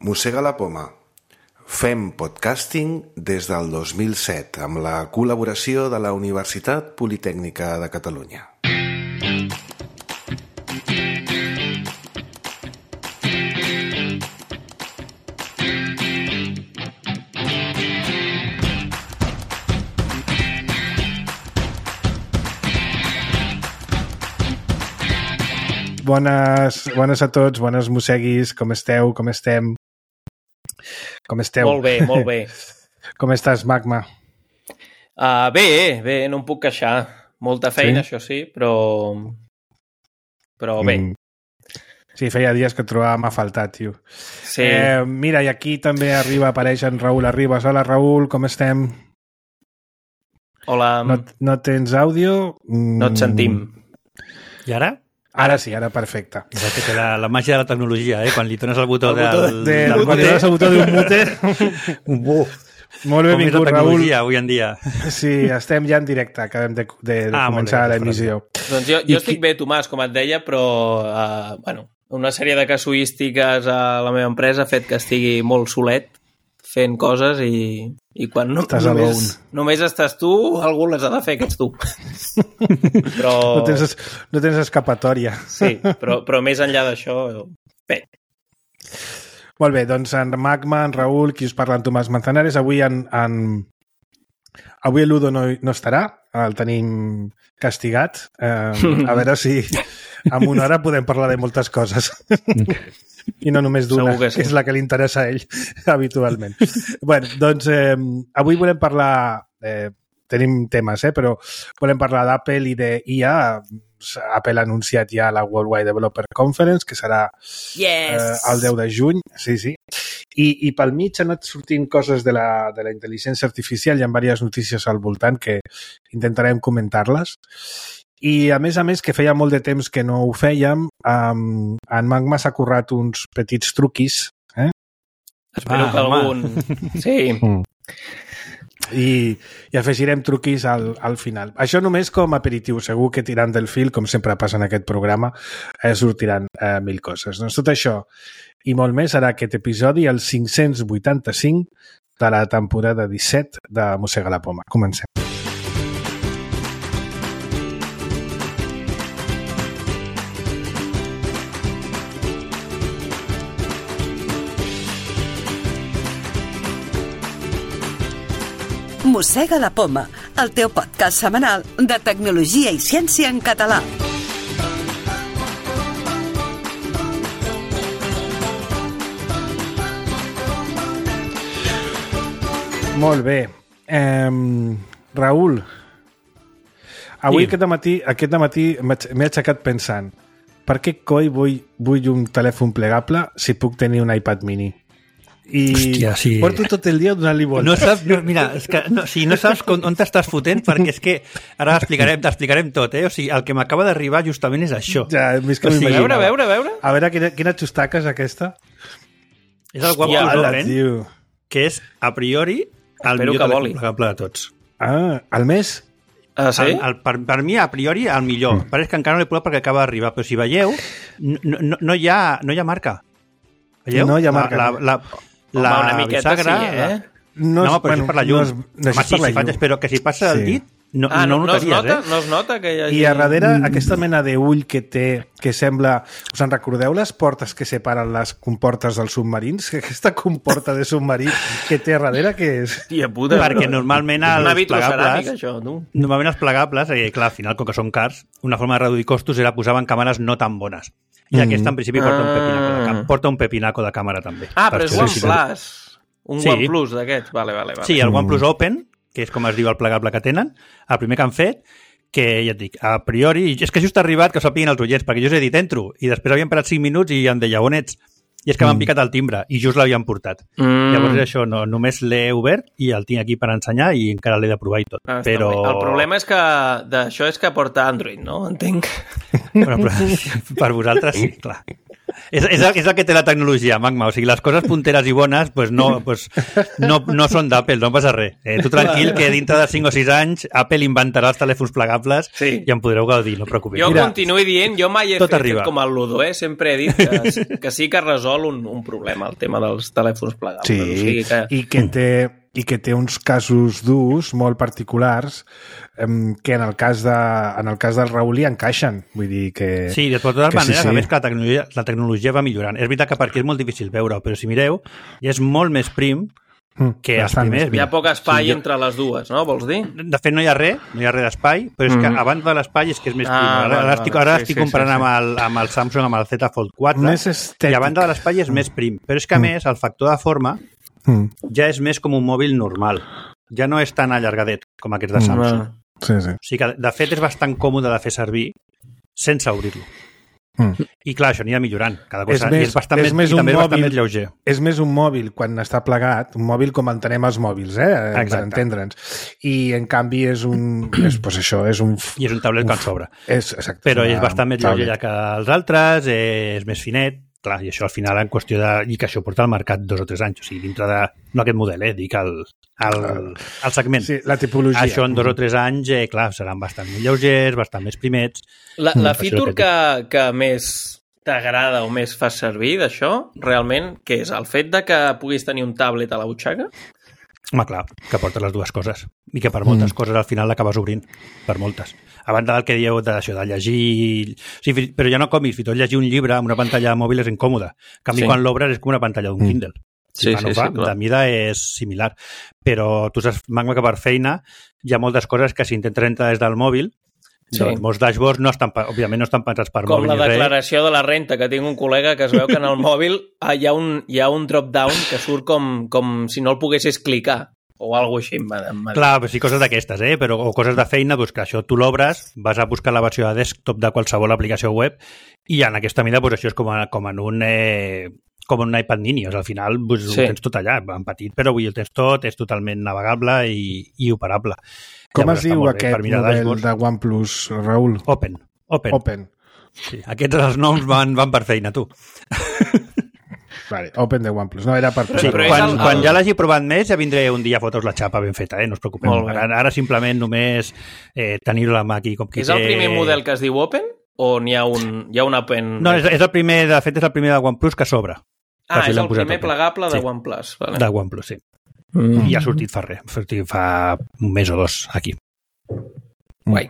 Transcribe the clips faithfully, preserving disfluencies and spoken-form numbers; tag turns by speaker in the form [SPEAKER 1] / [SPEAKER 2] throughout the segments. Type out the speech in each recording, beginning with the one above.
[SPEAKER 1] Mossega la poma. Fem podcasting des del dos mil set amb la col·laboració de la Universitat Politècnica de Catalunya.
[SPEAKER 2] Bones, bones a tots, bones mosseguis, com esteu, com estem? Com esteu?
[SPEAKER 3] Molt bé, molt bé.
[SPEAKER 2] Com estàs, Magma?
[SPEAKER 3] Uh, bé, bé, no em puc queixar. Molta feina, sí? Això sí, però... Però bé. Mm.
[SPEAKER 2] Sí, feia dies que et trobàvem a faltar, tio.
[SPEAKER 3] Sí.
[SPEAKER 2] Eh, mira, i aquí també arriba, apareix en Raül Arribas. Hola, Raül, com estem?
[SPEAKER 3] Hola.
[SPEAKER 2] No, no tens àudio?
[SPEAKER 3] No et sentim.
[SPEAKER 4] I ara?
[SPEAKER 2] Ara sí, ara perfecte.
[SPEAKER 4] Exacte, la, la màgia de la tecnologia, eh? Quan li dones el botó
[SPEAKER 2] el
[SPEAKER 4] del...
[SPEAKER 2] Botó de, del, del quan li dones el botó d'un mute...
[SPEAKER 4] Un buf.
[SPEAKER 2] Molt benvingut, Raül.
[SPEAKER 4] Com és la tecnologia avui en dia.
[SPEAKER 2] Sí, estem ja en directe, acabem de, de, de ah, començar l'emissió.
[SPEAKER 3] Doncs jo, jo estic qui... bé, Tomàs, com et deia, però uh, bueno, una sèrie de casuístiques a la meva empresa ha fet que estigui molt solet fent coses i, i quan no, només, només estàs tu, algú les ha de fer, que ets tu. Però...
[SPEAKER 2] No tens, no tens escapatòria.
[SPEAKER 3] Sí, però, però més enllà d'això, bé.
[SPEAKER 2] Molt bé, doncs en Magma, en Raül, qui us parla, en Tomàs Manzanares, avui en, en... avui l'Udo no, no estarà, el tenim castigat. Eh, a veure si en una hora podem parlar de moltes coses. I no només d'una, que, sí. que és la que li interessa a ell habitualment. Bueno, doncs eh, avui volem parlar, eh, tenim temes, eh, però volem parlar d'Apple i d'I A. Apple ha anunciat ja la Worldwide Developer Conference, que serà
[SPEAKER 3] yes.
[SPEAKER 2] eh, el deu de juny. Sí, sí. I, i pel mig han anat sortint coses de la, de la intel·ligència artificial, hi ha diverses notícies al voltant que intentarem comentar-les. I, a més a més, que feia molt de temps que no ho fèiem, um, en Magma s'ha currat uns petits truquis. Eh?
[SPEAKER 3] Espero ah, que algun... Sí.
[SPEAKER 2] Mm. I, I afegirem truquis al, al final. Això només com aperitiu. Segur que tirant del fil, com sempre passa en aquest programa, eh, sortiran eh, mil coses. Doncs tot això i molt més serà aquest episodi, el cinc-cents vuitanta-cinc de la temporada disset de Mossega la poma. Comencem.
[SPEAKER 5] Mossega la poma, el teu podcast setmanal de tecnologia i ciència en català.
[SPEAKER 2] Molt bé. Eh, Raül, avui sí. aquest matí, aquest matí m'he aixecat pensant per què coi vull, vull un telèfon plegable si puc tenir un iPad mini? I
[SPEAKER 4] hòstia, sí.
[SPEAKER 2] porto tot el dia donant-li voltes.
[SPEAKER 4] No saps, no, mira, és que no, si no saps on, on t'estàs fotent, perquè és que ara explicarem, t'explicarem tot, eh? O sigui, el que m'acaba d'arribar justament és això.
[SPEAKER 2] Ja, més que
[SPEAKER 3] o sigui, a veure, a veure, a veure.
[SPEAKER 2] A veure, quina, quina xustaca és aquesta?
[SPEAKER 4] És el OnePlus Open, que és, a priori, el
[SPEAKER 3] Espero
[SPEAKER 4] millor telèfon plegable de tots.
[SPEAKER 2] Ah, el més?
[SPEAKER 3] Ah, sí?
[SPEAKER 4] El, el, per, per mi, a priori, el millor. Mm. Pareix que encara no l'he provat perquè acaba d'arribar, però si veieu, no, no, no, hi ha, no hi ha marca. Veieu?
[SPEAKER 2] No hi ha marca.
[SPEAKER 4] La, la, la, la
[SPEAKER 3] Home, una miqueta
[SPEAKER 4] bisagra,
[SPEAKER 3] sí, eh?
[SPEAKER 4] No, no però bueno, és per la llum. No és,
[SPEAKER 2] no
[SPEAKER 4] Home, sí, si faig, però que si passa sí. el dit, no,
[SPEAKER 3] ah, no,
[SPEAKER 4] no,
[SPEAKER 3] no, es
[SPEAKER 4] notaries,
[SPEAKER 3] nota,
[SPEAKER 4] eh?
[SPEAKER 3] no es nota que hi hagi...
[SPEAKER 2] I a darrere, mm. aquesta mena d'ull que té, que sembla... Us en recordeu les portes que separen les comportes dels submarins? Aquesta comporta de submarí que té a darrere, què és?
[SPEAKER 3] Tia puta,
[SPEAKER 4] perquè però... normalment els plegables...
[SPEAKER 3] Això, no?
[SPEAKER 4] Normalment els plegables, eh, clar, al final, com que són cars, una forma de reduir costos era posar-en càmeres no tan bones. I mm. aquesta, en principi, porta un pepinaco de, cam... porta un pepinaco de càmera, també.
[SPEAKER 3] Ah, però és OnePlus. Un
[SPEAKER 4] sí.
[SPEAKER 3] OnePlus d'aquests, vale, vale, vale.
[SPEAKER 4] Sí, el OnePlus Open, que és com es diu el plegable que tenen, el primer que han fet, que ja et dic, a priori, és que just ha arribat que ho sapiguin els oients, perquè jo us he dit entro, i després havien parat cinc minuts i em deia, on ets? I és que m'han mm. picat el timbre, i just l'havien portat. Mm. Llavors això, no, només l'he obert i el tinc aquí per ensenyar i encara l'he de provar i tot. Ah, però...
[SPEAKER 3] El problema és que d'això és que porta Android, no? Entenc.
[SPEAKER 4] Bueno, però, per vosaltres sí, clar. És, és, el, és el que té la tecnologia, Magma. O sigui, les coses punteres i bones pues no, pues no, no són d'Apple, no passa res. Eh, tu tranquil, que dintre de cinc o sis anys Apple inventarà els telèfons plegables sí. i en podreu gaudir, no et preocupis.
[SPEAKER 3] Jo continuo dient, jo mai he
[SPEAKER 4] Tot
[SPEAKER 3] fet
[SPEAKER 4] arriba.
[SPEAKER 3] com el Ludo, eh? Sempre he dit que, que sí que resol un, un problema, el tema dels telèfons plegables.
[SPEAKER 2] Sí,
[SPEAKER 3] o sigui que...
[SPEAKER 2] i que té i que té uns casos d'ús molt particulars um, que en el cas de, en el cas del Raül hi encaixen. Vull dir que...
[SPEAKER 4] Sí, de totes maneres,
[SPEAKER 2] sí, sí.
[SPEAKER 4] a més que la tecnologia, la tecnologia va millorant. És veritat que per aquí és molt difícil veure-ho, però si mireu, ja és molt més prim que els primers.
[SPEAKER 3] Hi ha poc espai
[SPEAKER 4] sí, jo...
[SPEAKER 3] entre les dues, no? Vols dir?
[SPEAKER 4] De fet, no hi ha res, no hi ha res d'espai, però és que mm. abans de l'espai és que és més prim.
[SPEAKER 3] Ah,
[SPEAKER 4] ara
[SPEAKER 3] vale,
[SPEAKER 4] ara estic,
[SPEAKER 3] vale.
[SPEAKER 4] ara
[SPEAKER 3] Sí,
[SPEAKER 4] estic
[SPEAKER 3] sí,
[SPEAKER 4] comparant
[SPEAKER 3] sí, sí.
[SPEAKER 4] Amb, el, amb el Samsung, amb el Z Fold quatre,
[SPEAKER 2] més estètic.
[SPEAKER 4] i a banda de l'espai és mm. més prim. Però és que, a més, el factor de forma mm. ja és més com un mòbil normal. Ja no és tan allargadet com aquest de Samsung.
[SPEAKER 2] Mm. Sí, sí.
[SPEAKER 4] O sigui que, de fet, és bastant còmode de fer servir sense obrir-lo. Mm. I clar, això anirà millorant cada cosa.
[SPEAKER 2] És més,
[SPEAKER 4] I és bastant
[SPEAKER 2] és
[SPEAKER 4] més,
[SPEAKER 2] més
[SPEAKER 4] i
[SPEAKER 2] un
[SPEAKER 4] també
[SPEAKER 2] mòbil,
[SPEAKER 4] és bastant més lleuger.
[SPEAKER 2] És més un mòbil quan està plegat, un mòbil com entenem els mòbils, eh?
[SPEAKER 4] Exacte.
[SPEAKER 2] Per entendre'ns. I en canvi és un... és, pues això, és un...
[SPEAKER 4] I és un tablet que en sobra.
[SPEAKER 2] És, exacte,
[SPEAKER 4] però
[SPEAKER 2] una,
[SPEAKER 4] és bastant més lleuger que els altres, eh, és més finet, clar, i això al final en qüestió de... i que això porta al mercat dos o tres anys, o sigui, dintre de... no aquest model, eh, dic el, el, el segment.
[SPEAKER 2] Sí, la tipologia.
[SPEAKER 4] Això en dos o tres anys, eh, clar, seran bastant més lleugers, bastant més primets.
[SPEAKER 3] La, la feature que, que més t'agrada o més fas servir d'això, realment, què és? El fet de que puguis tenir un tablet a la butxaca?
[SPEAKER 4] Home, clar, que porta les dues coses. I que per moltes mm. coses al final l'acabes obrint. Per moltes. A banda del que dieu d'això, de llegir... Sí, però ja no còmics, fins i tot llegir un llibre amb una pantalla mòbil és incòmode. En canvi, sí. quan l'obres és com una pantalla d'un Kindle. Si
[SPEAKER 3] sí,
[SPEAKER 4] fa, no
[SPEAKER 3] sí,
[SPEAKER 4] fa,
[SPEAKER 3] sí, clar.
[SPEAKER 4] de mida és similar. Però tu saps, Magma, que per feina hi ha moltes coses que si intentes entrar des del mòbil, sí. doncs molts dashboards no estan, òbviament no estan pensats per
[SPEAKER 3] com
[SPEAKER 4] mòbil.
[SPEAKER 3] Com la declaració de la renta, que tinc un col·lega que es veu que en el mòbil hi ha un, hi ha un drop-down que surt com, com si no el poguessis clicar. O alguna cosa així.
[SPEAKER 4] Clar, sí, coses d'aquestes, eh? Però, o coses de feina, doncs que això tu l'obres, vas a buscar la versió de desktop de qualsevol aplicació web i en aquesta mida doncs, això és com, a, com en un... Eh, com en un iPad mini, o sigui, al final doncs, sí. ho tens tot allà, en petit, però avui el tens tot, és totalment navegable i, i operable.
[SPEAKER 2] Com
[SPEAKER 4] Llavors,
[SPEAKER 2] es diu aquest model dashboards. De OnePlus, Raül?
[SPEAKER 4] Open. Open.
[SPEAKER 2] Open.
[SPEAKER 4] Sí, aquests els noms van, van per feina, tu.
[SPEAKER 2] Vale, Open de OnePlus, no era per...
[SPEAKER 4] Sí, quan, el... quan ja l'hagi provat més ja vindré un dia a fotre-us la xapa ben feta, eh? No us preocupeu. Ara, ara simplement només eh, tenir-ho a la mà aquí com qui
[SPEAKER 3] És el primer model que es diu Open o n'hi ha un, hi ha un Open?
[SPEAKER 4] No, és, és el primer, de fet és el primer de OnePlus que s'obre.
[SPEAKER 3] Ah, és el primer plegable de sí. OnePlus. Vale.
[SPEAKER 4] De OnePlus, sí. Mm. I ha sortit fa res, ha sortit fa un mes o dos aquí.
[SPEAKER 3] Guai.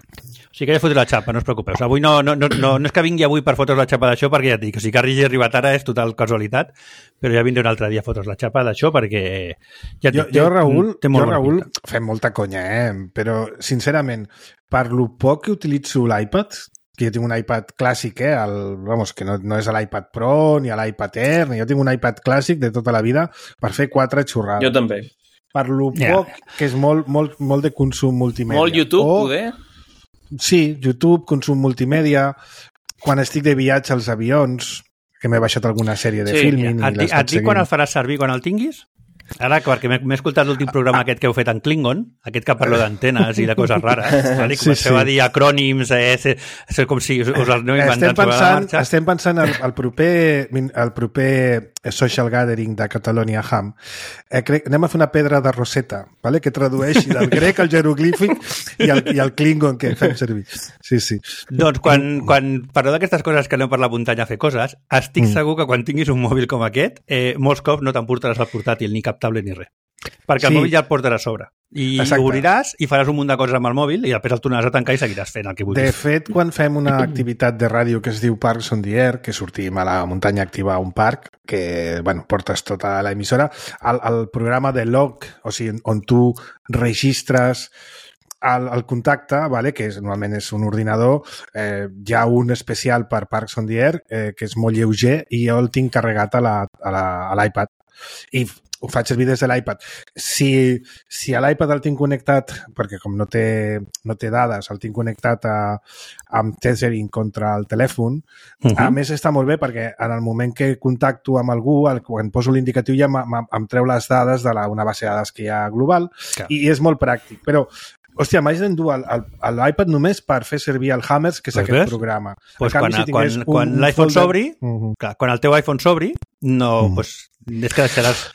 [SPEAKER 4] O sigui que ja fotré la xapa, no us preocupeu. Avui no, no, no, no, no és que vingui avui per fotre's la xapa d'això, perquè ja et dic, o sigui que hagi arribat ara és total casualitat, però ja vindré un altre dia a fotre's la xapa d'això, perquè ja
[SPEAKER 2] jo,
[SPEAKER 4] té,
[SPEAKER 2] jo, Raül,
[SPEAKER 4] té molt
[SPEAKER 2] jo, Raül,
[SPEAKER 4] pinta.
[SPEAKER 2] Fem molta conya, eh? Però, sincerament, per lo poc que utilitzo l'iPad, que jo tinc un iPad clàssic, eh? El, vamos, que no, no és l'iPad Pro, ni l'iPad Air, ni jo tinc un iPad clàssic de tota la vida per fer quatre xorrades.
[SPEAKER 3] Jo també.
[SPEAKER 2] Per lo poc, yeah. que és molt, molt, molt de consum multimèdia.
[SPEAKER 3] Molt YouTube,
[SPEAKER 2] o,
[SPEAKER 3] poder?
[SPEAKER 2] Sí, YouTube, consum multimèdia. Quan estic de viatge als avions, que m'he baixat alguna sèrie de
[SPEAKER 3] sí,
[SPEAKER 2] filming...
[SPEAKER 4] Et, et, et dic quan el faràs servir, quan el tinguis? Ara, perquè m'he escoltat l'últim programa aquest que heu fet en Klingon, aquest que parla d'antenes i de coses rares, vale? Comenceu sí, sí. a dir acrònims, eh? és, és com si us, us els aneu inventant sobre la marxa.
[SPEAKER 2] Estem pensant al, al, proper, al proper Social Gathering de Catalonia Ham. Eh, crec, anem a fer una pedra de Rosetta, vale? Que tradueixi del grec al jeroglífic i el, i el Klingon que fem servir. Sí, sí.
[SPEAKER 4] Doncs quan, quan parleu d'aquestes coses que aneu per la muntanya a fer coses, estic mm. segur que quan tinguis un mòbil com aquest, eh, molts cops no t'emportaràs el portàtil ni cap tablet ni res. Perquè el sí. mòbil ja el portaràs a sobre. I Exacte. Obriràs i faràs un munt de coses amb el mòbil i després el tornaràs a tancar i seguiràs fent el que vulguis.
[SPEAKER 2] De fet, quan fem una activitat de ràdio que es diu Parks on the Air, que sortim a la muntanya activa a un parc, que, bueno, portes tota l'emissora, el, el programa de log, o sigui, on tu registres el, el contacte, vale? Que és, normalment és un ordinador, eh, hi ha un especial per Parks on the Air, eh, que és molt lleuger, i jo el tinc carregat a l'iPad. I ho faig servir des de l'iPad. Si, si a l'iPad el tinc connectat, perquè com no té, no té dades, el tinc connectat a, amb tethering contra el telèfon, uh-huh. a més està molt bé perquè en el moment que contacto amb algú, el, quan poso l'indicatiu ja em treu les dades de la, una base de dades que hi ha global, clar. I és molt pràctic. Però hòstia, m'haig d'endur l'iPad només per fer servir el Hammers, que és
[SPEAKER 4] pues
[SPEAKER 2] aquest
[SPEAKER 4] ves?
[SPEAKER 2] programa.
[SPEAKER 4] Pues
[SPEAKER 2] canvi,
[SPEAKER 4] quan
[SPEAKER 2] si
[SPEAKER 4] quan,
[SPEAKER 2] un,
[SPEAKER 4] quan
[SPEAKER 2] un
[SPEAKER 4] l'iPhone
[SPEAKER 2] folder...
[SPEAKER 4] s'obri,
[SPEAKER 2] uh -huh.
[SPEAKER 4] clar, quan el teu iPhone s'obri, no,
[SPEAKER 2] Mm.
[SPEAKER 4] pues, és que deixaràs...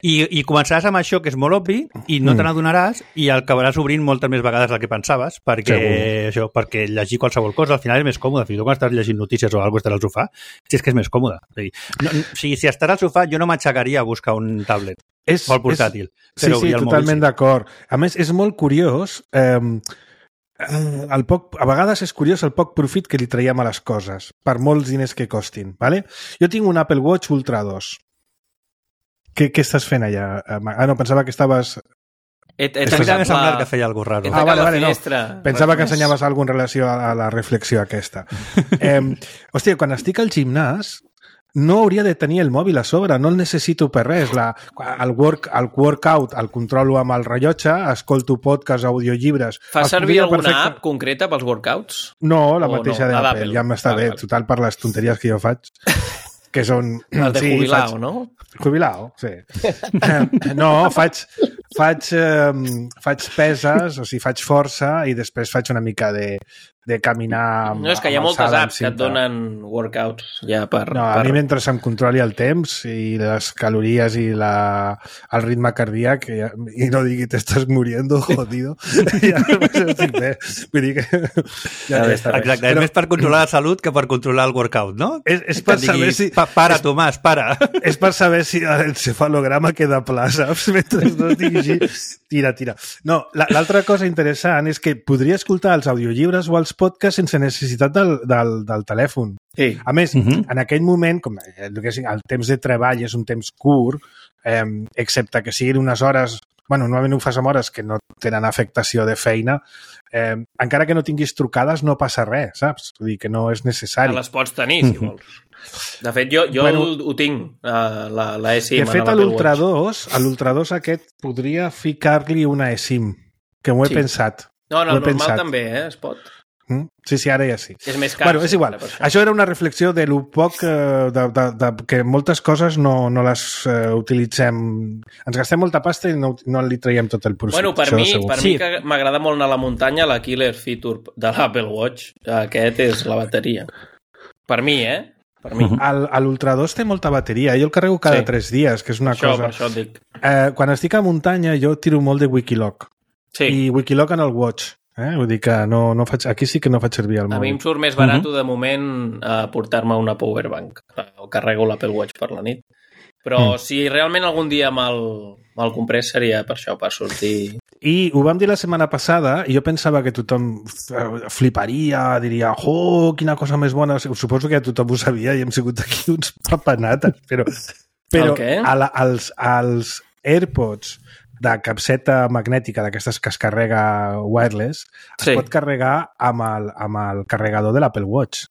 [SPEAKER 4] I, I començaràs amb això, que és molt obvi, i no
[SPEAKER 2] Mm.
[SPEAKER 4] te n'adonaràs, i el acabaràs obrint moltes més vegades del que pensaves, perquè,
[SPEAKER 2] Segur.
[SPEAKER 4] això, perquè llegir qualsevol cosa al final és més còmode. Fins i tot quan estàs llegint notícies o alguna cosa estàs al sofà, si és que és més còmode. O sigui, no, o sigui, si estàs al sofà, jo no m'aixecaria a buscar un tablet
[SPEAKER 2] És,
[SPEAKER 4] o el portàtil.
[SPEAKER 2] És,
[SPEAKER 4] però
[SPEAKER 2] sí, sí,
[SPEAKER 4] el
[SPEAKER 2] totalment
[SPEAKER 4] mòbil, sí.
[SPEAKER 2] d'acord. A més, és molt curiós... Eh, el poc, a vegades és curiós el poc profit que li traiem a les coses, per molts diners que costin. Vale? Jo tinc un Apple Watch Ultra dos. Què, què estàs fent allà? Ah, no, pensava que estaves...
[SPEAKER 3] He, he
[SPEAKER 4] A mi
[SPEAKER 3] tancat
[SPEAKER 4] també m'ha semblat
[SPEAKER 3] la-
[SPEAKER 4] que feia alguna cosa
[SPEAKER 3] he
[SPEAKER 4] raro.
[SPEAKER 2] Ah,
[SPEAKER 3] tancat
[SPEAKER 2] vale,
[SPEAKER 3] la
[SPEAKER 2] vale, no.
[SPEAKER 3] finestra.
[SPEAKER 2] Pensava que
[SPEAKER 3] Res.
[SPEAKER 2] ensenyaves alguna cosa en relació a, a la reflexió aquesta. Eh, hòstia, quan estic al gimnàs no hauria de tenir el mòbil a sobre, no el necessito per res. La, el, work, el workout el controlo amb el rellotge, escolto podcasts, audiollibres...
[SPEAKER 3] Fas
[SPEAKER 2] Els
[SPEAKER 3] servir
[SPEAKER 2] podria
[SPEAKER 3] alguna
[SPEAKER 2] perfecte-
[SPEAKER 3] app concreta pels workouts?
[SPEAKER 2] No, la
[SPEAKER 3] O
[SPEAKER 2] mateixa
[SPEAKER 3] no? La
[SPEAKER 2] d'Apple,
[SPEAKER 3] d'Apple.
[SPEAKER 2] ja m'està
[SPEAKER 3] Vale,
[SPEAKER 2] bé,
[SPEAKER 3] vale.
[SPEAKER 2] total per les tonteries que jo faig, que són...
[SPEAKER 3] El de
[SPEAKER 2] sí,
[SPEAKER 3] jubilao,
[SPEAKER 2] faig-
[SPEAKER 3] no?
[SPEAKER 2] Jubilao, sí. Eh, no, faig, faig, eh, faig peses, o sigui, faig força i després faig una mica de, de caminar amb,
[SPEAKER 3] No, és que hi ha
[SPEAKER 2] amb
[SPEAKER 3] moltes
[SPEAKER 2] alçada,
[SPEAKER 3] apps que et
[SPEAKER 2] amb cinta.
[SPEAKER 3] donen workouts ja per...
[SPEAKER 2] No, a
[SPEAKER 3] per...
[SPEAKER 2] mi mentre em controli el temps i les calories i la, el ritme cardíac i, i no digui te estàs muriendo, jodido, ja estic bé. Vull dir que ja està bé.
[SPEAKER 4] Exacte, és més per controlar la salut que per controlar el workout, no?
[SPEAKER 2] És, és
[SPEAKER 4] Que
[SPEAKER 2] per
[SPEAKER 4] et digui,
[SPEAKER 2] saber si...
[SPEAKER 4] "Pa- para, Tomàs, para.
[SPEAKER 2] És per saber si l'encefalograma queda pla, saps? Mentre no estigui així, tira, tira. No, la- l'altra cosa interessant és que podria escoltar els audiollibres o els podcasts sense necessitat del, del, del telèfon.
[SPEAKER 3] Sí.
[SPEAKER 2] A més,
[SPEAKER 4] Uh -huh.
[SPEAKER 2] en aquell moment, com el, el temps de treball és un temps curt, eh, excepte que siguin unes hores, bueno, normalment ho fas amb hores que no tenen afectació de feina, eh, encara que no tinguis trucades no passa res, saps? Vull dir que no és
[SPEAKER 3] Que
[SPEAKER 2] necessari.
[SPEAKER 3] les pots tenir, si vols. De fet, jo, jo
[SPEAKER 2] Bueno,
[SPEAKER 3] ho, ho tinc, uh, la, la eSIM.
[SPEAKER 2] De
[SPEAKER 3] en
[SPEAKER 2] fet, a
[SPEAKER 3] l'Apple
[SPEAKER 2] l'Ultra
[SPEAKER 3] Watch.
[SPEAKER 2] dos, a l'Ultra dos aquest, podria ficar-li una eSIM, que m'ho he
[SPEAKER 3] Sí.
[SPEAKER 2] pensat.
[SPEAKER 3] No, no,
[SPEAKER 2] ho he
[SPEAKER 3] normal
[SPEAKER 2] pensat.
[SPEAKER 3] també, eh? Es pot.
[SPEAKER 2] Mm? Sí, sí, ara ja sí.
[SPEAKER 3] És més car.
[SPEAKER 2] Bueno, és igual.
[SPEAKER 3] per això.
[SPEAKER 2] Això era una reflexió de lo poc eh, de, de, de, que moltes coses no, no les eh, utilitzem. Ens gastem molta pasta i no, no li traiem tot el profit.
[SPEAKER 3] Bueno, per
[SPEAKER 2] això
[SPEAKER 3] mi,
[SPEAKER 2] segur.
[SPEAKER 3] per
[SPEAKER 4] Sí.
[SPEAKER 3] mi que m'agrada molt anar a la muntanya, la killer feature de l'Apple Watch, aquest és la bateria. Per mi, eh? Per mi.
[SPEAKER 4] Mhm.
[SPEAKER 2] El- a l'Ultra dos té molta bateria. Jo el carrego cada
[SPEAKER 3] Sí.
[SPEAKER 2] tres dies, que és una
[SPEAKER 3] Això,
[SPEAKER 2] cosa...
[SPEAKER 3] per això et dic.
[SPEAKER 2] Eh, quan estic a muntanya jo tiro molt de Wikiloc.
[SPEAKER 3] Sí,
[SPEAKER 2] I Wikiloc en el Watch. Eh? Vull dir que no, no faig, aquí sí que no faig servir el
[SPEAKER 3] a mi
[SPEAKER 2] mòbil.
[SPEAKER 3] em surt més barat de moment uh, portar-me una powerbank. O carrego l'Apple Watch per la nit. Però
[SPEAKER 2] Mm.
[SPEAKER 3] si realment algun dia me'l me comprés seria per això, per sortir...
[SPEAKER 2] I ho vam dir la setmana passada i jo pensava que tothom f- fliparia, diria, oh, quina cosa més bona. Suposo que ja tothom ho sabia i hem sigut aquí uns papanates, però, però
[SPEAKER 3] El què?
[SPEAKER 2] a la, als, als AirPods de capseta magnètica d'aquestes que es carrega wireless, es
[SPEAKER 3] Sí.
[SPEAKER 2] pot carregar amb el, amb el carregador de l'Apple Watch.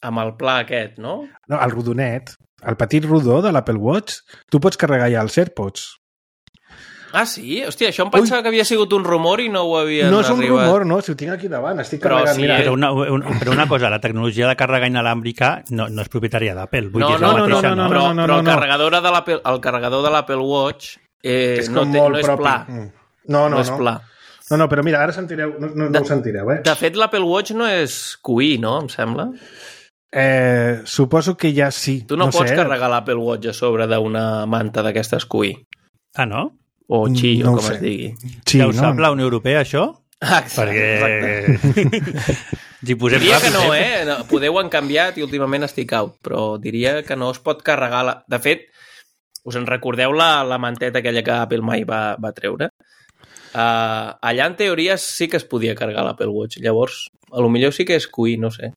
[SPEAKER 3] Amb el pla aquest, no?
[SPEAKER 2] No, el rodonet, el petit rodó de l'Apple Watch, tu pots carregar ja els AirPods.
[SPEAKER 3] Ah, sí? Hòstia, això em pensava Ui. que havia sigut un rumor i no ho havien
[SPEAKER 2] No és un
[SPEAKER 3] arribat.
[SPEAKER 2] rumor, no, si ho tinc aquí davant, estic
[SPEAKER 3] Però
[SPEAKER 2] carregant,
[SPEAKER 3] sí,
[SPEAKER 2] mira.
[SPEAKER 3] eh?
[SPEAKER 4] Però una, un, però una cosa, la tecnologia de càrrega inalàmbrica no, no és propietària d'Apple. Vull
[SPEAKER 3] No,
[SPEAKER 4] dir, és
[SPEAKER 3] no,
[SPEAKER 4] la
[SPEAKER 3] no, no,
[SPEAKER 4] mateixa,
[SPEAKER 3] no,
[SPEAKER 2] no,
[SPEAKER 3] però,
[SPEAKER 2] no, no,
[SPEAKER 3] però el,
[SPEAKER 2] no.
[SPEAKER 3] carregador de l'Apple, el carregador de l'Apple Watch eh,
[SPEAKER 2] és
[SPEAKER 3] no,
[SPEAKER 2] com
[SPEAKER 3] té,
[SPEAKER 2] molt
[SPEAKER 3] no és
[SPEAKER 2] propi.
[SPEAKER 3] pla.
[SPEAKER 2] Mm. No, no,
[SPEAKER 3] no és
[SPEAKER 2] no.
[SPEAKER 3] pla.
[SPEAKER 2] No, no, però mira, ara sentireu, no, no, no ho sentireu, eh?
[SPEAKER 3] De fet, l'Apple Watch no és Q I, no? Em sembla.
[SPEAKER 2] eh suposo que ja sí.
[SPEAKER 3] Tu no,
[SPEAKER 2] no
[SPEAKER 3] pots
[SPEAKER 2] sé.
[SPEAKER 3] carregar l'Apple Watch a sobre d'una manta d'aquestes Q I.
[SPEAKER 4] Ah, no?
[SPEAKER 3] O Qi,
[SPEAKER 2] No
[SPEAKER 3] o
[SPEAKER 2] ho
[SPEAKER 3] com
[SPEAKER 2] sé.
[SPEAKER 3] es digui.
[SPEAKER 2] Sí,
[SPEAKER 4] Ja ho
[SPEAKER 2] no?
[SPEAKER 4] sap la Unió Europea, això?
[SPEAKER 3] Ah, exacte.
[SPEAKER 4] Perquè... si posem
[SPEAKER 3] Diria que
[SPEAKER 4] ràpid,
[SPEAKER 3] no, eh? No, podeu han canviat i últimament estic out, però diria que no es pot carregar... La... De fet, us en recordeu la, la manteta aquella que Apple mai va, va treure? Uh, allà, en teoria, sí que es podia carregar l'Apple Watch. Llavors, a lo millor sí que és Q I, no sé.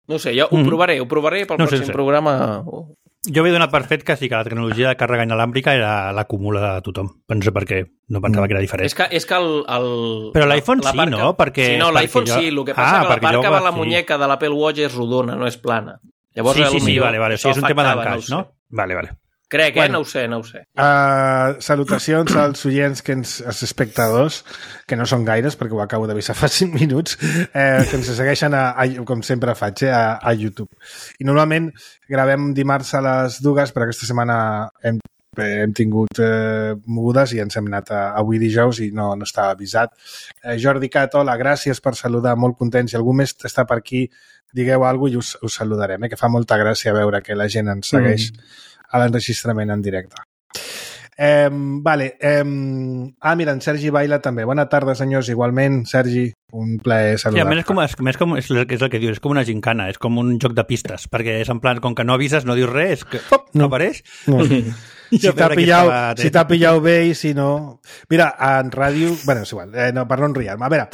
[SPEAKER 3] No sé, jo ho
[SPEAKER 4] Mhm.
[SPEAKER 3] provaré, ho provaré pel
[SPEAKER 4] No sé,
[SPEAKER 3] pròxim
[SPEAKER 4] sí.
[SPEAKER 3] programa. Oh.
[SPEAKER 4] Jo havia donat per fet que sí que la tecnologia de càrrega inalàmbrica era l'acumula de tothom. No sé per què, no pensava que era diferent.
[SPEAKER 3] És que, és que el, el,
[SPEAKER 4] Però l'iPhone
[SPEAKER 3] la
[SPEAKER 4] sí,
[SPEAKER 3] part
[SPEAKER 4] no? Perquè-
[SPEAKER 3] sí, no, l'iPhone
[SPEAKER 4] perquè jo-
[SPEAKER 3] sí. El que
[SPEAKER 4] Ah,
[SPEAKER 3] passa que la
[SPEAKER 4] perquè
[SPEAKER 3] part
[SPEAKER 4] jo
[SPEAKER 3] que va a la
[SPEAKER 4] sí.
[SPEAKER 3] muñeca de l'Apple Watch és rodona, no és plana. Llavors,
[SPEAKER 4] sí, sí, sí,
[SPEAKER 3] potser
[SPEAKER 4] vale, vale. O sigui, és un
[SPEAKER 3] això
[SPEAKER 4] tema
[SPEAKER 3] afectava,
[SPEAKER 4] d'encaix,
[SPEAKER 3] no
[SPEAKER 4] no?
[SPEAKER 3] ho sé.
[SPEAKER 4] Vale, vale.
[SPEAKER 3] Crec, eh?
[SPEAKER 2] Bueno.
[SPEAKER 3] No ho sé, no ho sé.
[SPEAKER 2] Uh, salutacions als oients, que ens, als espectadors, que no són gaires, perquè ho acabo d'avisar fa cinc minuts, eh, que ens segueixen, a, a, com sempre faig, eh, a, a YouTube. I normalment gravem dimarts a les dues, però aquesta setmana hem hem tingut eh, mogudes i ens hem anat a, avui dijous i no, no estava avisat. Eh, Jordi Cat, hola, gràcies per saludar, molt content. Si algú més està per aquí, digueu alguna cosa i us, us saludarem, eh, que fa molta gràcia veure que la gent ens segueix mm. a l'enregistrament en directe. Eh, vale, eh, ah, mira, en Sergi Baila també. Bona tarda, senyors, igualment, Sergi, un plaer saludar.
[SPEAKER 4] Sí, a més, és, com, és, més com, és, és el que dius, és com una gincana, és com un joc de pistes, perquè és en plan, com que no avises, no dius res, que pop, no apareix. No.
[SPEAKER 2] Si t'ha pillat, si t'ha pillat bé i si no... Mira, en ràdio... Bé, és igual, eh, no, per no enriar-me. A veure,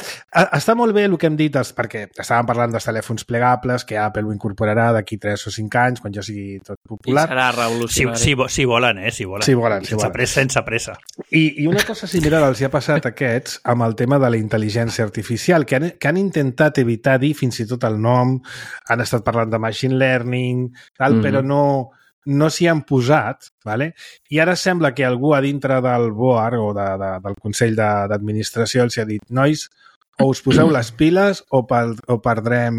[SPEAKER 2] està molt bé el que hem dit, perquè estàvem parlant dels telèfons plegables, que Apple ho incorporarà d'aquí tres o cinc anys, quan ja sigui tot popular.
[SPEAKER 3] I serà revolucionari.
[SPEAKER 4] Si, si, si volen, eh? Si volen.
[SPEAKER 2] Si volen, si
[SPEAKER 4] sense
[SPEAKER 2] volen.
[SPEAKER 4] Pressa, sense pressa.
[SPEAKER 2] I, I una cosa similar els hi ha passat a aquests amb el tema de la intel·ligència artificial, que han, que han intentat evitar dir fins i tot el nom, han estat parlant de machine learning, tal, mm-hmm. però no... no s'hi han posat, vale? I ara sembla que algú a dintre del board o de, de, del Consell d'Administració els ha dit, nois, o us poseu les piles o, per, o perdrem,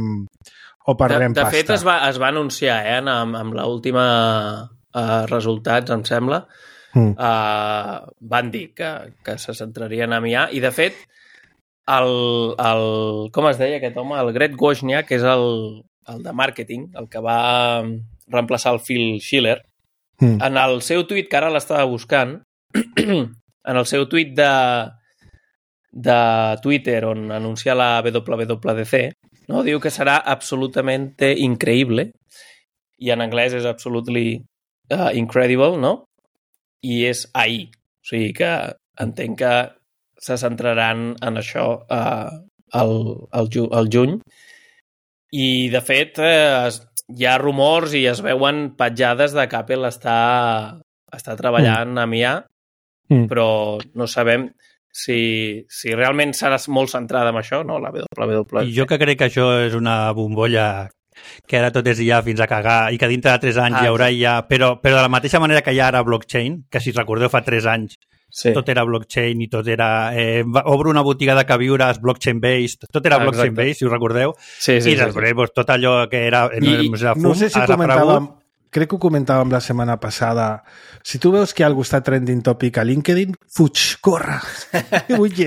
[SPEAKER 2] o perdrem
[SPEAKER 3] de, de
[SPEAKER 2] pasta.
[SPEAKER 3] De fet, es va, es va anunciar eh, amb, amb l'última uh, resultats, em sembla, mm. uh, van dir que, que se centrarien en I A, i de fet, el, el, com es deia aquest home? El Greg Wozniak, que és el, el de màrqueting, el que va reemplaçar el Phil Schiller, mm. en el seu tuit, que ara l'estava buscant, en el seu tuit de, de Twitter, on anuncia la W W D C, no? Diu que serà absolutamente increïble, i en anglès és absolutely uh, incredible, no? I és ahir. O sigui que entenc que se centraran en això uh, el, el, ju el juny. I, de fet, eh, es, hi ha rumors i es veuen petjades de que Apple està, està treballant mm. amb I A, mm. però no sabem si, si realment serà molt centrada en això, no? La W W D C.
[SPEAKER 4] I jo que crec que això és una bombolla que ara tot és I A fins a cagar i que dintre de tres anys ah, hi haurà I A, però, però de la mateixa manera que hi ha ara blockchain, que si recordeu fa tres anys sí. tot era blockchain i tot era... Eh, obro una botiga de queviures blockchain-based, tot era blockchain-based, si us recordeu,
[SPEAKER 3] sí, sí,
[SPEAKER 4] i després sí, pues, tot allò que era...
[SPEAKER 2] I, no, era fum, no sé si comentàvem, crec que ho comentàvem la setmana passada, si tu veus que algú està trending topic a LinkedIn, fuig, corre.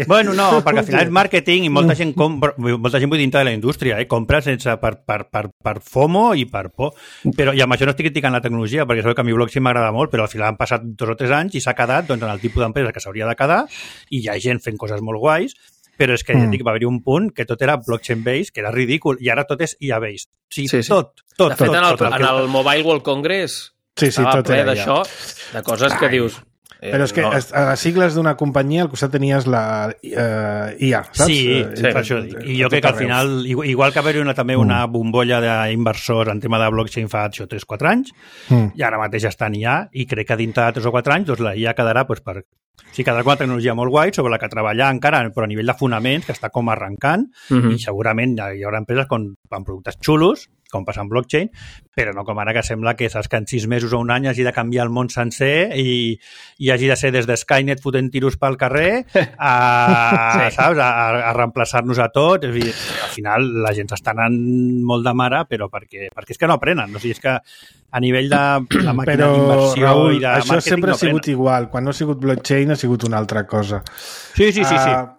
[SPEAKER 4] Bueno, no, perquè al final és màrqueting i molta gent compra, molta gent vull dintre de la indústria, eh? Compra sense per, per, per, per FOMO i per por. Però, i amb això no estic criticant la tecnologia, perquè sabeu que a mi blockchain m'agrada molt, però al final han passat dos o tres anys i s'ha quedat doncs, en el tipus d'empresa que s'hauria de quedar i hi ha gent fent coses molt guais, però és que mm. ja dic, va haver-hi un punt que tot era blockchain-based, que era ridícul, i ara tot és I A-based. O sigui, sí, sí. tot, tot.
[SPEAKER 3] De fet,
[SPEAKER 4] tot,
[SPEAKER 3] en el,
[SPEAKER 4] tot,
[SPEAKER 3] en el Mobile World Congress
[SPEAKER 2] sí, sí,
[SPEAKER 3] estava
[SPEAKER 2] tot
[SPEAKER 3] ple d'això, de coses Ai. que dius...
[SPEAKER 2] Eh, però és que no. a les sigles d'una companyia al costat tenies la eh, I A, saps?
[SPEAKER 4] Sí, sí, per això dic. I jo crec que al final, igual que haver-hi una, també una bombolla d'inversors en tema de blockchain fa tres o quatre anys, mm. i ara mateix està en I A, i crec que dintre de tres o quatre anys doncs, la I A quedarà doncs, per... Sí, quedarà com una tecnologia molt guai sobre la que treballar encara, però a nivell de fonaments, que està com arrencant, mm-hmm. i segurament hi haurà empreses con, amb productes xulos, com passa en blockchain, però no com ara que sembla que saps que en sis mesos o un any hagi de canviar el món sencer i, i hagi de ser des de Skynet fotent tiros pel carrer a, sí. saps, a, a reemplaçar-nos a tots. És a dir, al final la gent s'està anant molt de mare, però perquè, perquè és que no aprenen. O sigui, és que a nivell de la màquina d'inversió i de
[SPEAKER 2] això
[SPEAKER 4] màrqueting
[SPEAKER 2] sempre
[SPEAKER 4] no
[SPEAKER 2] ha sigut igual. Quan no ha sigut blockchain ha sigut una altra cosa.
[SPEAKER 4] Sí, sí, sí, sí.
[SPEAKER 2] Uh,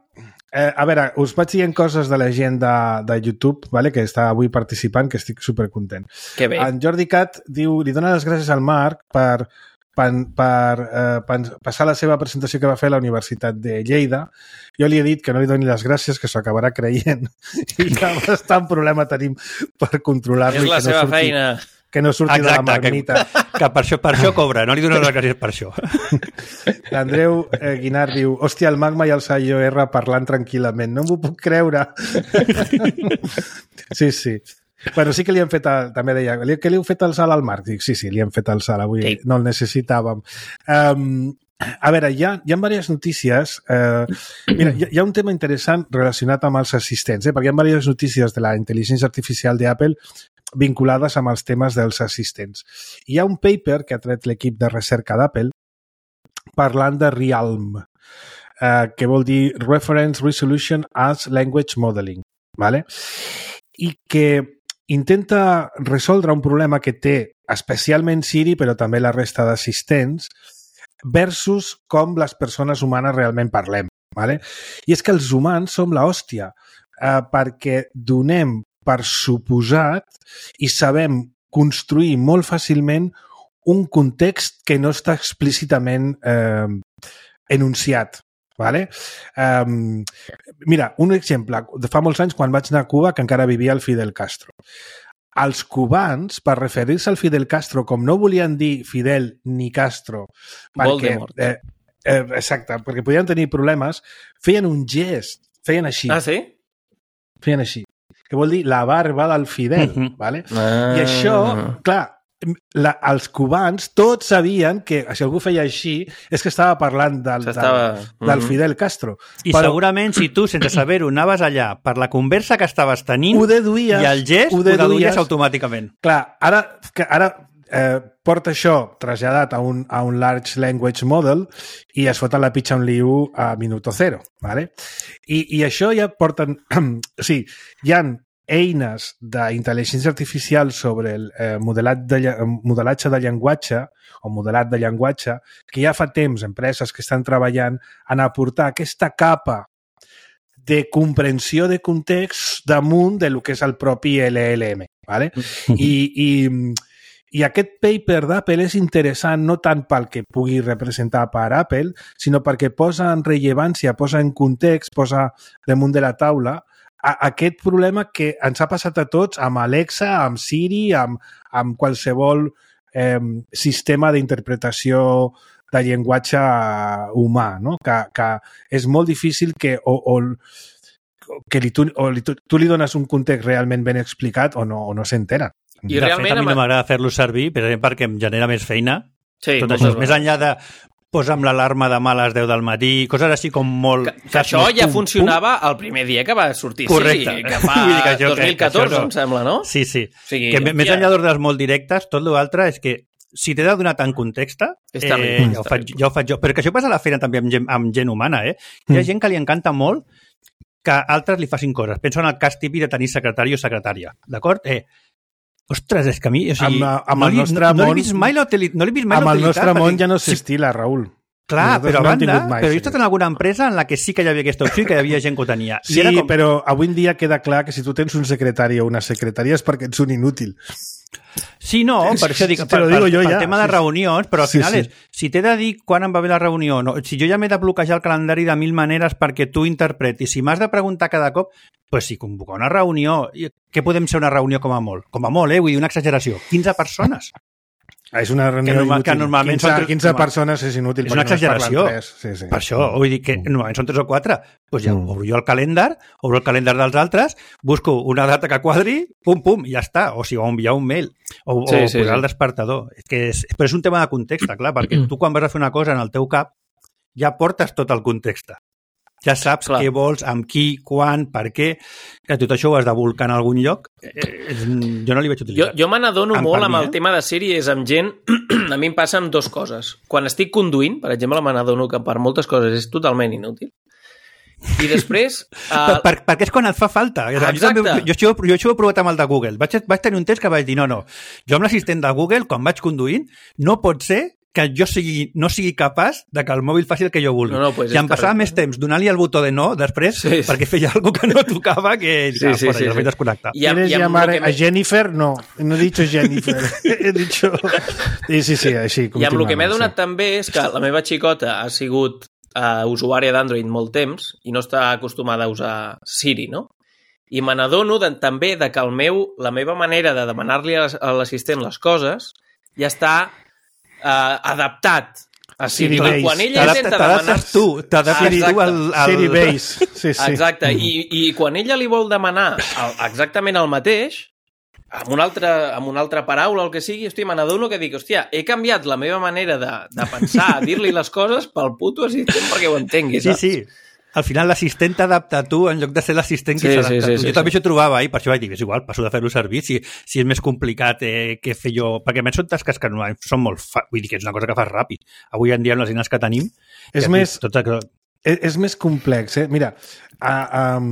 [SPEAKER 2] Eh, a veure, us vaig dient coses de la gent de, de YouTube, vale? Que està avui participant, que estic supercontent.
[SPEAKER 3] Que bé.
[SPEAKER 2] En Jordi Cat diu, li dona les gràcies al Marc per, per, per eh, passar la seva presentació que va fer a la Universitat de Lleida. Jo li he dit que no li doni les gràcies, que s'ho acabarà creient. I que bastant problema tenim per controlar-lo.
[SPEAKER 3] És la seva no surti... feina.
[SPEAKER 2] Que no surti Exacte, de la marmita.
[SPEAKER 4] Que, que per, això, per això cobra, no li dono les gràcies per això.
[SPEAKER 2] L'Andreu eh, Guinart diu, hòstia, el Magma i el Sayo R parlant tranquil·lament, no m'ho puc creure. Sí, sí. Bueno, sí que li hem fet, el, també deia, que li heu fet el salt al Marc? Dic, sí, sí, li hem fet el salt avui, sí. No el necessitàvem. Um, a veure, hi ha, hi ha diverses notícies. Uh, mira, hi ha, hi ha un tema interessant relacionat amb els assistents, eh? Perquè hi ha diverses notícies de la intel·ligència artificial d'Apple vinculades amb els temes dels assistents. Hi ha un paper que ha tret l'equip de recerca d'Apple parlant de Realm, eh, que vol dir Reference Resolution as Language Modeling, ¿vale? I que intenta resoldre un problema que té especialment Siri, però també la resta d'assistents, versus com les persones humanes realment parlem. Vale? I és que els humans som l'hòstia, eh, perquè donem per suposat i sabem construir molt fàcilment un context que no està explícitament eh, enunciat. Vale? Um, mira, un exemple. De fa molts anys, quan vaig anar a Cuba, que encara vivia el Fidel Castro. Els cubans, per referir-se al Fidel Castro, com no volien dir Fidel ni Castro, perquè, eh, eh, exacte, perquè podien tenir problemes, feien un gest, feien així.
[SPEAKER 3] Ah, sí?
[SPEAKER 2] Feien així. Que vol dir la barba del Fidel. Uh-huh. Vale? Ah. I això, clar, La, els cubans tots sabien que si algú feia així és que estava parlant del, del, del Fidel Castro.
[SPEAKER 4] I però, segurament si tu, sense saber-ho, anaves allà per la conversa que estaves tenint
[SPEAKER 2] ho deduïes,
[SPEAKER 4] i el gest ho deduïes, ho deduïes automàticament.
[SPEAKER 2] Clar, ara, que ara eh, porta això traslladat a un, a un Large Language Model i es foten la pitxa un liu a minuto zero. Vale? I, I això ja porten... o sigui, hi ha eines d'intel·ligència artificial sobre el eh, modelat de, modelatge de llenguatge o modelat de llenguatge que ja fa temps empreses que estan treballant en aportar aquesta capa de comprensió de context damunt de lo que és el propi L L M. Vale? I, i, I aquest paper d'Apple és interessant no tant pel que pugui representar per Apple, sinó perquè posa en rellevància, posa en context, posa damunt de la taula a aquest problema que ens ha passat a tots amb Alexa, amb Siri, amb, amb qualsevol eh, sistema d'interpretació de llenguatge humà, no? que, que és molt difícil que, o, o, que li, tu, o li, tu, tu li dones un context realment ben explicat o no, o no s'entera.
[SPEAKER 4] I de realment, fet, a mi no m'agrada fer-lo servir, per exemple, perquè em genera més feina. Sí, tot això, més enllà de posa'm l'alarma demà a les deu del matí, coses així com molt...
[SPEAKER 3] Que, que això ja pum, funcionava pum. El primer dia que va sortir.
[SPEAKER 4] Correcte.
[SPEAKER 3] Sí, que fa que això, dos mil catorze, que no. Em sembla, no?
[SPEAKER 4] Sí, sí. O sigui, que més enllà d'ordres molt directes, tot l'altre és que si t'he de donar tant context, eh, ja, ho faig, ja ho faig jo. Però que això passa a la feina també amb gent, amb gent humana, eh? Hi ha gent que li encanta molt que altres li facin coses. Penso en el cas típic de tenir secretari o secretària, d'acord? Eh, Ostres, és que a mi... O sigui,
[SPEAKER 2] amb, amb
[SPEAKER 4] no,
[SPEAKER 2] el
[SPEAKER 4] li,
[SPEAKER 2] nostre
[SPEAKER 4] no,
[SPEAKER 2] món...
[SPEAKER 4] No l'he vist mai l'utilitat. No
[SPEAKER 2] amb el nostre món perquè... ja no s'estila, Raül.
[SPEAKER 4] Clar, nosaltres però a banda, no mai, però he estat en alguna empresa en la que sí que hi havia aquesta opció i que hi havia gent que ho tenia. I
[SPEAKER 2] sí,
[SPEAKER 4] com...
[SPEAKER 2] però avui en dia queda clar que si tu tens un secretari o una secretària és perquè ets un inútil.
[SPEAKER 4] Sí, no, per això dic, per, per, per ja. tema de reunions, però al final sí, sí. és, si t'he de dir quan em va bé la reunió, no, si jo ja m'he de bloquejar el calendari de mil maneres perquè tu interpretis, si m'has de preguntar cada cop, pues si convocar una reunió, què podem ser una reunió com a molt? Com a molt, eh? Vull dir, una exageració. quinze persones.
[SPEAKER 2] Ah, és una reunió
[SPEAKER 4] que, normal,
[SPEAKER 2] inútil.
[SPEAKER 4] Que normalment
[SPEAKER 2] quinze,
[SPEAKER 4] són tres,
[SPEAKER 2] quinze persones és inútil.
[SPEAKER 4] És una exageració.
[SPEAKER 2] No sí, sí.
[SPEAKER 4] Per això, vull dir que normalment són tres o quatre. Doncs ja mm. obro jo el calendar, obro el calendar dels altres, busco una data que quadri, pum, pum, i ja està. O si sigui, o enviar un mail, o, sí, o sí, posar sí. el despertador. És que és, però és un tema de context, clar, perquè tu quan vas a fer una cosa en el teu cap ja portes tot el context. Ja saps clar. Què vols, amb qui, quan, per què, que tot això ho has de volcar en algun lloc. Eh, jo no li vaig utilitzar.
[SPEAKER 3] Jo, jo me n'adono molt amb el eh? tema de sèries, amb gent... A mi em passen dues coses. Quan estic conduint, per exemple, me n'adono que per moltes coses és totalment inútil. I després...
[SPEAKER 4] Uh... Per, per, perquè és quan et fa falta.
[SPEAKER 3] Exacte.
[SPEAKER 4] Jo, jo, jo, jo això ho he provat amb el de Google. Vaig, vaig tenir un test que vaig dir, no, no, jo amb l'assistent de Google, quan vaig conduint, no pot ser que jo sigui, no sigui capaç de que el mòbil faci el que jo vulgui. No, no, pues I em passava més temps donant-li el botó de no després sí, sí. perquè feia alguna cosa que no tocava que sí, ah, sí, fora, sí, ja sí. desconnectar.
[SPEAKER 2] ¿Quieres llamar a Jennifer? No, no he dicho Jennifer. He dicho... Sí, sí, sí, així.
[SPEAKER 3] I amb el que m'he donat sí. també és que la meva xicota ha sigut uh, usuària d'Android molt temps i no està acostumada a usar Siri, no? I me n'adono de, també de que el meu, la meva manera de demanar-li a l'assistent les coses ja està Uh, adaptat a Siri.
[SPEAKER 2] Siri
[SPEAKER 3] quan ella intenta demanar...
[SPEAKER 4] T'adaptes tu, t'adaptes tu al... al...
[SPEAKER 2] Siri Base. Sí, sí.
[SPEAKER 3] Exacte, I, i quan ella li vol demanar el, exactament el mateix, amb una, altra, amb una altra paraula, el que sigui, hòstia, me n'adono que dic, hòstia, he canviat la meva manera de, de pensar, a dir-li les coses pel puto assistent perquè ho entengui, saps?
[SPEAKER 4] Sí, sí. Al final l'assistent t'adapta a tu en lloc de ser l'assistent que
[SPEAKER 3] sí,
[SPEAKER 4] s'adapta
[SPEAKER 3] sí, sí,
[SPEAKER 4] a tu.
[SPEAKER 3] sí,
[SPEAKER 4] jo
[SPEAKER 3] sí.
[SPEAKER 4] també això trobava i per això vaig dir, és igual, passo de fer-lo servir si, si és més complicat eh, que fer jo... Perquè a més són tasques que no, són molt... Fa... Vull dir que és una cosa que fas ràpid. Avui en dia amb les eines que tenim...
[SPEAKER 2] És,
[SPEAKER 4] que
[SPEAKER 2] més,
[SPEAKER 4] tot...
[SPEAKER 2] és, és més complex, eh? Mira, uh, um,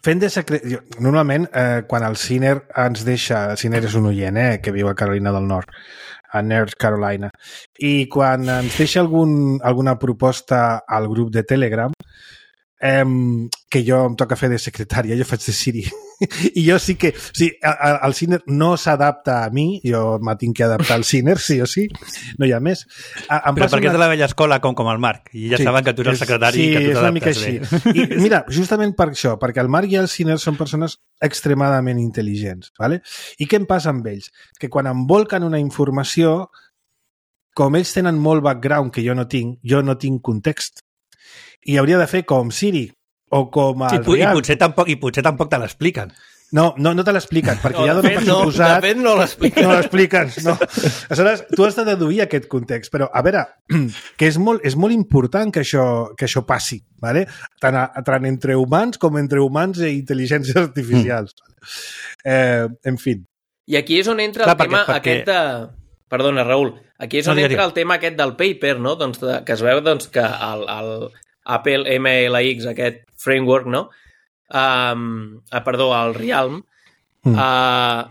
[SPEAKER 2] Fent de secret... Normalment, eh, quan el Ciner ens deixa... El Ciner és un oient, eh, que viu a Carolina del Nord, a North Carolina. I quan ens deixa algun, alguna proposta al grup de Telegram, eh, que jo em toca fer de secretària, jo faig de Siri. I jo sí que... O sigui, el Ciner no s'adapta a mi, jo m'ha tinc que adaptar al Ciner, sí o sí, no hi ha més. Em
[SPEAKER 4] Però perquè
[SPEAKER 2] una...
[SPEAKER 4] és de la vella escola com, com el Marc, i ja sí, saben que tu eres el secretari
[SPEAKER 2] sí,
[SPEAKER 4] i que tu
[SPEAKER 2] t'adaptes bé. Sí, és una mica així. I mira, justament per això, perquè el Marc i el Ciner són persones extremadament intel·ligents, ¿vale? I què em passa amb ells? Que quan em volquen una informació, com ells tenen molt background que jo no tinc, jo no tinc context. I hauria de fer com Siri, o com el
[SPEAKER 4] sí, i, potser tampoc, I potser tampoc te l'expliquen.
[SPEAKER 2] No, no, no te l'expliquen, perquè
[SPEAKER 3] no,
[SPEAKER 2] ja dono per suposat...
[SPEAKER 3] No, de fet no l'expliquen.
[SPEAKER 2] No l'expliquen, no. Aleshores, tu has de deduir aquest context, però, a veure, que és molt, és molt important que això, que això passi, ¿vale? tant, a, tant entre humans com entre humans i intel·ligències artificials. Mm. Eh, en fi.
[SPEAKER 3] I aquí és on entra
[SPEAKER 4] Clar,
[SPEAKER 3] el tema
[SPEAKER 4] perquè, perquè...
[SPEAKER 3] aquest de... Perdona, Raül. Aquí és on no, entra el tema aquest del paper, no? Doncs de, que es veu doncs, que el, el Apple M L X, aquest framework, no? Um, ah, perdó, el Realm, mm. uh,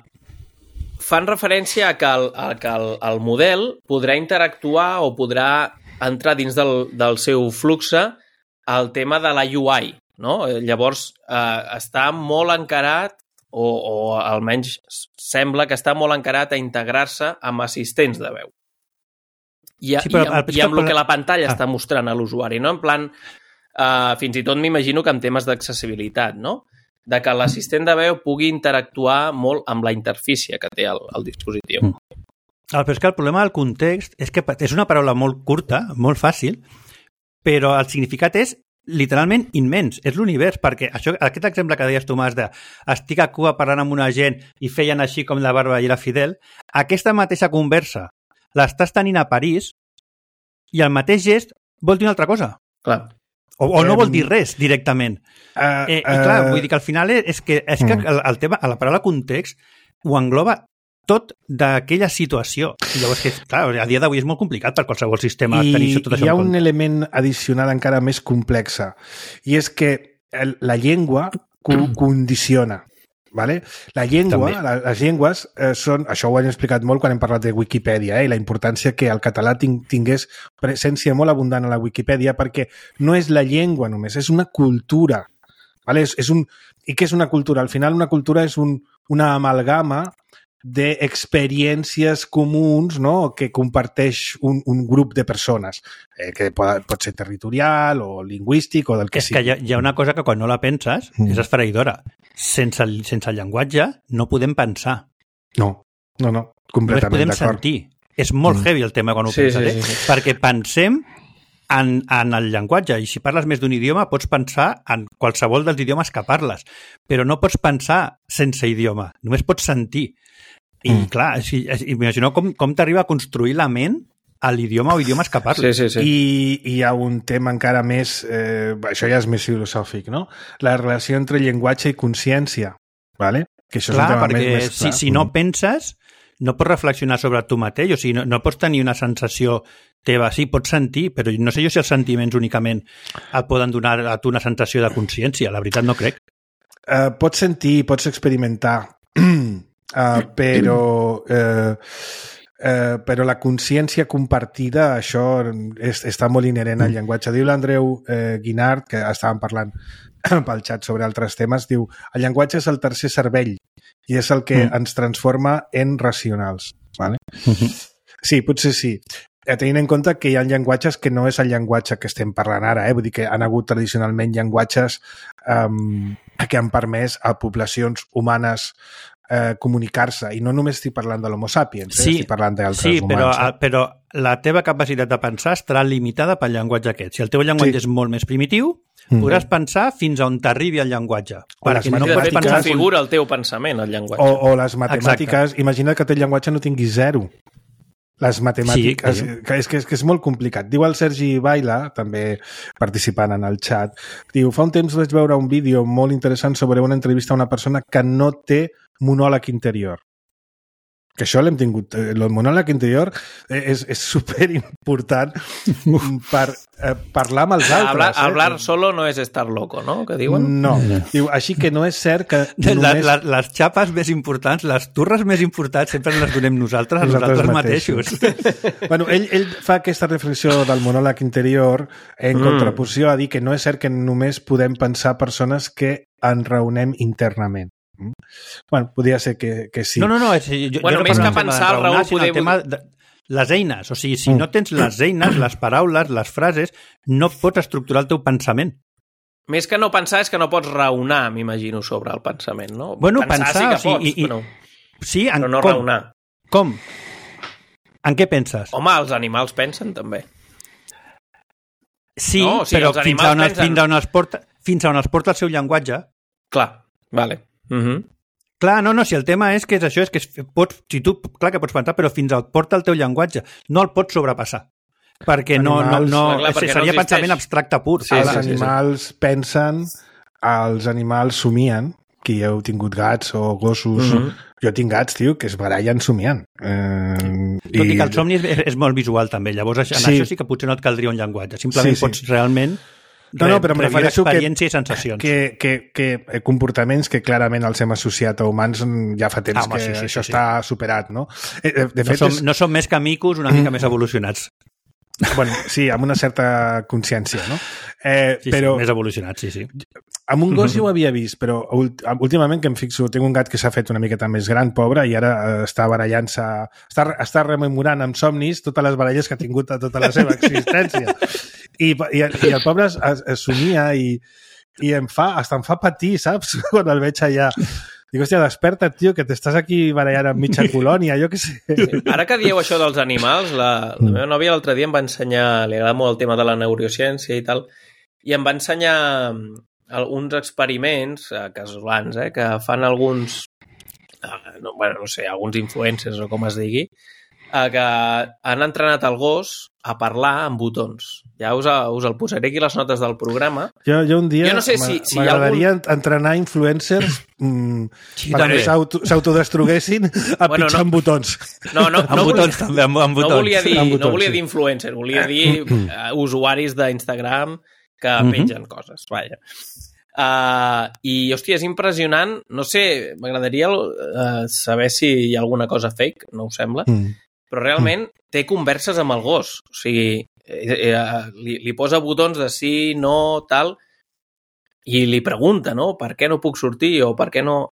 [SPEAKER 3] fan referència a que, el, a que el, el model podrà interactuar o podrà entrar dins del, del seu fluxe el tema de la U I, no? Llavors, uh, està molt encarat, o, o almenys sembla que està molt encarat a integrar-se amb assistents de veu. I, sí, però, i, amb, i amb el que la pantalla ah. està mostrant a l'usuari, no? En plan, uh, fins i tot m'imagino que en temes d'accessibilitat, no? De que l'assistent de veu pugui interactuar molt amb la interfície que té el, el dispositiu.
[SPEAKER 4] Mm. Però és que el problema del context és que és una paraula molt curta, molt fàcil, però el significat és literalment immens, és l'univers, perquè això, aquest exemple que deies, Tomàs, de estic a Cuba parlant amb una gent i feien així com la Barba i la Fidel, aquesta mateixa conversa l'estàs tenint a París i el mateix gest vol dir una altra cosa.
[SPEAKER 3] Clar.
[SPEAKER 4] O, o no um, vol dir res directament. Uh, eh, I clar, uh, vull dir que al final és que, és que el, el tema, la paraula context ho engloba tot d'aquella situació. I llavors, que, clar, a dia d'avui és molt complicat per qualsevol sistema
[SPEAKER 2] I,
[SPEAKER 4] tenir tot això
[SPEAKER 2] hi ha
[SPEAKER 4] en compte.
[SPEAKER 2] Un element addicional encara més complex, i és que el, la llengua co condiciona. Vale? La llengua, la, les llengües eh, són, això ho hem explicat molt quan hem parlat de Wikipedia, eh, i la importància que el català ting, tingués presència molt abundant a la Wikipedia, perquè no és la llengua només, és una cultura. Vale? És, és un, I què és una cultura? Al final una cultura és un, una amalgama d'experiències comuns, no?, que comparteix un, un grup de persones, eh, que pot, pot ser territorial o lingüístic o del que
[SPEAKER 4] és
[SPEAKER 2] sigui.
[SPEAKER 4] És que hi ha, hi ha una cosa que quan no la penses mm. és esfereïdora. Sense el, sense el llenguatge no podem pensar.
[SPEAKER 2] No, no, no, completament
[SPEAKER 4] podem
[SPEAKER 2] d'acord.
[SPEAKER 4] sentir. És molt mm. heavy el tema quan ho
[SPEAKER 3] sí,
[SPEAKER 4] penses,
[SPEAKER 3] sí, sí,
[SPEAKER 4] eh?
[SPEAKER 3] sí.
[SPEAKER 4] Perquè pensem en, en el llenguatge, i si parles més d'un idioma pots pensar en qualsevol dels idiomes que parles, però no pots pensar sense idioma, només pots sentir. I mm. clar, si, imagineu com, com t'arriba a construir la ment a l'idioma o idiomes que parles.
[SPEAKER 3] Sí, sí, sí.
[SPEAKER 2] I hi ha un tema encara més, eh, això ja és més filosòfic, no? La relació entre llenguatge i consciència, ¿vale? Que això
[SPEAKER 4] clar,
[SPEAKER 2] és un tema
[SPEAKER 4] perquè
[SPEAKER 2] més, més clar.
[SPEAKER 4] Si, si no penses, no pots reflexionar sobre tu mateix, o sigui, no, no pots tenir una sensació teva. Sí, pots sentir, però no sé jo si els sentiments únicament et poden donar a tu una sensació de consciència. La veritat no crec.
[SPEAKER 2] Uh, pots sentir, pots experimentar, uh, però... Uh, Uh, però la consciència compartida, això és, està molt inherent al llenguatge. Diu l'Andreu uh, Guinart, que estàvem parlant pel xat sobre altres temes, diu, el llenguatge és el tercer cervell i és el que mm. ens transforma en racionals. Vale? Mm-hmm. Sí, potser sí. Tenint en compte que hi ha llenguatges que no és el llenguatge que estem parlant ara, eh? Vull dir que han hagut tradicionalment llenguatges um, que han permès a poblacions humanes Eh, comunicar-se, i no només estic parlant de l'Homo sapiens, eh?
[SPEAKER 4] Sí,
[SPEAKER 2] estic parlant d'altres
[SPEAKER 4] sí,
[SPEAKER 2] humans.
[SPEAKER 4] Però,
[SPEAKER 2] eh?
[SPEAKER 4] però la teva capacitat de pensar estarà limitada pel llenguatge aquest. Si el teu llenguatge sí. és molt més primitiu, mm. podràs pensar fins a on t'arribi el llenguatge.
[SPEAKER 3] O les no pots pensar figura el teu pensament, el llenguatge.
[SPEAKER 2] O, o les matemàtiques. Exacte. Imagina que el llenguatge no tingui zero. Les matemàtiques, sí, que és, que, és, que és molt complicat. Diu el Sergi Baila, també participant en el xat, diu, fa un temps vaig veure un vídeo molt interessant sobre una entrevista a una persona que no té monòleg interior. que això l'hem tingut, el monòleg interior és, és superimportant per eh, parlar amb els altres.
[SPEAKER 3] Hablar,
[SPEAKER 2] eh?
[SPEAKER 3] hablar solo no és estar loco, no? Que diuen?
[SPEAKER 2] No. Diu, així que no és cert que només...
[SPEAKER 4] La, la, les xapes més importants, les turres més importants sempre les donem nosaltres a nosaltres, nosaltres mateixos. mateixos.
[SPEAKER 2] Bueno, ell, ell fa aquesta reflexió del monòleg interior en mm. contraposició a dir que no és cert que només podem pensar persones que ens raonem internament. Bueno, podria ser que, que sí.
[SPEAKER 4] No, no, no. És, jo,
[SPEAKER 3] bueno,
[SPEAKER 4] jo
[SPEAKER 3] més
[SPEAKER 4] no
[SPEAKER 3] que pensar, el Raül,
[SPEAKER 4] poder... El tema de les eines. O sigui, si mm. no tens les eines, les paraules, les frases, no pots estructurar el teu pensament.
[SPEAKER 3] Més que no pensar és que no pots raonar, m'imagino, sobre el pensament, no?
[SPEAKER 4] Bueno,
[SPEAKER 3] pensar,
[SPEAKER 4] pensar
[SPEAKER 3] sí que pots,
[SPEAKER 4] i, i,
[SPEAKER 3] però,
[SPEAKER 4] sí, en,
[SPEAKER 3] però no
[SPEAKER 4] com?
[SPEAKER 3] raonar.
[SPEAKER 4] Com? En què penses?
[SPEAKER 3] Home, els animals pensen, també.
[SPEAKER 4] Sí,
[SPEAKER 3] no, o sigui,
[SPEAKER 4] però fins a, on
[SPEAKER 3] pensen...
[SPEAKER 4] fins, a on els porta, fins a on els porta el seu llenguatge.
[SPEAKER 3] Clar, vale. Uh-huh.
[SPEAKER 4] Clar, no, no, si el tema és que és això, és que pots, si tu, clar que pots pensar, però fins al porta el teu llenguatge, no el pots sobrepassar. Perquè no, animals, no, no, clar, perquè seria no pensament abstracte pur.
[SPEAKER 2] Sí, els sí, animals sí, sí. pensen, els animals somien, qui heu tingut gats o gossos... Mm-hmm. Jo tinc gats, tio, que es barallen somiant. Eh,
[SPEAKER 4] Tot i, i que el somni és, és molt visual, també. Llavors, en sí. això sí que potser no et caldria un llenguatge. Simplement sí, sí. pots realment...
[SPEAKER 2] No, no, però em refereixo que,
[SPEAKER 4] i sensacions.
[SPEAKER 2] Que, que, que comportaments que clarament els hem associat a humans ja fa temps ah, que sí, sí, això sí, està sí. superat, no? De, de fet,
[SPEAKER 4] no, som,
[SPEAKER 2] és...
[SPEAKER 4] no som més que micos una mica mm. més evolucionats.
[SPEAKER 2] Bueno, sí, amb una certa consciència, no? Eh,
[SPEAKER 4] sí,
[SPEAKER 2] però...
[SPEAKER 4] sí, més evolucionats, sí, sí.
[SPEAKER 2] Amb un gos ja ho havia vist, però últimament que em fixo, tinc un gat que s'ha fet una miqueta més gran, pobre, i ara està barallant-se, està, està rememorant amb somnis totes les baralles que ha tingut a tota la seva existència. I, i, i el pobre es, es, es somia i, i em fa, hasta em fa patir, saps? Quan el veig allà. Dic, hòstia, desperta, tio, que t'estàs aquí barallant amb mitja colònia, jo què sé.
[SPEAKER 3] Sí. Ara que dieu això dels animals, la, la meva nòvia l'altre dia em va ensenyar, li agrada molt el tema de la neurociència i tal, i em va ensenyar uns experiments eh, casolans, eh, que fan alguns, eh, no, bueno, no sé, alguns influencers o com es digui, eh, que han entrenat el gos a parlar amb botons. Ja us, us el posaré aquí les notes del programa.
[SPEAKER 2] Jo, jo un dia
[SPEAKER 3] jo no sé si, si
[SPEAKER 2] m'agradaria
[SPEAKER 3] algun...
[SPEAKER 2] entrenar influencers mm, sí, perquè s'autodestruguessin a bueno, pitjar no. amb botons.
[SPEAKER 3] No, no,
[SPEAKER 4] amb
[SPEAKER 3] no
[SPEAKER 4] botons,
[SPEAKER 3] volia,
[SPEAKER 4] també, amb, amb botons.
[SPEAKER 3] No volia dir,
[SPEAKER 2] botons,
[SPEAKER 3] no volia
[SPEAKER 2] sí.
[SPEAKER 3] dir influencer, volia dir uh, usuaris d'Instagram que uh-huh. pengen coses, vaja. Uh, I, hòstia, és impressionant. No sé, m'agradaria uh, saber si hi ha alguna cosa fake, no us sembla, mm. però realment mm. té converses amb el gos. O sigui, eh, eh, li, li posa botons de sí, no, tal, i li pregunta, no?, per què no puc sortir o per què no...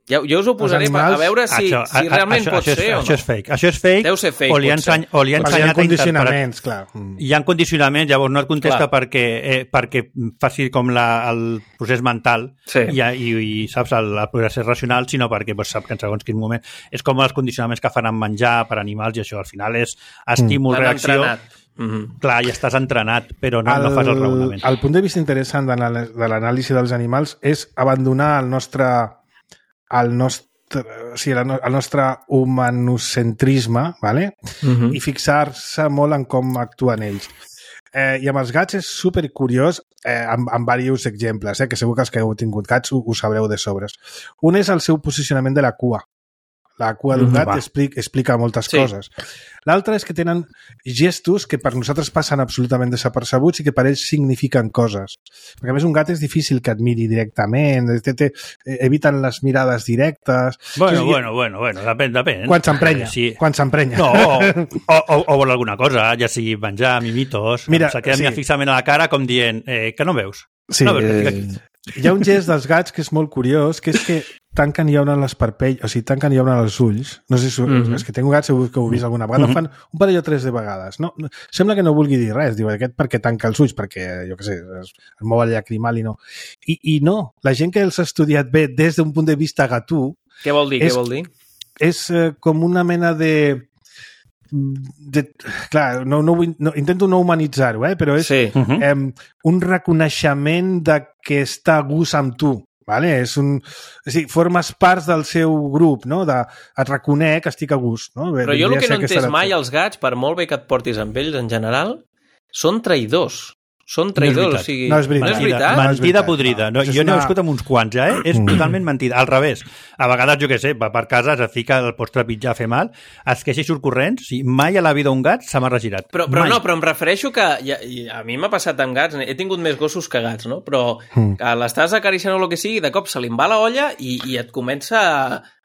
[SPEAKER 3] Ja, jo us ho posaré animals... a veure si, això, si realment a, a, pot
[SPEAKER 4] això,
[SPEAKER 3] ser
[SPEAKER 4] això,
[SPEAKER 3] o no.
[SPEAKER 4] Això és fake. Això és fake.
[SPEAKER 3] Deu ser fake,
[SPEAKER 4] o li ha enseny, o li ha ensenyat
[SPEAKER 2] hi ha condicionaments, clar.
[SPEAKER 4] Hi ha condicionaments, llavors no et contesta perquè, eh, perquè faci com la, el procés mental sí. i, i, i saps, el, el procés racional, sinó perquè pues, sap que en segons quin moment... És com els condicionaments que fan amb menjar per animals i això, al final és estímul, mm. reacció... Mm-hmm. Clar, ja estàs entrenat, però no, el, no fas el raonament.
[SPEAKER 2] El punt de vista interessant de l'anàlisi dels animals és abandonar el nostre... El nostre o sigui, el nostre humanocentrisme, ¿vale? Uh-huh. I fixar-se molt en com actuen ells. Eh, I amb els gats és supercuriós, eh, amb, amb diversos exemples, eh, que segur que els que heu tingut gats ho, ho sabreu de sobres. Un és el seu posicionament de la cua. La cua d'un gat explica, explica moltes sí. coses. L'altre és que tenen gestos que per nosaltres passen absolutament desapercebuts i que per ells signifiquen coses. Perquè a més un gat és difícil que et miri directament, te, te, eviten les mirades directes...
[SPEAKER 4] Bueno, sigui, bueno, bueno, bueno, depèn, depèn.
[SPEAKER 2] Quan s'emprenya, sí. quan s'emprenya.
[SPEAKER 4] No, o, o, o vol alguna cosa, ja sigui menjar, mimitos, Mira, se queda sí. fixament a la cara com dient, eh, que no veus?
[SPEAKER 2] Sí,
[SPEAKER 4] no veus
[SPEAKER 2] eh... Hi ha un gest dels gats que és molt curiós, que és que tanquen i obren les parpelles, o sigui, tanquen i obren els ulls. No sé si mm-hmm. és que tengo gats, segur que ho he vist alguna vegada. Mm-hmm. Fan un parell o tres de vegades. No, no, sembla que no vulgui dir res. Diu, aquest perquè tanca els ulls, perquè, jo què sé, es, es mou el llacrimal i no. I, I no, la gent que els ha estudiat bé des d'un punt de vista gatú...
[SPEAKER 3] Què vol dir? És, què vol dir?
[SPEAKER 2] És eh, com una mena de... De, clar, no, no, no, intento no humanitzar-ho, eh? Però és sí. uh-huh. eh, un reconeixement de que està a gust amb tu. Vale? És un, és dir, formes parts del seu grup, no? De, et reconec que estic a gust. No?
[SPEAKER 3] Però jo el que no he entès mai als gats, per molt bé que et portis amb ells en general, són traïdors. són traïdors,
[SPEAKER 4] No
[SPEAKER 3] o sigui...
[SPEAKER 2] No és veritat.
[SPEAKER 3] No és veritat?
[SPEAKER 2] No és
[SPEAKER 4] Mentida
[SPEAKER 2] veritat.
[SPEAKER 4] podrida. No,
[SPEAKER 2] Això és
[SPEAKER 4] jo n'he
[SPEAKER 2] una-
[SPEAKER 4] viscut amb uns quants, ja, eh? És totalment mentida. Al revés. A vegades, jo què sé, va per casa, es fica el pots trepitjar a fer mal, es queixa i surt corrents, i mai a la vida un gat se m'ha regirat.
[SPEAKER 3] Però, però
[SPEAKER 4] mai.
[SPEAKER 3] no, però em refereixo que ja, i a mi m'ha passat amb gats, he tingut més gossos que gats, no? Però que l'estàs acariciant o el que sigui, de cop se li en va la olla i, i et comença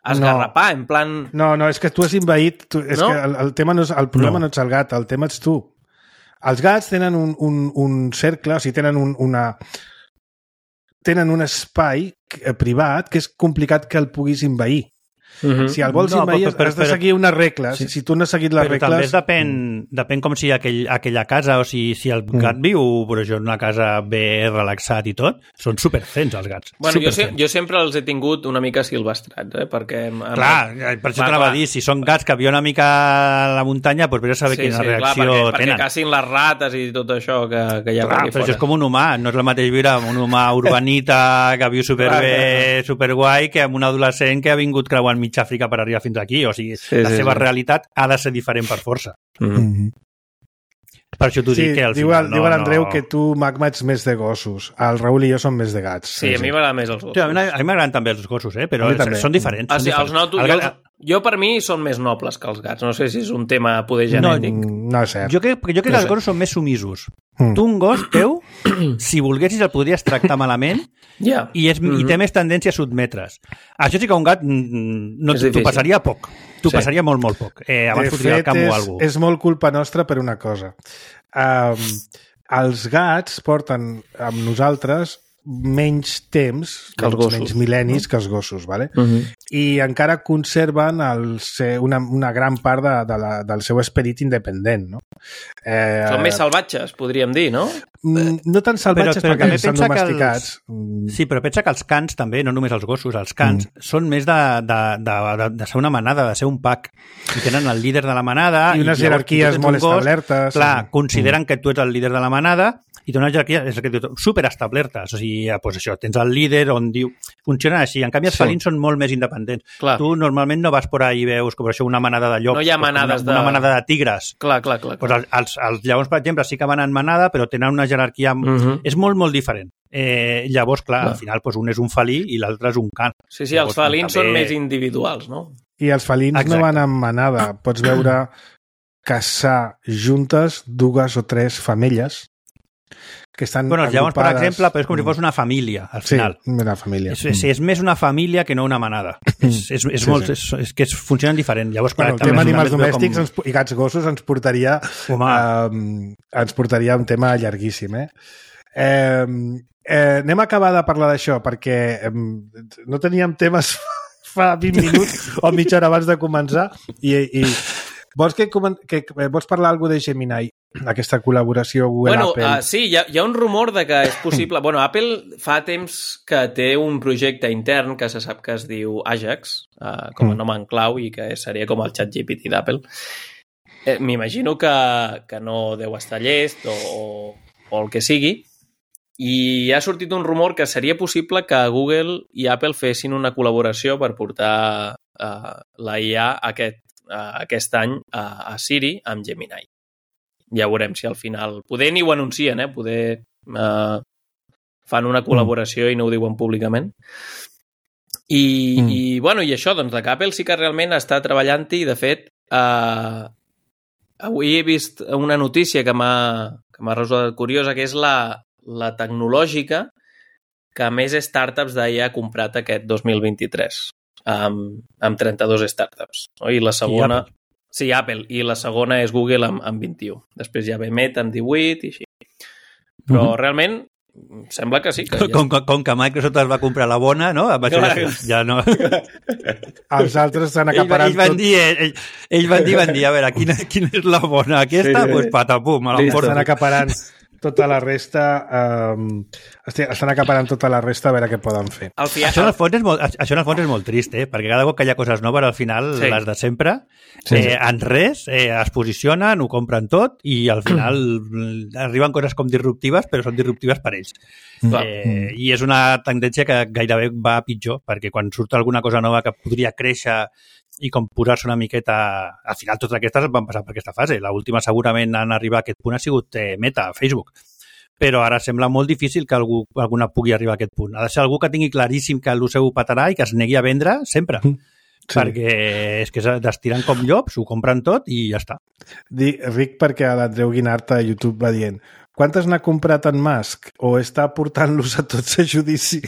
[SPEAKER 3] a esgarrapar, en plan...
[SPEAKER 2] No, no, és que tu has invaït... Tu, és
[SPEAKER 3] No?
[SPEAKER 2] que el, el, tema no és, el problema
[SPEAKER 4] No.
[SPEAKER 2] no. no ets el gat, el tema ets tu. Els gats tenen un, un, un cercle, o sigui, tenen un, una... tenen un espai eh, privat que és complicat que el puguis invair.
[SPEAKER 3] Mhm.
[SPEAKER 2] Si el vols
[SPEAKER 4] No,
[SPEAKER 2] invair,
[SPEAKER 4] però- però-
[SPEAKER 2] has de
[SPEAKER 4] però-
[SPEAKER 2] seguir unes regles.
[SPEAKER 4] Sí.
[SPEAKER 2] Si tu no has seguit les
[SPEAKER 4] Però també
[SPEAKER 2] regles...
[SPEAKER 4] es depèn, depèn com si aquell, aquella casa, o si, si el gat viu, per això, en una casa bé relaxat i tot, són superfens els gats.
[SPEAKER 3] Bueno, jo, se,
[SPEAKER 4] superfens.
[SPEAKER 3] jo sempre els he tingut una mica silvestrats, eh? Perquè... em- em-
[SPEAKER 4] Clar, per això
[SPEAKER 3] Va,
[SPEAKER 4] t'anava a
[SPEAKER 3] clar.
[SPEAKER 4] dir, si són gats que viuen una mica a la muntanya, doncs vés a saber quina
[SPEAKER 3] clar,
[SPEAKER 4] reacció
[SPEAKER 3] perquè, perquè
[SPEAKER 4] tenen.
[SPEAKER 3] cacin les rates i tot això que, que hi ha
[SPEAKER 4] Clar,
[SPEAKER 3] per aquí
[SPEAKER 4] però
[SPEAKER 3] fora.
[SPEAKER 4] això és com un humà, no és el mateix viure amb un humà urbanita que viu superbé, superguai, que amb un adolescent que ha vingut creuant mig Àfrica per arribar fins aquí. O sigui,
[SPEAKER 3] Sí,
[SPEAKER 4] la
[SPEAKER 3] sí,
[SPEAKER 4] seva
[SPEAKER 3] sí.
[SPEAKER 4] realitat ha de ser diferent per força.
[SPEAKER 3] Mhm.
[SPEAKER 2] Mhm.
[SPEAKER 4] Per això t'ho
[SPEAKER 2] Sí,
[SPEAKER 4] dic que al
[SPEAKER 2] diu,
[SPEAKER 4] final
[SPEAKER 2] el, diu l'Andreu
[SPEAKER 4] no...
[SPEAKER 2] que tu, Magma, ets més de gossos. El Raül i jo som més de gats.
[SPEAKER 3] Sí, a mi m'agraden més els gossos.
[SPEAKER 4] Sí, a mi a mi m'agraden també els gossos, eh? però
[SPEAKER 2] A mi també.
[SPEAKER 4] són diferents.
[SPEAKER 3] Ah,
[SPEAKER 4] són
[SPEAKER 3] sí, els
[SPEAKER 4] diferents.
[SPEAKER 3] noto,
[SPEAKER 4] El
[SPEAKER 3] jo,
[SPEAKER 4] gat-
[SPEAKER 3] jo per mi són més nobles que els gats. No sé si és un tema poder
[SPEAKER 4] No,
[SPEAKER 3] genètic.
[SPEAKER 2] Mm, No és cert.
[SPEAKER 4] Jo crec, jo crec
[SPEAKER 3] No
[SPEAKER 4] que els
[SPEAKER 3] sé.
[SPEAKER 4] gossos són més sumisos.
[SPEAKER 2] Mm.
[SPEAKER 4] Tu, un gos teu, si volguessis el podries tractar malament
[SPEAKER 3] Ja.
[SPEAKER 4] i, és, i té més tendència a sotmetre's. Això sí que un gat mm, no
[SPEAKER 3] És
[SPEAKER 4] t'ho
[SPEAKER 3] difícil.
[SPEAKER 4] passaria poc. T'ho
[SPEAKER 3] Sí.
[SPEAKER 4] passaria molt, molt poc. Eh, abans
[SPEAKER 2] de
[SPEAKER 4] fotria el
[SPEAKER 2] fet,
[SPEAKER 4] camp o
[SPEAKER 2] és,
[SPEAKER 4] alguna cosa.
[SPEAKER 2] és molt culpa nostra per una cosa. Um, els gats porten amb nosaltres menys temps,
[SPEAKER 3] Que els
[SPEAKER 2] menys,
[SPEAKER 3] gossos.
[SPEAKER 2] menys mil·lennis que els gossos, vale?
[SPEAKER 3] Mhm.
[SPEAKER 2] I encara conserven el ser, una, una gran part de, de la, del seu esperit independent, no? Eh,
[SPEAKER 3] Són més salvatges, podríem dir, no?
[SPEAKER 2] mm, no tan salvatges
[SPEAKER 4] Però- però
[SPEAKER 2] perquè
[SPEAKER 4] també
[SPEAKER 2] estan
[SPEAKER 4] pensa que els-
[SPEAKER 2] domesticats. Mm,
[SPEAKER 4] Sí, però pensa que els cans també, no només els gossos, els cans mm. són més de, de, de, de, de ser una manada, de ser un pack. I tenen el líder de la manada.
[SPEAKER 2] I unes
[SPEAKER 4] llavors,
[SPEAKER 2] jerarquies
[SPEAKER 4] tu tens
[SPEAKER 2] molt
[SPEAKER 4] un gos,
[SPEAKER 2] establertes.
[SPEAKER 4] Clar,
[SPEAKER 2] Sí.
[SPEAKER 4] consideren que tu ets el líder de la manada i té una jerarquia és el que diu, superestablertes. O sigui, pues això, tens el líder on diu... Funcionen així. En canvi, els
[SPEAKER 2] Sí.
[SPEAKER 4] felins són molt més independents.
[SPEAKER 3] Clar.
[SPEAKER 4] Tu normalment no vas por ahí i veus com això una manada de llops.
[SPEAKER 3] No hi ha
[SPEAKER 4] pues,
[SPEAKER 3] manades
[SPEAKER 4] una,
[SPEAKER 3] de-
[SPEAKER 4] Una manada de tigres.
[SPEAKER 3] Clar, clar, clar.
[SPEAKER 4] Pues els, els, els lleons, per exemple, sí que van en manada, però tenen una jerarquia...
[SPEAKER 3] Mhm.
[SPEAKER 4] És molt, molt diferent. Eh, llavors, clar,
[SPEAKER 3] Clar.
[SPEAKER 4] al final pues, un és un felí i l'altre és un can.
[SPEAKER 3] Sí, sí, els
[SPEAKER 4] Llavors,
[SPEAKER 3] felins
[SPEAKER 4] també-
[SPEAKER 3] són més individuals, no?
[SPEAKER 2] I els felins
[SPEAKER 4] Exacte.
[SPEAKER 2] no van en manada. Pots veure caçar juntes dues o tres femelles que estan
[SPEAKER 4] Bueno, els lleons, per
[SPEAKER 2] agrupades.
[SPEAKER 4] exemple, però és com si fos una família, al
[SPEAKER 2] Sí,
[SPEAKER 4] final.
[SPEAKER 2] una família.
[SPEAKER 4] És, és, és més una família que no una manada. És, és, és,
[SPEAKER 2] Sí,
[SPEAKER 4] molt,
[SPEAKER 2] sí.
[SPEAKER 4] És, és que es funcionen diferent. Llavors, clar,
[SPEAKER 2] Bueno, el
[SPEAKER 4] també
[SPEAKER 2] tema
[SPEAKER 4] és una
[SPEAKER 2] animals
[SPEAKER 4] mesura
[SPEAKER 2] domèstics
[SPEAKER 4] com...
[SPEAKER 2] ens, i gats gossos ens portaria
[SPEAKER 4] Home.
[SPEAKER 2] eh, ens portaria a un tema llarguíssim, eh? Eh, eh, anem a acabar de parlar d'això perquè eh, no teníem temes fa vint minuts o mitja hora abans de començar i, i vols, que, comen- que, que vols parlar alguna de Gemini, aquesta col·laboració
[SPEAKER 3] Bueno,
[SPEAKER 2] Google-Apple?
[SPEAKER 3] uh, sí, hi ha, hi ha un rumor de que és possible... bueno, Apple fa temps que té un projecte intern que se sap que es diu Ajax, uh, com a
[SPEAKER 2] Mm.
[SPEAKER 3] nom en clau, i que seria com el ChatGPT d'Apple. Eh, M'imagino que, que no deu estar llest o, o, o el que sigui, i ha sortit un rumor que seria possible que Google i Apple fessin una col·laboració per portar uh, la I A aquest, uh, aquest any a, a Siri amb Gemini. Ja veurem si al final... Poder ni ho anuncien, eh? Poder uh, fan una col·laboració i no ho diuen públicament. I,
[SPEAKER 2] Mm.
[SPEAKER 3] i, bueno, i això, doncs, de que Apple sí que realment està treballant-hi, de fet, uh, avui he vist una notícia que m'ha que m'ha resultat curiosa, que és la, la tecnològica que més startups d'I A ha comprat aquest dos mil vint-i-tres, amb, amb trenta-dos startups. No? I la segona...
[SPEAKER 4] Apple.
[SPEAKER 3] Sí, Apple. I la segona és Google amb, amb vint-i-u. Després ja ve Meta amb divuit i així. Però
[SPEAKER 4] Mhm.
[SPEAKER 3] realment sembla que sí. Que ja...
[SPEAKER 4] Com, com, com que Microsoft es va comprar la bona, no? Amb això
[SPEAKER 3] Clar.
[SPEAKER 4] ja, ja no...
[SPEAKER 2] Els altres estan
[SPEAKER 4] Ells,
[SPEAKER 2] acaparant
[SPEAKER 4] ells, van
[SPEAKER 2] tot.
[SPEAKER 4] dir, ells, ells van dir, van dir, a veure, quina, quina és la bona? Aquesta?
[SPEAKER 3] Sí,
[SPEAKER 4] Doncs
[SPEAKER 3] sí.
[SPEAKER 4] pues, patapum, a la
[SPEAKER 3] Listo.
[SPEAKER 4] porta.
[SPEAKER 2] Estan acaparant tota la resta um, estan acaparant tota la resta a veure què poden fer.
[SPEAKER 3] Al fi...
[SPEAKER 4] Això en, el fons és molt, això en el fons és molt trist, eh? Perquè cada cop que hi ha coses noves, al final,
[SPEAKER 3] Sí.
[SPEAKER 4] sí. les de sempre,
[SPEAKER 2] Sí,
[SPEAKER 4] eh,
[SPEAKER 2] sí.
[SPEAKER 4] en res, eh, es posicionen, ho compren tot i al final arriben coses com disruptives, però són disruptives per ells.
[SPEAKER 3] Clar.
[SPEAKER 4] Eh, I és una tendència que gairebé va a pitjor, perquè quan surt alguna cosa nova que podria créixer i com posar-se una miqueta... Al final totes aquestes van passar per aquesta fase. L'última segurament en arribar a aquest punt ha sigut eh, Meta, Facebook. però ara sembla molt difícil que algú, alguna pugui arribar a aquest punt. Ha de ser algú que tingui claríssim que el seu ho petarà i que es negui a vendre sempre. Sí. Perquè és que destiren com llops, ho compren tot i ja està.
[SPEAKER 2] Ric perquè l'Andreu Guinart a YouTube va dient quantes n'ha comprat en Musk o està portant-los a tots a judici?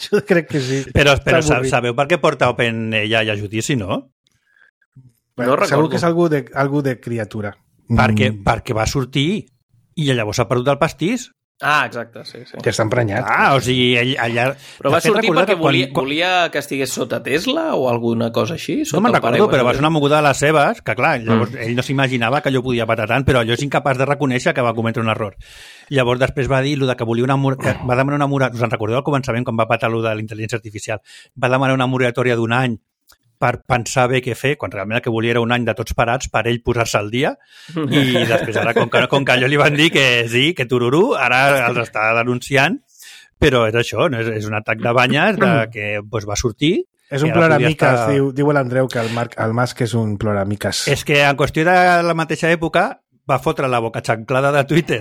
[SPEAKER 2] Jo crec que sí.
[SPEAKER 4] Però, però sabeu per què porta OpenAI a judici, no?
[SPEAKER 2] Bueno, no segur que és algú de, algú de criatura.
[SPEAKER 4] Perquè, mm. perquè va sortir i llavors s'ha perdut el pastís.
[SPEAKER 3] Ah, exacte, sí, sí.
[SPEAKER 2] Que està emprenyat.
[SPEAKER 4] Ah, o sigui, ell allà...
[SPEAKER 3] Però va sortir perquè volia, quan... volia que estigués sota Tesla o alguna cosa així?
[SPEAKER 4] No me'n recordo, però va ser una moguda de les seves, que clar, llavors mm. ell no s'imaginava que allò podia patar tant, però allò és incapaç de reconèixer que va cometre un error. Llavors després va dir que volia una mur... que va demanar una moratòria, us en recordeu al començament quan va patar allò de la intel·ligència artificial? Va demanar una moratòria d'un any per pensar bé què fer, quan realment el que volia era un any de tots parats per ell posar-se al dia i després ara, com que, com que allò li van dir que sí, que tururú, ara els està denunciant, però és això, no? és, és un atac de banyes de, que doncs, va sortir.
[SPEAKER 2] És un ploramiques, estar... diu, diu l'Andreu que el, Marc, el Musk és un ploramiques.
[SPEAKER 4] És que en qüestió de la mateixa època va fotre la boca xanclada de Twitter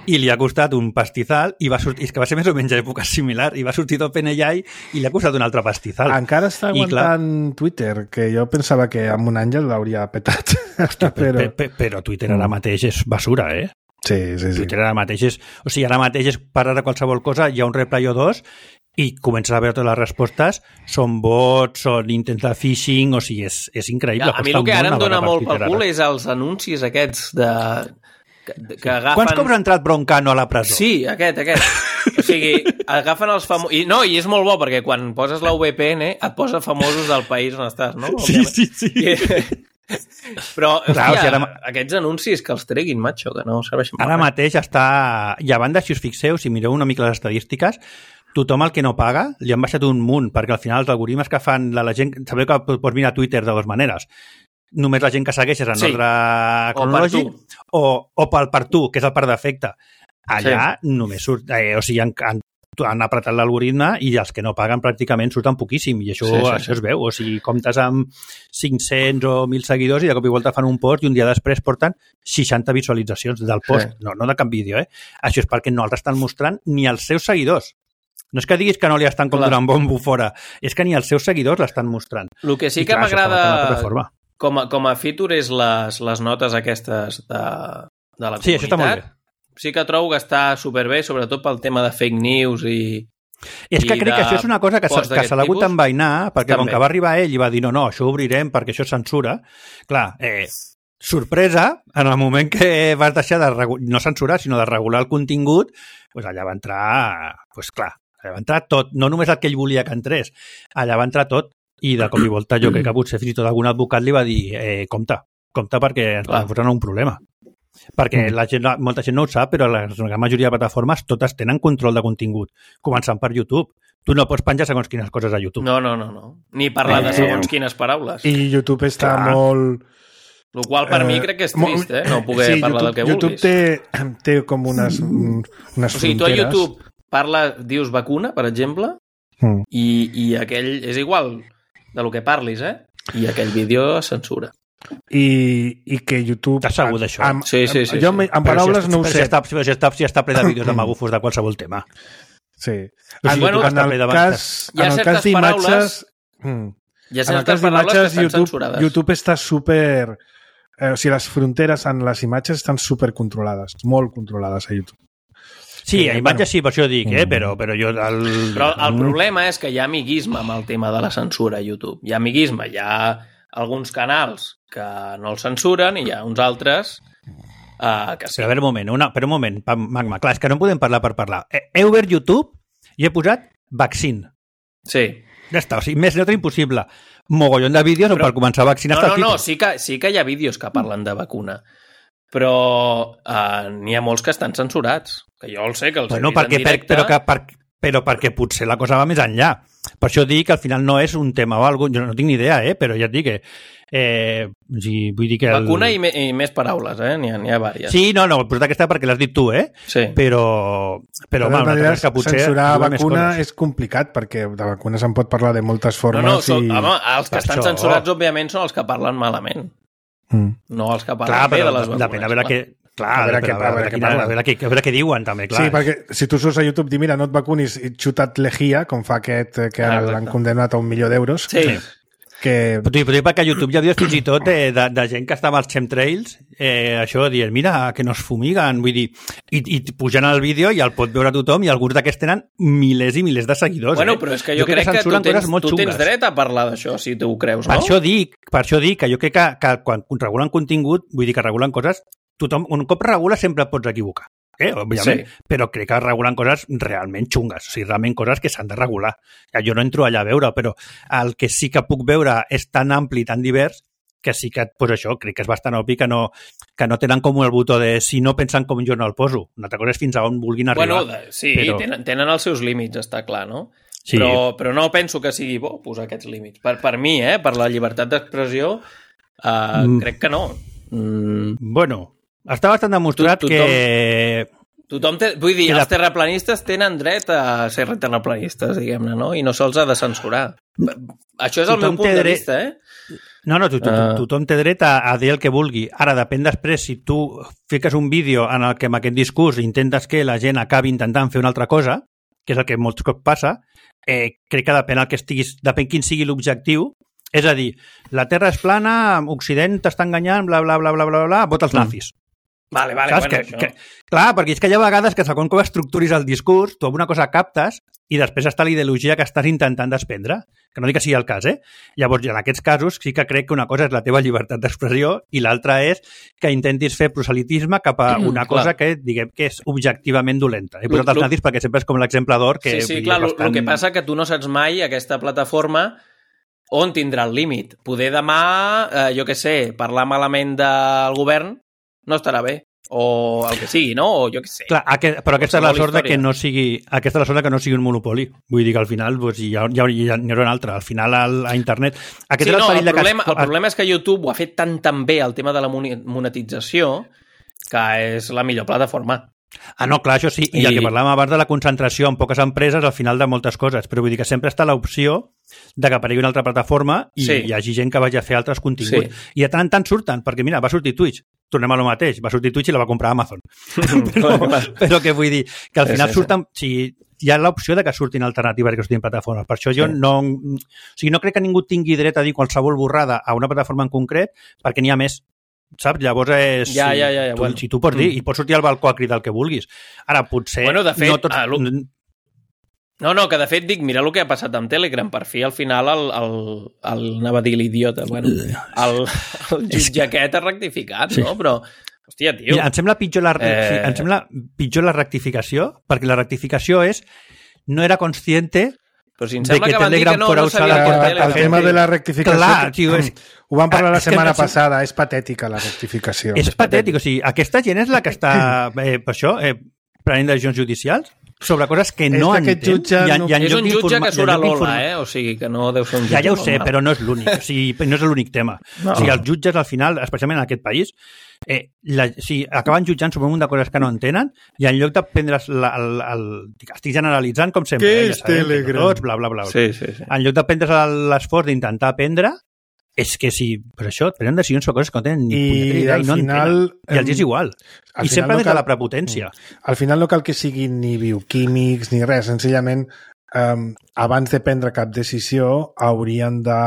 [SPEAKER 4] i li ha costat un pastizal i va sortir, és que va ser més o menys a època similar i va sortir d'OpenAI i li ha costat un altre pastizal.
[SPEAKER 2] Encara està aguantant clar, Twitter, que jo pensava que amb un any ja l'hauria petat.
[SPEAKER 4] Hosti, però... Però, però, però Twitter ara mateix és basura, eh?
[SPEAKER 2] Sí, sí, sí.
[SPEAKER 4] Twitter ara mateix és... O sigui, ara mateix és parar de qualsevol cosa, hi ha un reply o dos i comences a veure totes les respostes, són bots, són intents de phishing, o sigui, és, és increïble.
[SPEAKER 3] Ja, a mi el que ara em dona molt pel cul és els anuncis aquests de... Que, que agafen...
[SPEAKER 4] Quants cops ha entrat Broncano a la presó?
[SPEAKER 3] Sí, aquest, aquest. O sigui, agafen els famosos... I, no, i és molt bo, perquè quan poses la V P N et posa famosos del país on estàs, no?
[SPEAKER 4] Sí, sí, sí. I...
[SPEAKER 3] Però, hòstia, o sigui, ara... aquests anuncis que els treguin, macho, que no serveixen per
[SPEAKER 4] ara mateix està... I a banda, si us fixeu, si mireu una mica les estadístiques, tothom el que no paga li han baixat un munt, perquè al final els algoritmes que fan la, la gent... Sabeu que pots mirar Twitter de dues maneres. Només la gent que segueixes en sí. ordre cronològic o, o pel per tu, que és el per defecte. Allà sí. només surt... Eh, o sigui, han, han, han apretat l'algoritme i els que no paguen pràcticament surten poquíssim i això, sí, sí, això sí. es veu. O sigui, comptes amb cinc-cents o mil seguidors i de cop i volta fan un post i un dia després porten seixanta visualitzacions del post. Sí. No, no de cap vídeo, eh? Això és perquè no els estan mostrant ni els seus seguidors. No és que diguis que no li estan com donant bombo fora, és que ni els seus seguidors l'estan mostrant.
[SPEAKER 3] El que sí I, que m'agrada com, a, com a feature és les, les notes aquestes de, de la comunitat.
[SPEAKER 4] Sí, això està molt bé.
[SPEAKER 3] Sí que trobo que està superbé, sobretot pel tema de fake news i...
[SPEAKER 4] És que crec que això és una cosa que, que se l'ha hagut d'envainar, perquè també. Com que va arribar ell i va dir no, no, això ho obrirem perquè això és censura. Clar, eh, sorpresa, en el moment que vas deixar de regu- no censurar, sinó de regular el contingut, doncs allà va entrar, doncs clar, allà va entrar tot, no només el que ell volia que entrés, allà va entrar tot, i de cop i volta jo crec que potser fins i tot algun advocat li va dir eh, compte, compte perquè ens podem posar un problema. Perquè la gent, molta gent no ho sap, però la, la majoria de plataformes totes tenen control de contingut, començant per YouTube. Tu no pots penjar segons quines coses a YouTube.
[SPEAKER 3] No, no, no. no. Ni parlar de segons quines paraules.
[SPEAKER 2] I YouTube està Clar. molt...
[SPEAKER 3] El qual per eh, mi crec que és trist, eh? No poder sí, parlar
[SPEAKER 2] YouTube,
[SPEAKER 3] del que
[SPEAKER 2] YouTube
[SPEAKER 3] vulguis.
[SPEAKER 2] YouTube té, té com unes, unes
[SPEAKER 3] o sigui,
[SPEAKER 2] fronteres.
[SPEAKER 3] Tu a YouTube parla, dius vacuna, per exemple, mm. i, i aquell és igual de lo que parlis, eh? I aquell vídeo censura.
[SPEAKER 2] I, i que YouTube...
[SPEAKER 4] Estàs segur d'això?
[SPEAKER 3] Amb, sí, sí, sí.
[SPEAKER 2] Jo
[SPEAKER 3] sí.
[SPEAKER 2] en paraules
[SPEAKER 4] si
[SPEAKER 2] no ho sé.
[SPEAKER 4] Si està, si, està, si està ple de vídeos de magufos de qualsevol tema.
[SPEAKER 2] Sí.
[SPEAKER 3] O sigui,
[SPEAKER 2] en,
[SPEAKER 3] bueno,
[SPEAKER 2] en el cas, en el cas d'imatges...
[SPEAKER 3] Hi ha certes paraules que estan
[SPEAKER 2] YouTube,
[SPEAKER 3] censurades.
[SPEAKER 2] YouTube està super... Eh, o sigui, les fronteres en les imatges estan super controlades, molt controlades a YouTube.
[SPEAKER 4] Sí, a imatges sí, per això dic, eh? però, però jo... El...
[SPEAKER 3] Però el problema és que hi ha amiguisme amb el tema de la censura a YouTube. Hi ha amiguisme, hi ha alguns canals que no el censuren i hi ha uns altres uh, que sí.
[SPEAKER 4] Però a veure un moment, una, però un moment, Magma, clar, és que no podem parlar per parlar. He obert YouTube i he posat vaccine.
[SPEAKER 3] Sí.
[SPEAKER 4] Ja està, o sigui, més neutre impossible. Mogollon de vídeos però, per començar a vaccinar.
[SPEAKER 3] No, no, no, sí que, sí que hi ha vídeos que parlen de vacuna, però uh, n'hi ha molts que estan censurats, que jo el sé, que els
[SPEAKER 4] bueno,
[SPEAKER 3] he vist
[SPEAKER 4] perquè,
[SPEAKER 3] en directe.
[SPEAKER 4] Per, però, que, per, però perquè potser la cosa va més enllà. Per això dic que al final no és un tema o alguna cosa, jo no tinc ni idea, eh? Però ja et dic que... Eh, sí, vull dir que el...
[SPEAKER 3] Vacuna i, me, i més paraules, eh? N'hi ha, n'hi ha vàries.
[SPEAKER 4] Sí, no, no, però aquesta perquè l'has dit tu, eh?
[SPEAKER 3] Sí.
[SPEAKER 4] Però, però
[SPEAKER 2] de
[SPEAKER 4] home, que potser
[SPEAKER 2] censurar vacuna és complicat, perquè de vacuna se'n pot parlar de moltes formes.
[SPEAKER 3] No, no,
[SPEAKER 2] i...
[SPEAKER 3] són, home, els que per estan això... censurats, òbviament, són els que parlen malament. Mm. No els que parlen Clar, bé de les vacunes.
[SPEAKER 4] Depèn a veure què... Clar,
[SPEAKER 2] a veure,
[SPEAKER 4] a,
[SPEAKER 2] què,
[SPEAKER 4] veure, a, veure,
[SPEAKER 2] què
[SPEAKER 4] quina, a, veure, què, a veure què diuen, també, clar.
[SPEAKER 2] Sí, perquè si tu surts a YouTube i mira, no et vacunis i xutat lejía, com fa aquest que ah, l'han condemnat a un milió d'euros,
[SPEAKER 3] sí.
[SPEAKER 2] que...
[SPEAKER 4] Però t'ho dic perquè a YouTube hi ha vídeos fins i tot de, de, de gent que està amb els chemtrails, eh, això dient, mira, que no es fumiguen, vull dir, i, i pujant al vídeo i el pot veure tothom i alguns d'aquests tenen milers i milers de seguidors.
[SPEAKER 3] Bueno,
[SPEAKER 4] eh?
[SPEAKER 3] però és que jo, jo crec que, que tu, tens, tu tens dret a parlar d'això, si tu ho creus, no?
[SPEAKER 4] Per això dic, per això dic que jo crec que, que quan regulen contingut, vull dir que regulen coses, tothom, un cop regula sempre et pots equivocar. Eh, òbviament, sí. Però crec que regulen coses realment xungues, o sigui, realment coses que s'han de regular. Jo no entro allà a veure, però el que sí que puc veure és tan ampli, tan divers, que sí que, pues això, crec que és bastant obvi que no, que no tenen com el botó de si no pensen com jo no el poso. Una altra cosa és fins a on vulguin arribar.
[SPEAKER 3] Bueno, sí, però... tenen, tenen els seus límits, està clar, no?
[SPEAKER 4] Sí.
[SPEAKER 3] Però, però no penso que sigui bo posar aquests límits. Per, per mi, eh, per la llibertat d'expressió, eh, mm. crec que no.
[SPEAKER 4] Mm. Bueno... Està bastant demostrat tu, tothom, que...
[SPEAKER 3] Tothom té, vull dir, la... els terraplanistes tenen dret a ser terraplanistes, diguem-ne, no? I no se'ls ha de censurar. Això és el tothom meu punt de dret... vista, eh?
[SPEAKER 4] No, no, to, to, uh... tothom té dret a, a dir el que vulgui. Ara, depèn després, si tu fiques un vídeo en el que amb aquest discurs intentes que la gent acabi intentant fer una altra cosa, que és el que molts cops passa, eh, crec que depèn el que estiguis, depèn quin sigui l'objectiu. És a dir, la Terra és plana, Occident t'està enganyant, bla, bla, bla, bla, bla, bla, vota els nazis.
[SPEAKER 3] Mm. Vale, vale,
[SPEAKER 4] Saps?
[SPEAKER 3] bueno,
[SPEAKER 4] que,
[SPEAKER 3] això...
[SPEAKER 4] que, clar, perquè és que hi ha vegades que segons com estructuris el discurs, tu alguna cosa captes i després està la ideologia que estàs intentant desprendre, que no dic que sigui el cas, eh? Llavors, en aquests casos, sí que crec que una cosa és la teva llibertat d'expressió i l'altra és que intentis fer proselitisme cap a una mm, cosa que, diguem, que és objectivament dolenta. He posat els nazis perquè sempre és com l'exemple d'or que...
[SPEAKER 3] Sí, sí, clar, bastant... el que passa que tu no saps mai aquesta plataforma on tindrà el límit. Poder demà, eh, jo què sé, parlar malament del govern no estarà bé, o el que sigui, no? O jo què sé.
[SPEAKER 4] Clar, aquest, però aquesta és la sort de que no sigui aquesta és la sort de que no sigui un monopoli. Vull dir que al final pues, hi, ha, hi, ha, hi ha un altre. Al final al, a internet... Aquest
[SPEAKER 3] sí,
[SPEAKER 4] és el,
[SPEAKER 3] no, el, problema,
[SPEAKER 4] que...
[SPEAKER 3] el problema és que YouTube ho ha fet tan tan bé el tema de la monetització que és la millor plataforma.
[SPEAKER 4] Ah, no, clar, això sí. I, I el que parlàvem abans de la concentració en poques empreses al final de moltes coses. Però vull dir que sempre està l'opció de que aparegui una altra plataforma i sí. hi hagi gent que vagi a fer altres continguts. Sí. I de tant en tant surten, perquè mira, va sortir Twitch. Tornem a lo mateix, va sortir Twitch i la va comprar Amazon. però, però que vull dir, que al final sí, sí, surten... Sí. Si hi ha l'opció de que surtin alternatives que surtin plataformes. Per això jo sí. no... O sigui, no crec que ningú tingui dret a dir qualsevol borrada a una plataforma en concret perquè n'hi ha més. Saps? Llavors és...
[SPEAKER 3] Ja, ja, ja, ja,
[SPEAKER 4] tu,
[SPEAKER 3] bueno.
[SPEAKER 4] Si tu pots dir, mm. i pots sortir al balcó a cridar el que vulguis. Ara, potser...
[SPEAKER 3] Bueno, de fet,
[SPEAKER 4] no tots...
[SPEAKER 3] ah, no, no, que de fet dic, mira el que ha passat amb Telegram. Per fi, al final, el, el, el anava a dir l'idiota, bueno, el, el jutge aquest ha rectificat, sí. no? Però, hòstia, tio...
[SPEAKER 4] Mira, em sembla pitjor la, eh... em sembla pitjor la rectificació, perquè la rectificació és no era consciente...
[SPEAKER 3] Però si em sembla que, que van dir que no, no sabia
[SPEAKER 2] per Telegram. El tema de la rectificació...
[SPEAKER 4] Clar, tio, és...
[SPEAKER 2] Ho vam parlar la setmana que... passada, és patètica la rectificació.
[SPEAKER 4] És, és patètic, o sigui, aquesta gent és la que està, eh, per això, eh, prenent decisions judicials sobre coses que no entén.
[SPEAKER 2] Jutge
[SPEAKER 3] I en, i en és un jutge que surt a l'Ola, eh? O sigui, que no deu ser un jutge.
[SPEAKER 4] Ja, ja ho sé, normal. Però no és l'únic. O sigui, no és l'únic tema. No. O sigui, els jutges, al final, especialment en aquest país, eh, la, o sigui, acaben jutjant sobre un munt de coses que no entenen i en lloc de prendre's la, el, el, el... Estic generalitzant, com sempre.
[SPEAKER 2] Què
[SPEAKER 4] eh,
[SPEAKER 2] és Telegram?
[SPEAKER 4] Tots, bla, bla, bla.
[SPEAKER 3] Sí, sí, sí.
[SPEAKER 4] En lloc de prendre's l'esforç d'intentar aprendre, és que si, per això, prenen decisions sobre coses que no tenen ni punyetera idea i no final, entenen. I els és igual. I sempre no des cal, de la prepotència.
[SPEAKER 2] Al final no cal que siguin ni bioquímics ni res, senzillament um, abans de prendre cap decisió haurien de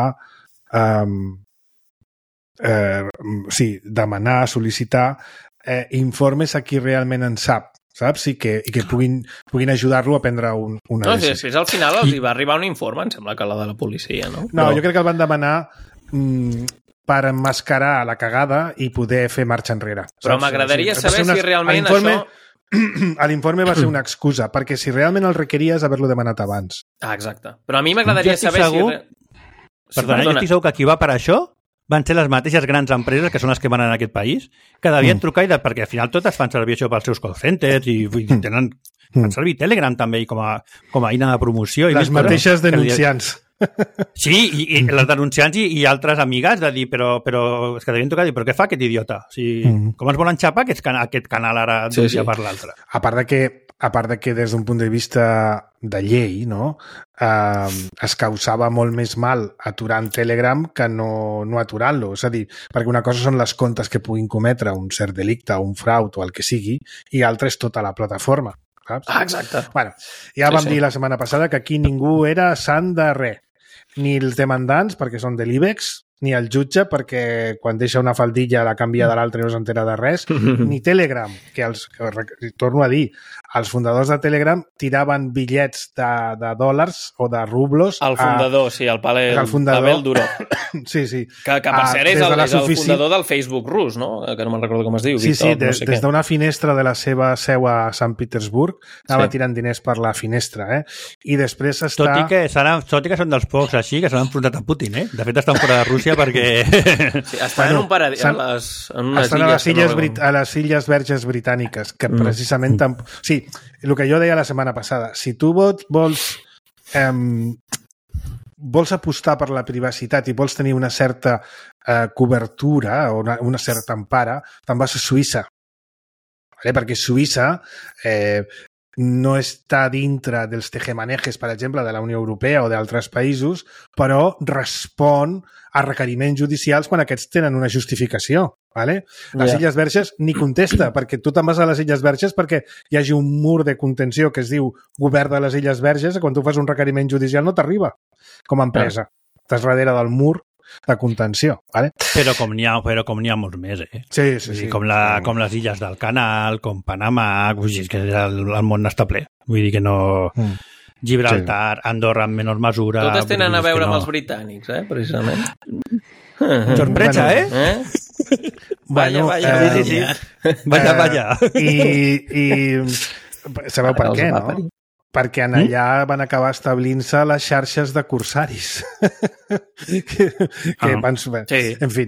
[SPEAKER 2] um, eh, sí, demanar, sol·licitar eh, informes a qui realment en sap, saps? I que, i que puguin, puguin ajudar-lo a prendre un, una
[SPEAKER 3] no,
[SPEAKER 2] decisió.
[SPEAKER 3] Després al final els hi va arribar un informe, em sembla que la de la policia, no?
[SPEAKER 2] No, Però... jo crec que el van demanar mm, per emmascarar la cagada i poder fer marxa enrere.
[SPEAKER 3] Però m'agradaria sí, saber una... si realment això...
[SPEAKER 2] L'informe va ser una excusa, perquè si realment el requeries, haver-lo demanat abans.
[SPEAKER 3] Ah, exacte. Però a mi m'agradaria saber
[SPEAKER 4] segur...
[SPEAKER 3] si...
[SPEAKER 4] Perdona, sí, perdona, jo estic segur que qui va per això van ser les mateixes grans empreses que són les que van en aquest país, que devien mm. trucar, i de, perquè al final totes fan servir això pels seus call centers i, i tenen, mm. fan servir Telegram també com a, com a eina de promoció. I
[SPEAKER 2] les mateixes denunciants.
[SPEAKER 4] Sí, i, i les denunciants i, i altres amigues de dir, però, però és que devien trucar i dir, però què fa aquest idiota? O sigui, mm. com es volen xapar aquest, can aquest canal ara d'un sí, dia sí. per l'altre?
[SPEAKER 2] A part de que a part de que des d'un punt de vista de llei, no? Eh, es causava molt més mal aturant Telegram que no, no aturant-lo. És a dir, perquè una cosa són les comptes que puguin cometre un cert delicte, un fraud o el que sigui, i altra és tota la plataforma. Saps?
[SPEAKER 3] Ah, exacte.
[SPEAKER 2] Bueno, ja
[SPEAKER 3] Sí,
[SPEAKER 2] vam
[SPEAKER 3] sí.
[SPEAKER 2] dir la setmana passada que aquí ningú era sant de res. Ni els demandants, perquè són de l'IBEX, ni el jutge, perquè quan deixa una faldilla la canvia de l'altra i no s'entera de res, ni Telegram, que, els, que torno a dir, els fundadors de Telegram tiraven bitllets de, de dòlars o de rublos.
[SPEAKER 3] El fundador, a, sí, el Pavel,
[SPEAKER 2] el fundador,
[SPEAKER 3] Pavel Duró.
[SPEAKER 2] Sí, sí.
[SPEAKER 3] Que, que per
[SPEAKER 2] Ah,
[SPEAKER 3] cert és
[SPEAKER 2] des
[SPEAKER 3] el,
[SPEAKER 2] de la
[SPEAKER 3] és el
[SPEAKER 2] sufici-
[SPEAKER 3] fundador del Facebook rus, no? Que no me'n recordo com es diu.
[SPEAKER 2] Sí, sí,
[SPEAKER 3] Víctor,
[SPEAKER 2] des,
[SPEAKER 3] no sé
[SPEAKER 2] des
[SPEAKER 3] què.
[SPEAKER 2] d'una finestra de la seva seu a Sant Petersburg anava
[SPEAKER 3] Sí.
[SPEAKER 2] tirant diners per la finestra, eh? I després està...
[SPEAKER 4] Tot i que, seran, tot i que són dels pocs així que s'han enfrontat a Putin, eh? De fet, estan fora de Rússia perquè...
[SPEAKER 3] Sí, estan
[SPEAKER 2] Bueno,
[SPEAKER 3] en un paradís,
[SPEAKER 2] s'han-
[SPEAKER 3] en, les, en unes
[SPEAKER 2] Estan a les,
[SPEAKER 3] que
[SPEAKER 2] illes,
[SPEAKER 3] no
[SPEAKER 2] Brit a les illes Verges Britàniques, que
[SPEAKER 3] Mm.
[SPEAKER 2] precisament... Tamp... Sí, el que jo deia la setmana passada, si tu vols, vols, eh, vols apostar per la privacitat i vols tenir una certa eh, cobertura o una, una certa empara, te'n vas a Suïssa. Vale? Perquè Suïssa eh, no està dintre dels tejemanejes, per exemple, de la Unió Europea o d'altres països, però respon a requeriments judicials quan aquests tenen una justificació. Vale? Les
[SPEAKER 3] Ja.
[SPEAKER 2] Illes Verges ni contesta, perquè tu te'n vas a les Illes Verges perquè hi hagi un mur de contenció que es diu Govern de les Illes Verges i quan tu fas un requeriment judicial no t'arriba com a empresa. Estàs darrere del mur de contenció. Vale?
[SPEAKER 4] Però com n'hi ha, però com n'hi ha molts més, eh?
[SPEAKER 2] Sí, sí,
[SPEAKER 4] Vull dir,
[SPEAKER 2] sí.
[SPEAKER 4] com, la, com les illes del Canal, com Panamà, vull dir, és que el, el món està ple. Vull dir que no...
[SPEAKER 2] Mm.
[SPEAKER 4] Gibraltar, Andorra en menor mesura...
[SPEAKER 3] Totes tenen a
[SPEAKER 4] vull dir, és
[SPEAKER 3] veure
[SPEAKER 4] que
[SPEAKER 3] amb
[SPEAKER 4] no.
[SPEAKER 3] els britànics, eh? Precisament.
[SPEAKER 4] Sorpresa,
[SPEAKER 2] Bueno,
[SPEAKER 4] eh?
[SPEAKER 3] Eh?
[SPEAKER 2] Bueno,
[SPEAKER 3] vaya,
[SPEAKER 2] eh,
[SPEAKER 3] vaya.
[SPEAKER 4] Sí, sí, sí. Vaja, vaja.
[SPEAKER 2] I, i sabeu per
[SPEAKER 3] Ara els
[SPEAKER 2] què,
[SPEAKER 3] va
[SPEAKER 2] no?
[SPEAKER 3] parir.
[SPEAKER 2] Perquè en allà van acabar establint-se les xarxes de corsaris. que que
[SPEAKER 4] Ah.
[SPEAKER 2] van...
[SPEAKER 3] Sí.
[SPEAKER 2] En fi,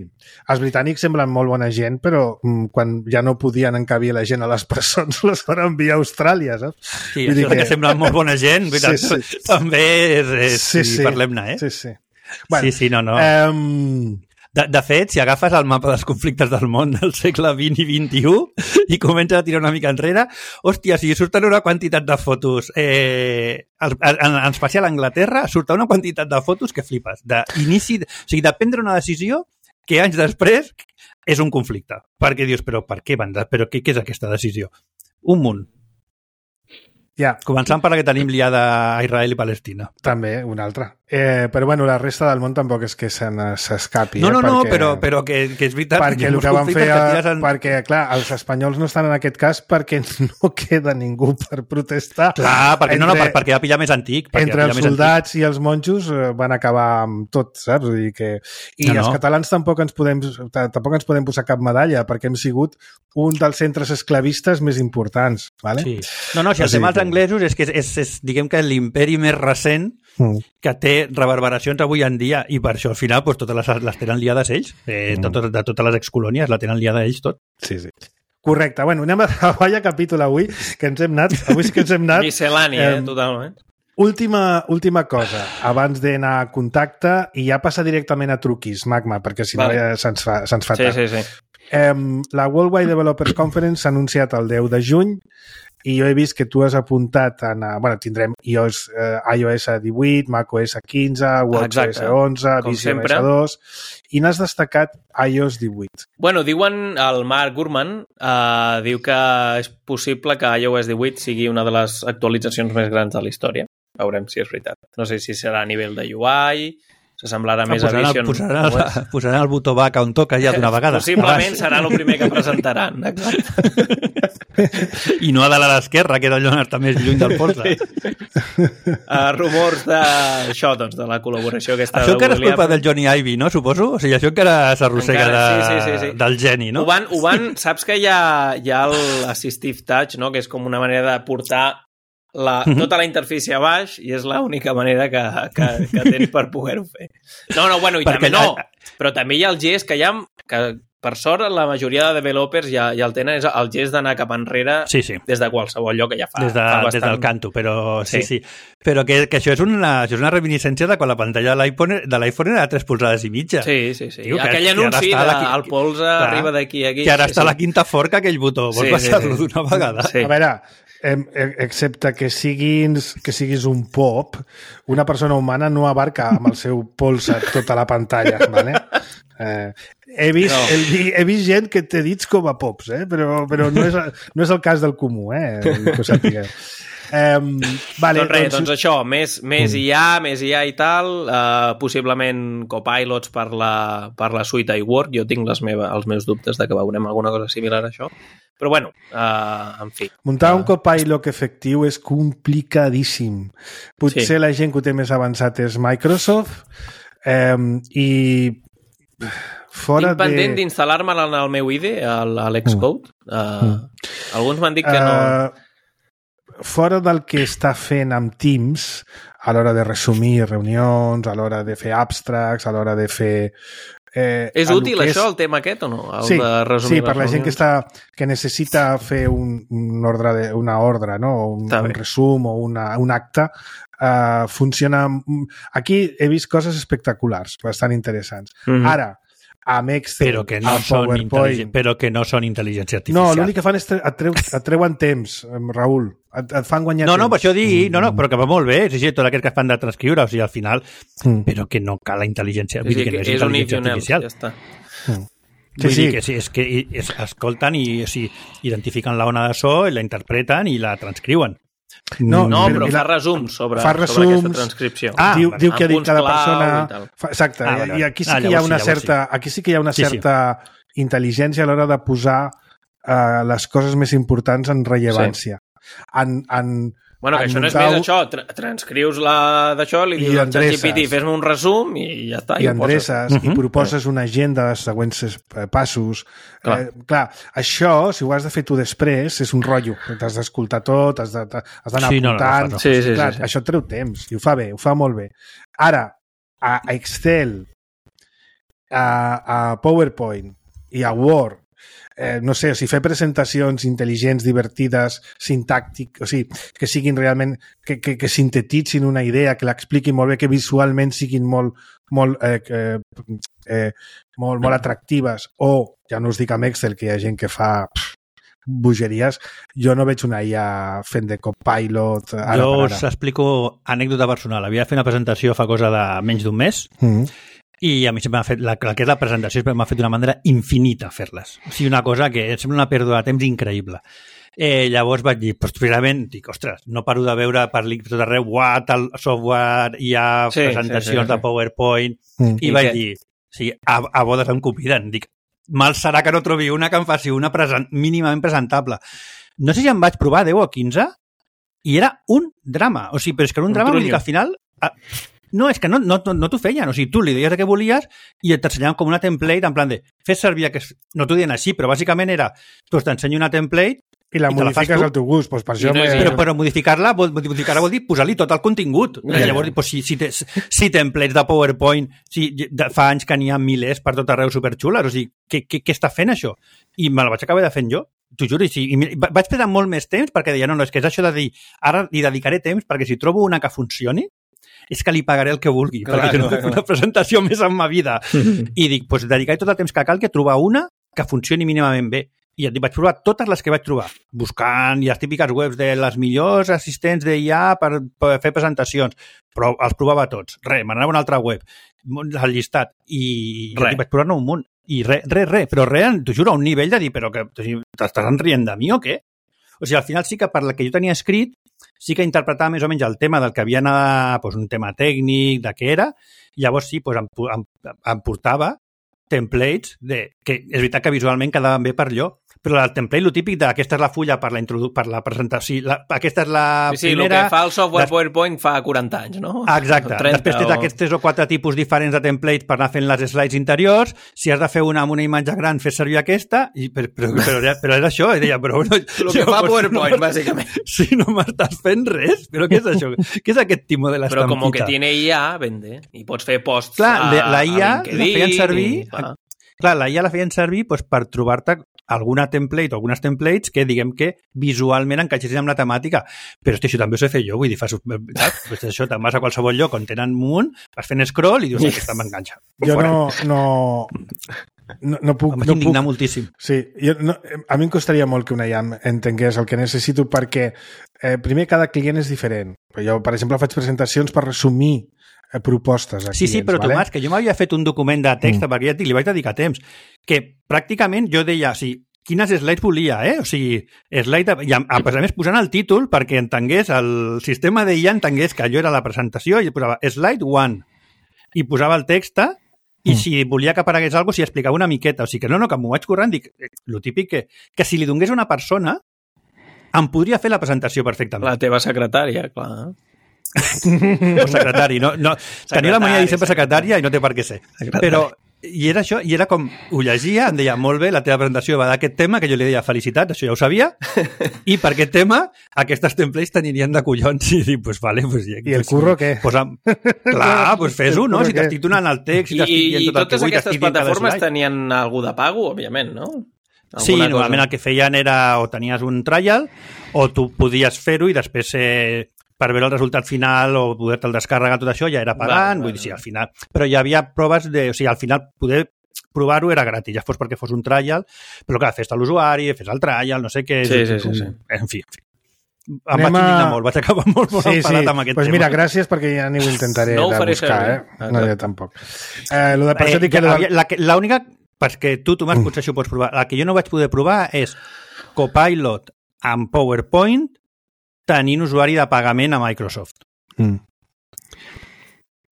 [SPEAKER 2] els britànics semblen molt bona gent, però mm, quan ja no podien encabir la gent a les presons, les van enviar a Austràlia, saps?
[SPEAKER 4] Sí,
[SPEAKER 2] Vull dir
[SPEAKER 4] això que...
[SPEAKER 2] que-
[SPEAKER 4] que sembla molt bona gent,
[SPEAKER 2] Sí,
[SPEAKER 4] sí,
[SPEAKER 2] sí.
[SPEAKER 4] sí. també és, és sí, sí. parlem-ne, eh?
[SPEAKER 2] Sí, sí.
[SPEAKER 4] sí, sí, no, no.
[SPEAKER 2] Um,
[SPEAKER 4] De, de fet, si agafes el mapa dels conflictes del món del segle vint i vint i u i comences a tirar una mica enrere, hòstia, si surten una quantitat de fotos, eh, en, en especial a Anglaterra, surten una quantitat de fotos que flipes. D'inici, o sigui, de prendre una decisió que anys després és un conflicte. Perquè dius, però per què van? De, però què, què és aquesta decisió? Un munt.
[SPEAKER 2] ja,
[SPEAKER 4] Començant per la que tenim liada a Israel i Palestina.
[SPEAKER 2] també, una altra. Eh, però bueno, la resta del món tampoc és que se n'es- s'escapi.
[SPEAKER 4] No,
[SPEAKER 2] eh,
[SPEAKER 4] no, no,
[SPEAKER 2] perquè...
[SPEAKER 4] però, però que, que és veritat.
[SPEAKER 2] perquè
[SPEAKER 4] hi ha
[SPEAKER 2] el
[SPEAKER 4] molts
[SPEAKER 2] que van
[SPEAKER 4] conflictes
[SPEAKER 2] fer,
[SPEAKER 4] que tires en...
[SPEAKER 2] perquè, clar, els espanyols no estan en aquest cas perquè no queda ningú per protestar.
[SPEAKER 4] Clar, perquè,
[SPEAKER 2] entre,
[SPEAKER 4] no, no, per, perquè va pillar més antic. perquè
[SPEAKER 2] entre
[SPEAKER 4] va
[SPEAKER 2] els
[SPEAKER 4] pillar més
[SPEAKER 2] soldats i els monjos eh, van acabar amb tot, saps? Vull dir que... I
[SPEAKER 4] No, no.
[SPEAKER 2] els catalans tampoc ens, podem, tampoc ens podem posar cap medalla perquè hem sigut un dels centres esclavistes més importants. Vale?
[SPEAKER 4] Sí. No, no, si el
[SPEAKER 2] O sigui
[SPEAKER 4] tema dels
[SPEAKER 2] que-
[SPEAKER 4] anglesos és que és, és, és diguem que l'imperi més recent
[SPEAKER 2] Mm.
[SPEAKER 4] que té reverberacions avui en dia i per això al final pues, totes les, les tenen liades ells. Eh,
[SPEAKER 2] Mm.
[SPEAKER 4] tot, de totes les excolònies la tenen liada ells tot.
[SPEAKER 2] Sí, sí. Correcte. Bueno, anem a vaya capítol avui, que ens hem anat. Avui sí que ens hem anat.
[SPEAKER 3] Miscel·lània, eh,
[SPEAKER 2] Em,
[SPEAKER 3] totalment.
[SPEAKER 2] Última, última cosa, abans d'anar a contacte, i ja passa directament a truquis, Magma, perquè si
[SPEAKER 3] Vale.
[SPEAKER 2] no ja se'ns fa, se'ns fa
[SPEAKER 3] Sí,
[SPEAKER 2] tard.
[SPEAKER 3] sí, sí.
[SPEAKER 2] Em, la Worldwide Developers Conference s'ha anunciat el deu de juny i jo he vist que tu has apuntat en... A, bueno, tindrem iOS, eh, iOS divuit, macOS quinze, WatchOS
[SPEAKER 3] Exacte.
[SPEAKER 2] onze,
[SPEAKER 3] Com
[SPEAKER 2] vision
[SPEAKER 3] sempre.
[SPEAKER 2] O S dos i n'has destacat iOS divuit.
[SPEAKER 3] Bueno, diuen, el Mark Gurman eh, diu que és possible que iOS divuit sigui una de les actualitzacions més grans de la història. Veurem si és veritat. No sé si serà a nivell de U I, s'assemblarà més a
[SPEAKER 4] posaran,
[SPEAKER 3] Vision.
[SPEAKER 4] el, posaran, el, posaran el botó back on toca ja d'una vegada.
[SPEAKER 3] Possiblement serà el primer que presentaran. Exacte.
[SPEAKER 4] I no a dalt a l'esquerra, que és allò on està més lluny del polze.
[SPEAKER 3] Uh, rumors de això, doncs, de la col·laboració aquesta
[SPEAKER 4] Això
[SPEAKER 3] de
[SPEAKER 4] encara és
[SPEAKER 3] Google i
[SPEAKER 4] culpa
[SPEAKER 3] Apple.
[SPEAKER 4] del Johnny Ive, no? Suposo? O sigui, això encara s'arrossega
[SPEAKER 3] Encara,
[SPEAKER 4] de,
[SPEAKER 3] sí, sí, sí, sí.
[SPEAKER 4] del geni, no?
[SPEAKER 3] Ho van, ho van, saps que hi ha, hi ha l'Assistive Touch, no? Que és com una manera de portar la, tota la interfície a baix i és l'única manera que, que, que tens per poder-ho fer. No, no, bueno, i
[SPEAKER 4] Perquè
[SPEAKER 3] també no,
[SPEAKER 4] allà-
[SPEAKER 3] però també hi ha el gest que hi ha, que per sort la majoria de developers ja, ja el tenen, és el gest d'anar cap enrere
[SPEAKER 4] Sí, sí.
[SPEAKER 3] des de qualsevol lloc que ja fa,
[SPEAKER 4] Des, de,
[SPEAKER 3] fa bastant.
[SPEAKER 4] des del canto, però sí,
[SPEAKER 3] Sí.
[SPEAKER 4] sí. Però que, que això, és una, això és una reminiscència de quan la pantalla de l'iPhone de l'iPhone era de tres polzades i mitja.
[SPEAKER 3] Sí, sí, sí.
[SPEAKER 4] Diu que-
[SPEAKER 3] Aquell
[SPEAKER 4] que ara
[SPEAKER 3] anunci
[SPEAKER 4] està
[SPEAKER 3] de
[SPEAKER 4] la-
[SPEAKER 3] el polze
[SPEAKER 4] Clar.
[SPEAKER 3] arriba d'aquí a aquí.
[SPEAKER 4] Que ara
[SPEAKER 3] sí,
[SPEAKER 4] està
[SPEAKER 3] sí.
[SPEAKER 4] a la quinta forca aquell botó. Vols
[SPEAKER 3] Sí, sí,
[SPEAKER 4] baixar-lo
[SPEAKER 3] sí.
[SPEAKER 4] d'una vegada?
[SPEAKER 3] Sí.
[SPEAKER 2] A veure, excepte que siguis, que siguis un pop, una persona humana no abarca amb el seu pols tota la pantalla, ¿vale? Eh, he, vist, no. el, he vist gent que té dits com a pops, eh? però, però no, és, no és el cas del comú, eh? que ho sapigueu. Um, vale,
[SPEAKER 3] doncs res, doncs, doncs això, més, més I A, més I A i tal, uh, possiblement copilots per la, per la suite iWork, jo tinc les meva, els meus dubtes de que veurem alguna cosa similar a això, però bueno, uh, en fi.
[SPEAKER 2] Muntar
[SPEAKER 3] uh,
[SPEAKER 2] un copilot efectiu és complicadíssim. Potser sí. La gent que ho té més avançat és Microsoft, um, i fora
[SPEAKER 3] tinc pendent
[SPEAKER 2] de...
[SPEAKER 3] d'instal·lar-me en el meu I D E, a l'Xcode. Uh, mm. Alguns m'han dit que no... Uh,
[SPEAKER 2] fora del que està fent amb Teams a l'hora de resumir reunions, a l'hora de fer abstracts, a l'hora de fer...
[SPEAKER 3] Eh, és útil és... això, el tema aquest, o no? El
[SPEAKER 2] sí,
[SPEAKER 3] de resumir
[SPEAKER 2] sí, per la gent que, està, que necessita fer un, un ordre de, una ordre, no? un, un resum o una, un acte, uh, funciona... Aquí he vist coses espectaculars, bastant interessants. Mm-hmm. Ara, amb Excel,
[SPEAKER 4] però que no són intel·ligent, però que no són intel·ligència artificial.
[SPEAKER 2] No, l'únic que fan és et, treu, et treuen temps, Raül. Et, et fan guanyar
[SPEAKER 4] no,
[SPEAKER 2] temps.
[SPEAKER 4] No, per això dir, no, no, però que va molt bé, és tot aquest que fan de transcriure, o sigui, al final, mm. però que no cal la intel·ligència, vull dir que no és, és intel·ligència artificial. Ja està. Mm. Sí, vull sí. dir que sí, és que és, escolten i o sigui, identifiquen la ona de so, i la interpreten i la transcriuen.
[SPEAKER 3] No, no però, però fa resums sobre,
[SPEAKER 2] fa resums,
[SPEAKER 3] sobre aquesta transcripció.
[SPEAKER 2] Ah, diu, diu que ha dit cada persona... Fa, exacte, ah, i aquí sí que ah, hi ha una certa, sí. aquí sí que hi ha una sí, certa sí. intel·ligència a l'hora de posar uh, les coses més importants en rellevància. Sí. En, en,
[SPEAKER 3] bueno, que
[SPEAKER 2] en
[SPEAKER 3] això no és més això, tra transcrius la d'això, li dius al ChatGPT, fes-me un resum i ja està.
[SPEAKER 2] I, i endreces, uh -huh. i proposes una agenda dels següents passos. Clar. Eh, clar, això, si ho has de fer tu després, és un rotllo. T'has d'escoltar tot, has d'anar
[SPEAKER 4] sí,
[SPEAKER 2] apuntant.
[SPEAKER 4] No, no, no, no.
[SPEAKER 3] Sí, sí,
[SPEAKER 2] clar,
[SPEAKER 3] sí, sí.
[SPEAKER 2] Això treu temps, i ho fa bé, ho fa molt bé. Ara, a Excel, a, a PowerPoint i a Word, Eh, no sé, o sigui, fer presentacions intel·ligents, divertides, sintàctic, o sigui, que siguin realment, que, que, que sintetitzin una idea, que l'expliquin molt bé, que visualment siguin molt, molt, eh, eh, eh, molt, molt atractives, o, ja no us dic amb Excel, que hi ha gent que fa pff, bogeries, jo no veig una I A fent de copilot ara
[SPEAKER 4] jo
[SPEAKER 2] per ara.
[SPEAKER 4] us explico anècdota personal. Havia de fer una presentació fa cosa de menys d'un mes, mm-hmm. i a mi sempre m'ha fet, la, la que és la presentació m'ha fet d'una manera infinita fer-les. O sigui, una cosa que sembla una pèrdua de temps increïble. Eh, llavors vaig dir, pues, finalment, dic, ostres, no paro de veure per tot arreu, uah, tal software, hi ha sí, presentacions sí, sí, sí. de PowerPoint, mm. i, I vaig què? dir, sí, a, a bodes em conviden. Dic, mal serà que no trobi una que em faci una present, mínimament presentable. No sé si em vaig provar deu o quinze, i era un drama. O sigui, però és que era un, un drama, vull dir que al final... A, No, és que no, no, no t'ho feien. O sigui, tu li deies el que volies i t'ensenyaven com una template en plan de fes servir aquest... No t'ho diuen així, però bàsicament era doncs t'ensenyo una template
[SPEAKER 2] i la
[SPEAKER 4] i
[SPEAKER 2] modifiques
[SPEAKER 4] la
[SPEAKER 2] al teu gust. Pues per això
[SPEAKER 4] no, però, però modificar-la vol, modificar vol dir posar-li tot el contingut. Yeah. I llavors, pues, si, si, te, si templates de PowerPoint, si de, fa anys que n'hi ha milers per tot arreu superxules, o sigui, què, què, què està fent això? I me la vaig acabar de fent jo. T'ho juro, i, sí, i vaig perdre molt més temps perquè deia, no, no, és que és això de dir, ara li dedicaré temps perquè si trobo una que funcioni, és que li pagaré el que vulgui, clar, perquè no vull fer una presentació més en ma vida. I dic, doncs dedicaré tot el temps que cal que trobar una que funcioni mínimament bé. I et dic, vaig provar totes les que vaig trobar, buscant i les típiques webs de les millors assistents d'I A per, per fer presentacions, però els provava tots. Res, m'anava a una altra web, al llistat, i dic, vaig provar-ne un munt. I res, res, res, però res, t'ho juro, a un nivell de dir, però que t'estàs rient de mi o què? O sigui, al final sí que per la que jo tenia escrit, sí que interpretava més o menys el tema del que havia anat, doncs, un tema tècnic, de què era, i llavors sí, doncs, em, em, em portava templates de, que és veritat que visualment quedaven bé per allò, però el template, el típic de aquesta és la fulla per la, per la presentació, la, aquesta és la
[SPEAKER 3] sí, sí,
[SPEAKER 4] primera...
[SPEAKER 3] Sí, el que fa el software des... PowerPoint fa quaranta anys, no?
[SPEAKER 4] Exacte. Després tens o... aquests tres o quatre tipus diferents de templates per anar fent les slides interiors. Si has de fer una amb una imatge gran, fes servir aquesta, i, però, però, però, però és això, i deia, però... No,
[SPEAKER 3] el que fa PowerPoint, no, bàsicament.
[SPEAKER 4] Si no m'estàs fent res, però què és això? Què és aquest timo de l'estampita?
[SPEAKER 3] Però com que tiene I A, vende, i pots fer posts
[SPEAKER 4] clar,
[SPEAKER 3] a,
[SPEAKER 4] la I A
[SPEAKER 3] a LinkedIn.
[SPEAKER 4] La feien servir...
[SPEAKER 3] I,
[SPEAKER 4] clar, la I A la feien servir doncs, per trobar-te alguna template o algunes templates que diguem que visualment encaixessin amb la temàtica. Però hosti, això també ho sé fer jo, vull dir, fas, pues això, te'n vas a qualsevol lloc on tenen un munt, vas fent scroll i dius, aquesta m'enganxa.
[SPEAKER 2] Jo no, no... no, no puc...
[SPEAKER 4] Em vaig
[SPEAKER 2] no
[SPEAKER 4] indignar
[SPEAKER 2] puc...
[SPEAKER 4] moltíssim.
[SPEAKER 2] Sí, jo, no, a mi em costaria molt que una I A M entengués el que necessito perquè, eh, primer, cada client és diferent. Jo, per exemple, faig presentacions per resumir eh, propostes a
[SPEAKER 4] Sí,
[SPEAKER 2] clients.
[SPEAKER 4] sí, però
[SPEAKER 2] vale?
[SPEAKER 4] Tomàs, que jo m'havia fet un document de text, mm. perquè ja et dic, li vaig dedicar temps, que pràcticament jo deia, o sigui, quines slides volia, eh? O sigui, slide, i a, a, a més posant el títol perquè entengués, el sistema de I A entengués que allò era la presentació i posava slide one i posava el text i mm. si volia que aparegués alguna cosa, s'hi explicava una miqueta. O sigui que no, no, que m'ho vaig corrent, dic, lo típic que, que si li donés a una persona em podria fer la presentació perfectament.
[SPEAKER 3] La teva secretària, clar.
[SPEAKER 4] O secretari, no, no. Tenia la mania de dir sempre secretària i no té per què ser. Secretari. Però i era això, i era com, ho llegia, em deia, molt bé, la teva presentació va d'aquest tema, que jo li deia, felicitats, això ja ho sabia, i per aquest tema, aquestes templates t'anirien de collons, i dic, pues vale, pues ja...
[SPEAKER 2] I el curro què?
[SPEAKER 4] Pues, am... Clar, pues fes-ho, no? Si t'estic donant el text, si
[SPEAKER 3] I,
[SPEAKER 4] t'estic dient
[SPEAKER 3] i
[SPEAKER 4] tot el que
[SPEAKER 3] totes
[SPEAKER 4] vull,
[SPEAKER 3] aquestes
[SPEAKER 4] t'estic dient
[SPEAKER 3] plataformes tenien algú de pago, òbviament, no? Alguna
[SPEAKER 4] sí,
[SPEAKER 3] cosa.
[SPEAKER 4] normalment el que feien era o tenies un trial o tu podies fer-ho i després eh, per veure el resultat final o poder-te'l descarregar, tot això ja era pagant, vale, vull dir, sí, al final... Però hi havia proves de... O sigui, al final poder provar-ho era gratis, ja fos perquè fos un trial, però clar, fes-te l'usuari, fes el trial, no sé què...
[SPEAKER 3] Sí, sí, sí, sí.
[SPEAKER 4] En fi, en fi. Em Anem vaig indignar a... molt, vaig acabar molt, molt sí, enfadat sí. amb aquest
[SPEAKER 2] pues
[SPEAKER 4] tema.
[SPEAKER 2] Mira, gràcies perquè ja ni ho intentaré
[SPEAKER 3] no
[SPEAKER 2] de buscar,
[SPEAKER 3] servir.
[SPEAKER 2] eh? No, jo tampoc. Eh, lo de, per eh, això dic que...
[SPEAKER 4] Ja, l'única... Perquè tu, Tomàs, mm. potser això ho pots provar. La que jo no vaig poder provar és Copilot amb PowerPoint tenint usuari de pagament a Microsoft. Mm.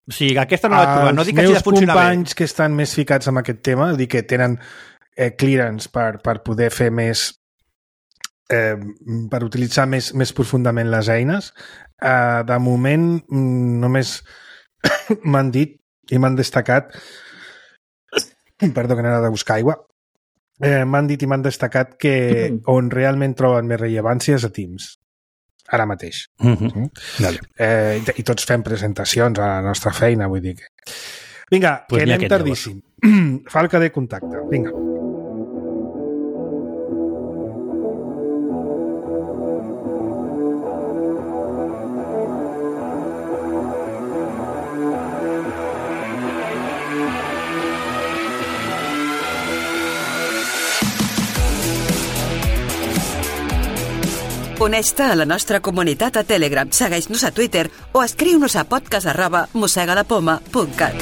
[SPEAKER 4] O sigui, aquesta no la vaig provar. No dic que hagi de funcionar bé. Els
[SPEAKER 2] companys que estan més ficats en aquest tema, dir que tenen eh, clearance per, per poder fer més... Eh, per utilitzar més, més profundament les eines, eh, de moment mm, només m'han dit i m'han destacat perdó, que n'era de buscar aigua, eh, m'han dit i m'han destacat que mm. on realment troben més rellevància és a Teams, ara mateix. Mm-hmm. Mm? Vale. Eh, i, I tots fem presentacions a la nostra feina, vull dir que... Vinga, pues que anem tardíssim. Falca de contacte, vinga.
[SPEAKER 5] Uneix-te a la nostra comunitat a Telegram, segueix-nos a Twitter o escriu-nos a podcast arroba mossegalapoma punt cat.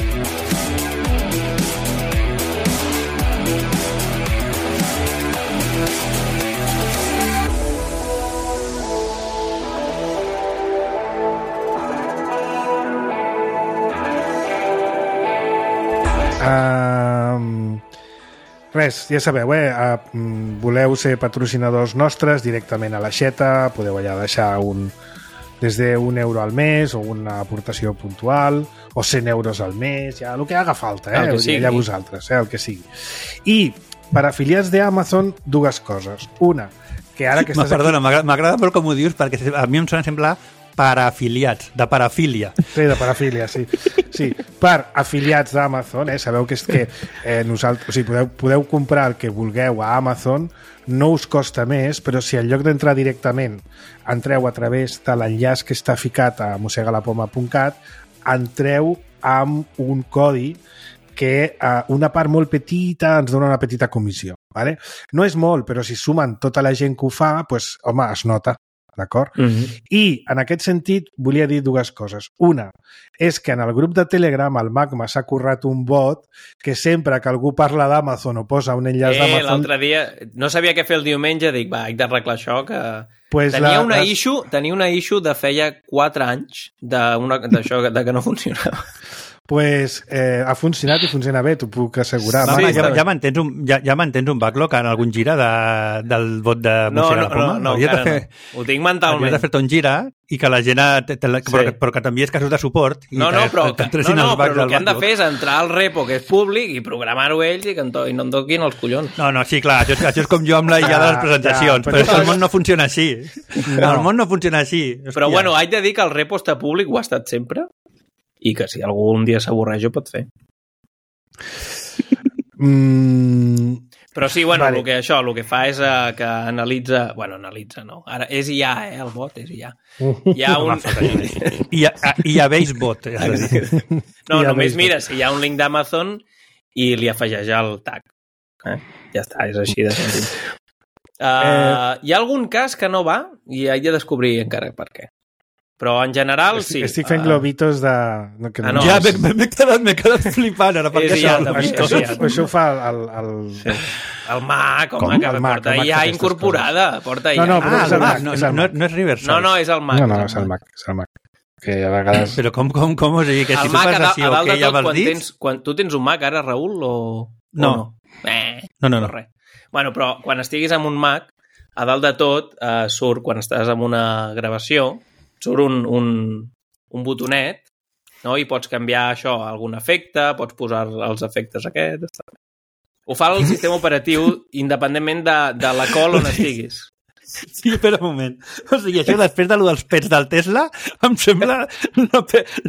[SPEAKER 2] Um, res, ja sabeu, eh? Uh, voleu ser patrocinadors nostres directament a l'aixeta, podeu allà deixar un, des d'un euro al mes o una aportació puntual o cent euros al mes, ja el que haga falta, eh? El que sigui. Allà vosaltres, eh? El que sigui. I per afiliats d'Amazon, dues coses. Una, que ara que estàs
[SPEAKER 4] Perdona,
[SPEAKER 2] aquí...
[SPEAKER 4] m'agrada molt com ho dius perquè a mi em sona semblar parafiliats, de parafília.
[SPEAKER 2] Sí, de parafília, sí. Sí, per afiliats d'Amazon, eh? Sabeu que és que eh, nosaltres, o sigui, podeu, podeu comprar el que vulgueu a Amazon, no us costa més, però si en lloc d'entrar directament entreu a través de l'enllaç que està ficat a mossegalapoma punt cat, entreu amb un codi que eh, una part molt petita ens dona una petita comissió. Vale? No és molt, però si sumen tota la gent que ho fa, pues, home, es nota. D'acord? Mm-hmm. I, en aquest sentit, volia dir dues coses. Una, és que en el grup de Telegram el Magma s'ha currat un bot que sempre que algú parla d'Amazon o posa un enllaç
[SPEAKER 3] eh,
[SPEAKER 2] d'Amazon...
[SPEAKER 3] L'altre dia no sabia què fer el diumenge, dic, va, haig d'arreglar això, que...
[SPEAKER 2] Pues
[SPEAKER 3] tenia,
[SPEAKER 2] la,
[SPEAKER 3] una
[SPEAKER 2] les...
[SPEAKER 3] issue, tenia una issue de feia quatre anys d'això de que no funcionava.
[SPEAKER 2] Pues eh, ha funcionat i funciona bé, t'ho puc assegurar.
[SPEAKER 4] Sí, sí, ja, ja mantens un, ja, ja mantens un backlog en algun gira de, del bot de
[SPEAKER 3] no,
[SPEAKER 4] Mossega
[SPEAKER 3] no,
[SPEAKER 4] la Poma?
[SPEAKER 3] no, no,
[SPEAKER 4] de fer,
[SPEAKER 3] no. Ho tinc mentalment.
[SPEAKER 4] Hauries de fer-te un gira i que la gent... Te, te, sí. però, però que t'envies casos de suport. I
[SPEAKER 3] no, no, però,
[SPEAKER 4] te, te,
[SPEAKER 3] no, no, però el que han de fer és entrar al repo, que és públic, i programar-ho ells i que to, i no em toquin els collons.
[SPEAKER 4] No, no, sí, clar, això és, això és com jo amb la I A de les presentacions, ja, però, però el món no funciona així. No. El món no funciona així. Hòstia.
[SPEAKER 3] Però bueno, haig de dir que el repo està públic, ho ha estat sempre, i que si algú un dia s'avorreix ho pot fer.
[SPEAKER 2] Mm,
[SPEAKER 3] però sí, bueno,
[SPEAKER 2] vale.
[SPEAKER 3] el que, això, el que fa és uh, que analitza... Bueno, analitza, no. Ara és I A, eh, el bot, és I A. Hi ha un...
[SPEAKER 4] I a, i a Basebot.
[SPEAKER 3] No, només mira, si hi ha un link d'Amazon i li afegeix el tag. Eh? Ja està, és així de sentit. Uh, eh... Hi ha algun cas que no va i he de descobrir encara per què. Però en general, sí.
[SPEAKER 2] Estic fent uh... globitos de...
[SPEAKER 3] No, que no, ah, no,
[SPEAKER 4] ja, és... m'he quedat, quedat flipant ara.
[SPEAKER 3] És
[SPEAKER 2] això,
[SPEAKER 3] ja,
[SPEAKER 2] això, això, això ho fa el... El,
[SPEAKER 3] sí. el Mac, home, que el Mac, porta el Mac ja incorporada. Porta
[SPEAKER 2] no, no,
[SPEAKER 3] ja.
[SPEAKER 2] però
[SPEAKER 4] ah,
[SPEAKER 2] és el
[SPEAKER 4] Mac,
[SPEAKER 2] Mac.
[SPEAKER 4] No,
[SPEAKER 2] és el
[SPEAKER 4] no,
[SPEAKER 2] Mac.
[SPEAKER 4] no és Riverside.
[SPEAKER 3] No, no, és el Mac.
[SPEAKER 2] No, no, és el Mac. És el Mac. Que a vegades...
[SPEAKER 4] Però com, com, com o sigui, que si
[SPEAKER 3] el
[SPEAKER 4] tu
[SPEAKER 3] Mac,
[SPEAKER 4] fas així
[SPEAKER 3] a, a
[SPEAKER 4] o
[SPEAKER 3] dalt
[SPEAKER 4] que
[SPEAKER 3] de
[SPEAKER 4] ja
[SPEAKER 3] tot,
[SPEAKER 4] vas
[SPEAKER 3] quan
[SPEAKER 4] dits...
[SPEAKER 3] tens, quan, tu tens un Mac ara, Raül, o,
[SPEAKER 4] no.
[SPEAKER 3] o no? Eh,
[SPEAKER 4] no, no, no.
[SPEAKER 3] Res. Bueno, però quan estiguis amb un Mac, a dalt de tot eh, surt, quan estàs en una gravació, surt un, un, un botonet, no? I pots canviar això a algun efecte, pots posar els efectes aquests... Ho fa el sistema operatiu independentment de, de la call on estiguis.
[SPEAKER 4] Sí, espera un moment. O sigui, això després de lo dels pets del Tesla em sembla la,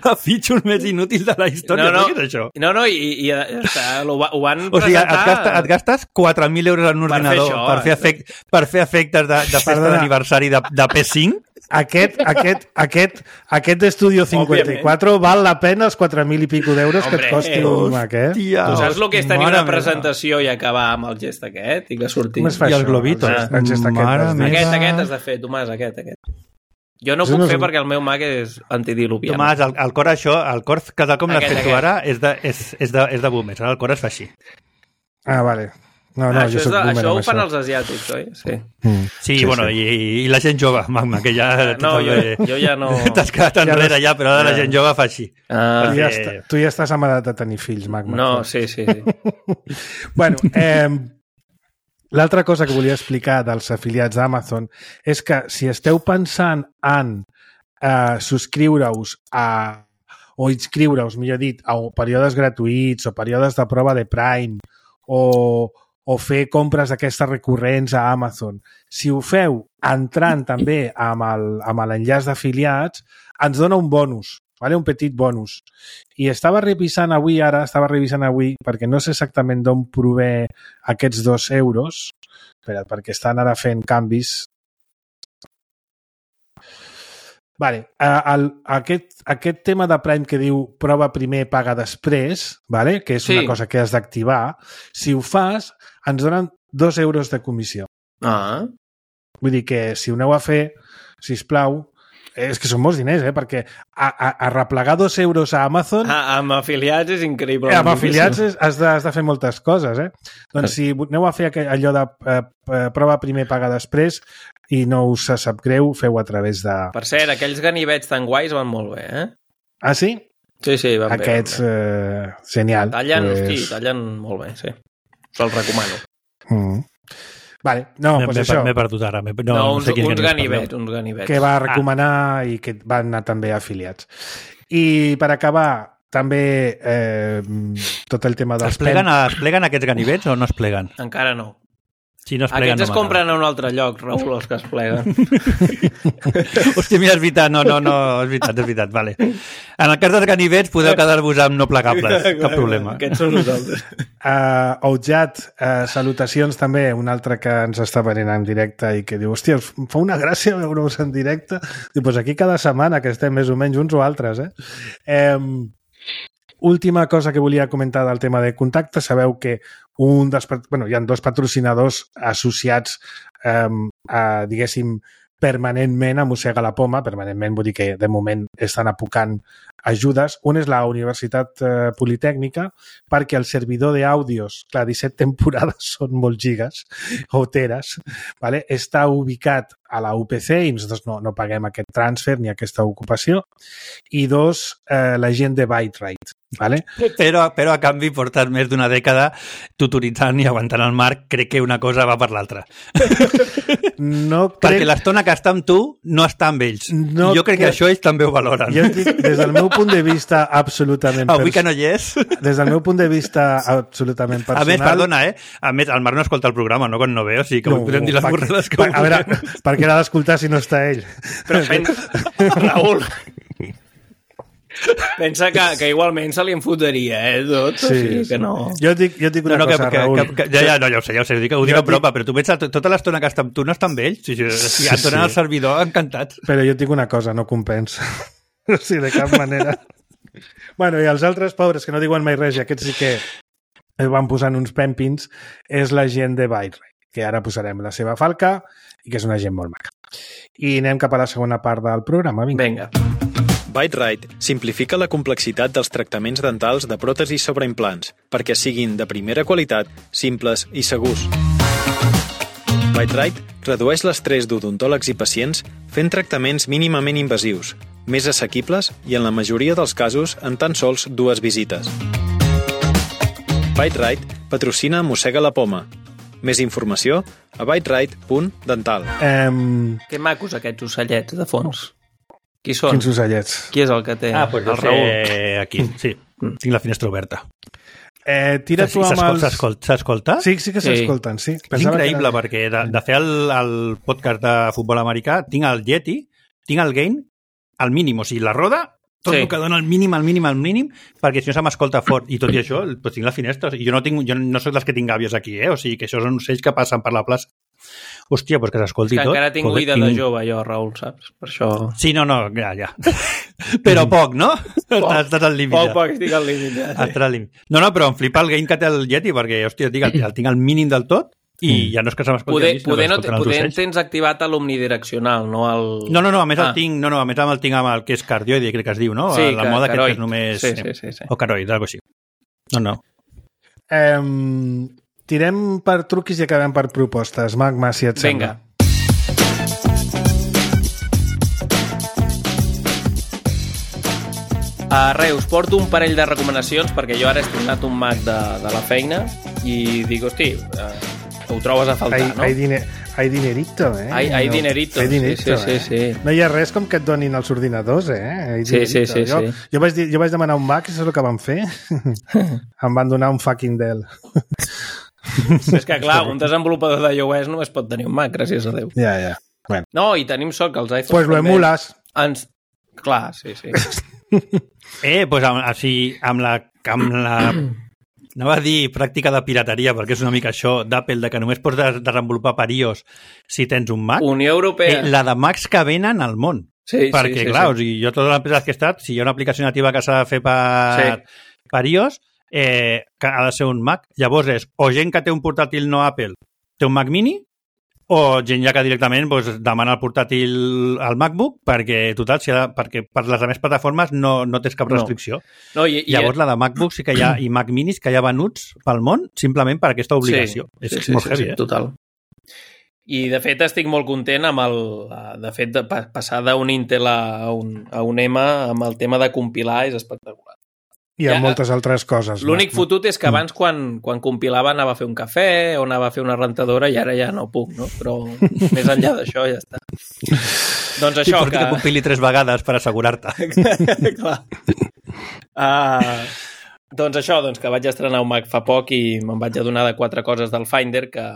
[SPEAKER 4] la feature més inútil de la història.
[SPEAKER 3] No, no,
[SPEAKER 4] què és això?
[SPEAKER 3] No, no, i, i està, ho, ho van
[SPEAKER 4] o sigui,
[SPEAKER 3] presentar...
[SPEAKER 4] et, gasta, et gastes quatre mil euros en un
[SPEAKER 3] per
[SPEAKER 4] ordinador
[SPEAKER 3] fer això,
[SPEAKER 4] per, fer efect, per fer efectes de, de festa d'aniversari de, de P cinc?
[SPEAKER 2] Aquest, aquest, aquest, aquest d'Estudio cinquanta-quatre Òbviament. Val la pena els quatre mil i pico d'euros que et costi un Mac, eh?
[SPEAKER 3] Hòstia, tu saps el que és tenir una presentació i acabar amb el gest aquest i que surti...
[SPEAKER 2] Com es fa
[SPEAKER 4] I
[SPEAKER 2] això?
[SPEAKER 4] els globitos.
[SPEAKER 2] El, el gest aquest.
[SPEAKER 3] Aquest, aquest has de fer, Tomàs, aquest, aquest. Jo no puc no fer un... perquè el meu Mac és antidiluvià.
[SPEAKER 4] Tomàs, el, el cor això, el cor que tal com l'has fet tu ara és de, és, és de, és de boomers, el cor es fa així.
[SPEAKER 2] Ah, vale. No, no,
[SPEAKER 3] ah,
[SPEAKER 2] jo
[SPEAKER 3] això, de, això ho fan
[SPEAKER 2] això.
[SPEAKER 3] els asiàtics, oi? Sí,
[SPEAKER 2] mm.
[SPEAKER 4] sí, sí bueno, sí. I, i la gent jove, Magma, que ja...
[SPEAKER 3] No, jo, jo ja no...
[SPEAKER 4] T'has quedat enrere ja, però ara la gent jove fa així.
[SPEAKER 3] Ah,
[SPEAKER 2] tu, ja està, tu ja estàs amb edat de tenir fills, Magma.
[SPEAKER 3] No, sí, sí. sí.
[SPEAKER 2] bueno, eh, l'altra cosa que volia explicar dels afiliats d'Amazon és que si esteu pensant en eh, subscriure-us a o inscriure-us, millor dit, a períodes gratuïts o períodes de prova de Prime o o fer compres d'aquestes recurrents a Amazon. Si ho feu entrant també amb el, amb l'enllaç d'afiliats, ens dona un bonus, vale? Un petit bonus. I estava revisant avui, ara estava revisant avui, perquè no sé exactament d'on prové aquests dos euros, espera, perquè estan ara fent canvis. Vale, el, aquest, aquest tema de Prime que diu prova primer, paga després, vale? Que és sí. una cosa que has d'activar, si ho fas, ens donen dos euros de comissió.
[SPEAKER 3] Ah.
[SPEAKER 2] Vull dir que si ho aneu a fer, sisplau, és que són molts diners, eh? Perquè a, a, a replegar dos euros a Amazon...
[SPEAKER 3] Ah, amb afiliats és increïble.
[SPEAKER 2] Eh, amb afiliats és, has, de, has de fer moltes coses, eh? Doncs si aneu a fer allò de eh, prova primer, paga després i no us sap greu, feu a través de...
[SPEAKER 3] Per cert, aquells ganivets tan guais van molt bé, eh?
[SPEAKER 2] Ah, sí?
[SPEAKER 3] Sí, sí, van
[SPEAKER 2] Aquests,
[SPEAKER 3] bé.
[SPEAKER 2] Aquests, eh, genial.
[SPEAKER 3] Tallen,
[SPEAKER 2] pues...
[SPEAKER 3] hosti, tallen molt bé, sí. Se'ls recomano.
[SPEAKER 2] Mm. Vale, no, doncs pues això.
[SPEAKER 4] M'he perdut ara. No,
[SPEAKER 3] no, uns, no sé uns ganivets, uns ganivets.
[SPEAKER 2] Que va recomanar ah. i que van anar també afiliats. I per acabar, també eh, tot el tema dels...
[SPEAKER 4] Es pleguen, pen... es pleguen aquests ganivets o no es pleguen?
[SPEAKER 3] Encara no.
[SPEAKER 4] Si no es pleguen,
[SPEAKER 3] Aquests
[SPEAKER 4] no
[SPEAKER 3] es compren a un altre lloc, Raül, els que es pleguen.
[SPEAKER 4] Hòstia, mira, és veritat, no, no, no, és veritat, és veritat, vale. En el cas dels ganivets podeu quedar-vos amb no plegables, cap problema.
[SPEAKER 3] Aquests són nosaltres.
[SPEAKER 2] Uh, Oujat, uh, salutacions també, un altre que ens està venint en directe i que diu, hòstia, em fa una gràcia veure-us en directe. Diu, doncs aquí cada setmana que estem més o menys uns o altres, eh? Um, Última cosa que volia comentar del tema de contacte. Sabeu que un dels, bueno, hi ha dos patrocinadors associats, eh, a, diguéssim, permanentment a Mossega la Poma. Permanentment vull dir que de moment estan apocant ajudes. Un és la Universitat eh, Politècnica, perquè el servidor d'àudios, clar, disset temporades són molt gigas o teres, vale? Està ubicat a la U P C i nosaltres no, no paguem aquest transfer ni aquesta ocupació. I dos, eh, la gent de ByteRite. Vale?
[SPEAKER 4] Però, però a canvi portes més d'una dècada tutoritzant i aguantant el Marc, crec que una cosa va per l'altra.
[SPEAKER 2] No crec...
[SPEAKER 4] Perquè l'estona que està amb tu no està amb ells. No jo crec que... que això ells també ho valoren.
[SPEAKER 2] Jo dic, des del meu punt de vista absolutament...
[SPEAKER 4] Avui que no hi és.
[SPEAKER 2] Des del meu punt de vista absolutament personal...
[SPEAKER 4] A més, perdona, eh? A més, el Marc no escolta el programa, no quan no ve, o sigui que no, podem dir les borrades que...
[SPEAKER 2] A veure, per què l'ha d'escoltar si no està ell?
[SPEAKER 3] Però, Raül... Pensa que, que igualment se li enfotaria, eh, tot, sí, o sigui que no...
[SPEAKER 2] Jo dic, jo dic una
[SPEAKER 4] no, no,
[SPEAKER 2] cosa,
[SPEAKER 4] que,
[SPEAKER 2] Raül.
[SPEAKER 4] Que, que, ja, ja, no, ja ho sé, ja ho sé, ho dic, ho dic a prop, però tu pensa, tota l'estona que està amb tu no està amb ells, o sigui, sí, et donen sí. el servidor encantats.
[SPEAKER 2] Però jo et dic una cosa, no compensa. O sigui, de cap manera. Bueno, i els altres pobres que no diuen mai res, i aquests sí que van posant uns pèmpins, és la gent de Byte-Rite, que ara posarem la seva falca i que és una gent molt maca. I anem cap a la segona part del programa. Vinga.
[SPEAKER 3] Vinga.
[SPEAKER 6] Byte-Rite simplifica la complexitat dels tractaments dentals de pròtesis sobre implants perquè siguin de primera qualitat, simples i segurs. Byte-Rite redueix l'estrès d'odontòlegs i pacients fent tractaments mínimament invasius, més assequibles i en la majoria dels casos en tan sols dues visites. Byte-Rite patrocina Mossega la Poma. Més informació a byterite punt dental.
[SPEAKER 2] Um...
[SPEAKER 3] Que macos aquests ocellets de fons. Qui són?
[SPEAKER 2] Quins ocellets?
[SPEAKER 3] Qui és el que té?
[SPEAKER 4] Ah, doncs
[SPEAKER 3] el
[SPEAKER 4] el
[SPEAKER 3] Raül.
[SPEAKER 4] aquí, sí. Tinc la finestra oberta.
[SPEAKER 2] Eh, tira tu amb els...
[SPEAKER 4] S'escolta?
[SPEAKER 2] Sí, sí que s'escolten, sí.
[SPEAKER 4] És increïble, perquè de, de fer el, el podcast de futbol americà tinc el Yeti, tinc el gain al mínim, o sigui, la roda, tot sí. El que dona el mínim, el mínim, el mínim, perquè si no se m'escolta fort. I tot i això, doncs tinc la finestra. I jo no, tinc, jo no soc dels que tinc gàbies aquí, eh? O sigui, que això són ocells que passen per la plaça. Hòstia, doncs que s'escolti tot.
[SPEAKER 3] És que encara tinc oïda tinc... de jove, jo, Raül, saps? Per això...
[SPEAKER 4] Sí, no, no, ja, ja. Però poc, no?
[SPEAKER 3] Poc,
[SPEAKER 4] estàs al límit.
[SPEAKER 3] Poc, poc, estic al límit, ja.
[SPEAKER 4] Sí. Estàs al límit. No, no, però em flipa el gain que té el Yeti, perquè, hòstia, el, el tinc al mínim del tot, i mm. ja no és que se m'escolti
[SPEAKER 3] poder,
[SPEAKER 4] a mi, sinó
[SPEAKER 3] poder,
[SPEAKER 4] que
[SPEAKER 3] no,
[SPEAKER 4] escolten els
[SPEAKER 3] poder
[SPEAKER 4] ocells.
[SPEAKER 3] tens activat l'omnidireccional, no el...
[SPEAKER 4] No, no, no, a més
[SPEAKER 3] ah.
[SPEAKER 4] el tinc, no, no, a més el tinc amb el que és cardioide, crec que es diu, no?
[SPEAKER 3] Sí,
[SPEAKER 4] la
[SPEAKER 3] que,
[SPEAKER 4] moda
[SPEAKER 3] caroi.
[SPEAKER 4] Que és només...
[SPEAKER 3] Sí, sí, sí, sí.
[SPEAKER 4] O caroide, algo així. No, no.
[SPEAKER 2] Um, tirem per truquis i acabem per propostes. Magma, si et sembla.
[SPEAKER 3] Vinga. Uh, res, us porto un parell de recomanacions perquè jo ara he estrenat un Mac de, de la feina i dic, hosti, uh, ho trobes a faltar,
[SPEAKER 2] hay,
[SPEAKER 3] no?
[SPEAKER 2] Hay, diner, hay dinerito, eh?
[SPEAKER 3] Hay, hay dinerito,
[SPEAKER 2] hay dinerito,
[SPEAKER 3] sí, sí, sí,
[SPEAKER 2] eh?
[SPEAKER 3] sí.
[SPEAKER 2] No hi ha res com que et donin els ordinadors, eh? Hay
[SPEAKER 3] sí, sí, sí,
[SPEAKER 2] jo,
[SPEAKER 3] sí.
[SPEAKER 2] Jo vaig, dir, jo vaig demanar un Mac i això és el que van fer. Em van donar un fucking Dell.
[SPEAKER 3] És que, clar, un desenvolupador de iOS només pot tenir un Mac, gràcies a Déu.
[SPEAKER 2] Ja, ja. Bueno.
[SPEAKER 3] No, i tenim sort que els iPhones...
[SPEAKER 2] Pues lo emules.
[SPEAKER 3] Ens... Clar, sí, sí.
[SPEAKER 4] Eh, doncs amb, així, amb la... Amb la... No va dir pràctica de pirateria, perquè és una mica això d'Apple, de que només pots desenvolupar per iOS si tens un Mac.
[SPEAKER 3] Unió Europea.
[SPEAKER 4] Eh, la de Macs que venen al món.
[SPEAKER 3] Sí,
[SPEAKER 4] perquè,
[SPEAKER 3] sí, sí,
[SPEAKER 4] clar,
[SPEAKER 3] sí.
[SPEAKER 4] O sigui, jo totes les empreses que he estat, si hi ha una aplicació nativa que s'ha de fer per, sí. per iOS, eh, que ha de ser un Mac. Llavors és o gent que té un portàtil no Apple, té un Mac mini, o gent ja que directament doncs, demana el portàtil al MacBook perquè, total, si ha de, perquè per les altres plataformes no, no tens cap restricció.
[SPEAKER 3] No. No, i, i...
[SPEAKER 4] Llavors, la de MacBook sí que hi ha, i Mac minis que hi ha venuts pel món simplement per aquesta obligació.
[SPEAKER 3] Sí,
[SPEAKER 4] és
[SPEAKER 3] sí,
[SPEAKER 4] molt
[SPEAKER 3] sí,
[SPEAKER 4] heavy,
[SPEAKER 3] sí,
[SPEAKER 4] eh?
[SPEAKER 3] Total. I, de fet, estic molt content amb el... De fet, de passar d'un Intel a un, a un M amb el tema de compilar és espectacular.
[SPEAKER 2] I ha ja, moltes altres coses.
[SPEAKER 3] L'únic fotut és que abans, quan, quan compilava, anava a fer un cafè o anava a fer una rentadora i ara ja no puc, no? Però més enllà d'això ja està. Doncs això,
[SPEAKER 4] I que... que compili tres vegades per assegurar-te.
[SPEAKER 3] Clar. Uh, doncs això, doncs que vaig estrenar un Mac fa poc i me'n vaig adonar de quatre coses del Finder que,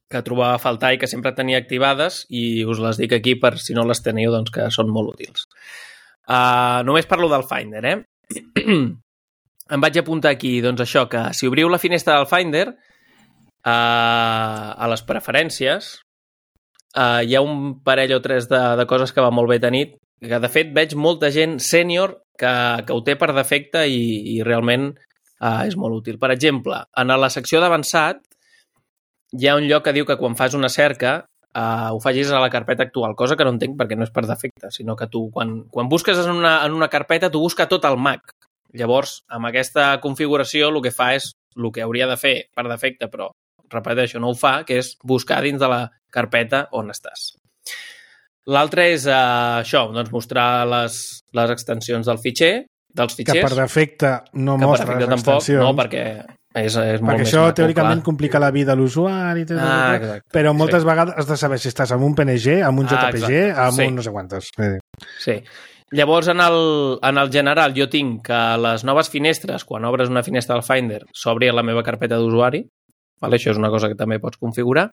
[SPEAKER 3] que trobava a faltar i que sempre tenia activades i us les dic aquí per si no les teniu, doncs que són molt útils. Uh, només parlo del Finder, eh? Em vaig apuntar aquí, doncs això, que si obriu la finestra del Finder, uh, a les preferències, uh, hi ha un parell o tres de, de coses que va molt bé tenir, que de fet veig molta gent sènior que, que ho té per defecte i, i realment uh, és molt útil. Per exemple, en la secció d'avançat hi ha un lloc que diu que quan fas una cerca Uh, ho facis a la carpeta actual, cosa que no entenc perquè no és per defecte, sinó que tu quan, quan busques en una, en una carpeta tu busca tot el Mac. Llavors, amb aquesta configuració el que fa és el que hauria de fer per defecte, però repeteixo, no ho fa, que és buscar dins de la carpeta on estàs. L'altre és uh, això, doncs mostrar les, les extensions del fitxer, dels fitxers.
[SPEAKER 2] Que per defecte no
[SPEAKER 3] que
[SPEAKER 2] mostra
[SPEAKER 3] per defecte
[SPEAKER 2] les extensions.
[SPEAKER 3] Tampoc, no, perquè és, és molt
[SPEAKER 2] perquè
[SPEAKER 3] més
[SPEAKER 2] això
[SPEAKER 3] maco,
[SPEAKER 2] teòricament
[SPEAKER 3] clar.
[SPEAKER 2] Complica la vida a l'usuari,
[SPEAKER 3] ah,
[SPEAKER 2] però moltes
[SPEAKER 3] sí.
[SPEAKER 2] vegades has de saber si estàs amb un P N G, amb un J P G, ah, amb sí. un no sé quantes.
[SPEAKER 3] Sí. Llavors, en el, en el general, jo tinc que les noves finestres, quan obres una finestra del Finder, s'obri a la meva carpeta d'usuari. Vale? Això és una cosa que també pots configurar.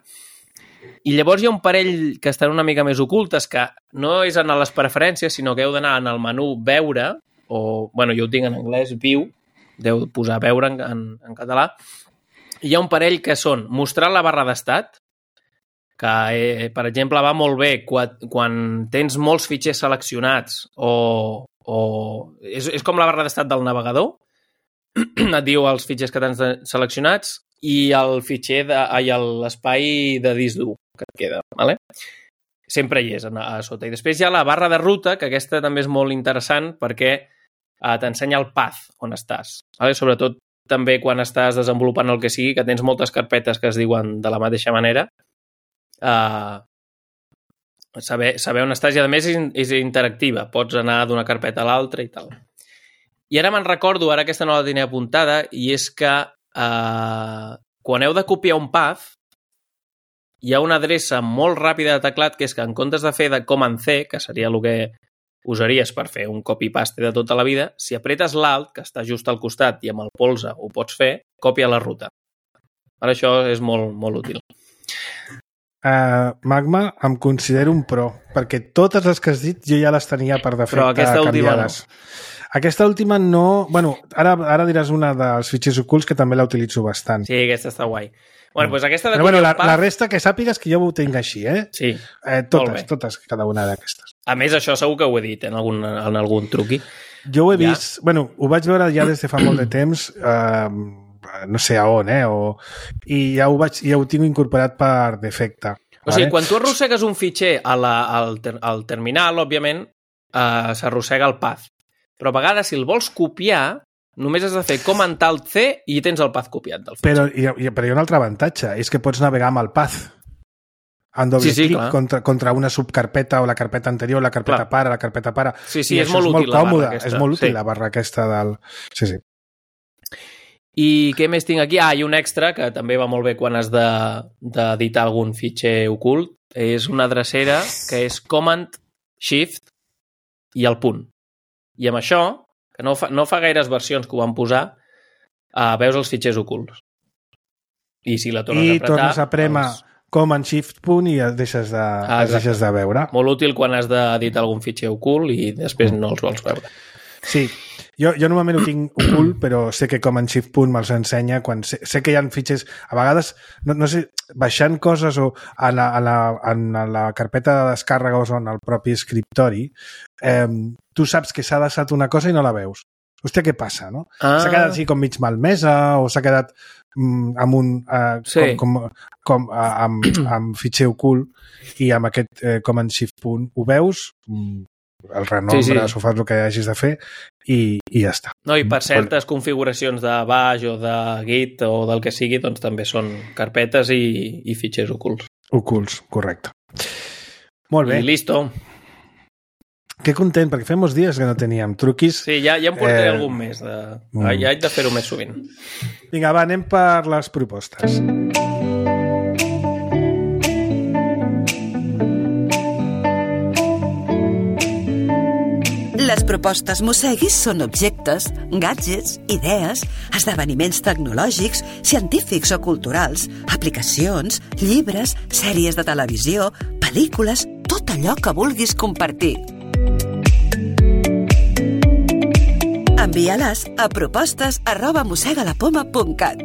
[SPEAKER 3] I llavors hi ha un parell que estan una mica més ocultes, que no és en les preferències, sinó que heu d'anar en el menú Veure, o, bueno, jo ho tinc en anglès, View, deu posar Veure en, en, en català. Hi ha un parell que són mostrar la barra d'estat, que, eh, per exemple, va molt bé quan, quan tens molts fitxers seleccionats o, o és, és com la barra d'estat del navegador. et diu els fitxers que tens seleccionats i el fitxer de, i l'espai de disc dur que et queda, vale? Sempre hi és a, a sota. I després hi ha la barra de ruta, que aquesta també és molt interessant perquè eh, t'ensenya el path on estàs. Vale? Sobretot també quan estàs desenvolupant el que sigui, que tens moltes carpetes que es diuen de la mateixa manera, eh, saber, saber on estàs i a més és, és interactiva. Pots anar d'una carpeta a l'altra i tal. I ara me'n recordo, ara aquesta no la tenia apuntada, i és que eh, quan heu de copiar un path, hi ha una adreça molt ràpida de teclat que és que en comptes de fer de Command C, que seria el que usaries per fer un copy-paste de tota la vida, si apretes l'Alt, que està just al costat i amb el polze ho pots fer, copia la ruta. Ara això és molt, molt útil.
[SPEAKER 2] Uh, Magma, em considero un pro, perquè totes les que has dit jo ja les tenia per defecte
[SPEAKER 3] Però aquesta
[SPEAKER 2] canviades. Última no. Aquesta última no... Bueno, ara, ara diràs una dels fitxers ocults que també la utilitzo bastant.
[SPEAKER 3] Sí, aquesta està guai. Bueno, doncs aquesta de
[SPEAKER 2] Però bueno, la, la resta que sàpigues que jo ho tinc així, eh?
[SPEAKER 3] Sí,
[SPEAKER 2] eh, totes, totes, cada una d'aquestes.
[SPEAKER 3] A més, això segur que ho he dit en algun, en algun truqui.
[SPEAKER 2] Jo ho he
[SPEAKER 3] ja.
[SPEAKER 2] vist... Bueno, ho vaig veure ja des de fa molt de temps, eh, no sé a on, eh? O, I ja ho, vaig, ja ho tinc incorporat per defecte.
[SPEAKER 3] O sigui, vale? Quan tu arrossegues un fitxer a la, al, ter, al terminal, òbviament, eh, s'arrossega el path. Però a vegades, si el vols copiar, només has de fer Command Alt C i tens el path copiat del fitxer.
[SPEAKER 2] Però, i, però hi ha un altre avantatge, és que pots navegar amb el path. En doble
[SPEAKER 3] sí, sí,
[SPEAKER 2] clic contra, contra una subcarpeta o la carpeta anterior, la carpeta clar. pare, la carpeta pare.
[SPEAKER 3] Sí, sí,
[SPEAKER 2] I
[SPEAKER 3] és molt útil
[SPEAKER 2] és molt còmode,
[SPEAKER 3] la barra aquesta.
[SPEAKER 2] És molt útil
[SPEAKER 3] sí.
[SPEAKER 2] la barra aquesta del... Sí, sí.
[SPEAKER 3] I què més tinc aquí? Ah, i un extra que també va molt bé quan has d'editar de, algun fitxer ocult. És una drecera que és Command, Shift i el punt. I amb això, que no fa, no fa gaires versions que ho van posar, uh, veus els fitxers ocults. I si la tornes
[SPEAKER 2] I
[SPEAKER 3] a apretar...
[SPEAKER 2] I tornes a prémer doncs... Command Shift punt i et deixes de, ah, et deixes de veure.
[SPEAKER 3] Molt útil quan has d'editar algun fitxer ocult i després no els vols veure.
[SPEAKER 2] Sí, jo, jo normalment ho tinc ocult, però sé que Command Shift punt me'ls ensenya quan sé, sé que hi ha fitxers, a vegades, no, no sé, baixant coses o en la, en la, en la carpeta de descàrrega o en el propi escriptori, eh, tu saps que s'ha deixat una cosa i no la veus. Hòstia, què passa, no? Ah. S'ha quedat així com mig malmesa o s'ha quedat mm, amb un... Eh, sí. com, com, com eh, amb, amb fitxer ocult i amb aquest eh, Command Shift punt ho veus, mm, el renombres sí, sí. o fas el que hagis de fer i, i ja està.
[SPEAKER 3] No, i per certes Vol... configuracions de baix o de Git o del que sigui, doncs també són carpetes i, i fitxers ocults.
[SPEAKER 2] Ocults, correcte. Molt bé.
[SPEAKER 3] I listo.
[SPEAKER 2] Que content, perquè fem molts dies que no teníem truquis.
[SPEAKER 3] Sí, ja, ja em portaré eh... algun més. De... Mm. Ja haig de fer-ho més sovint.
[SPEAKER 2] Vinga, va, anem per les propostes.
[SPEAKER 5] Les propostes Mosseguis són objectes, gadgets, idees, esdeveniments tecnològics, científics o culturals, aplicacions, llibres, sèries de televisió, pel·lícules, tot allò que vulguis compartir. Envia-les a propostes arroba mossegalapoma punt cat.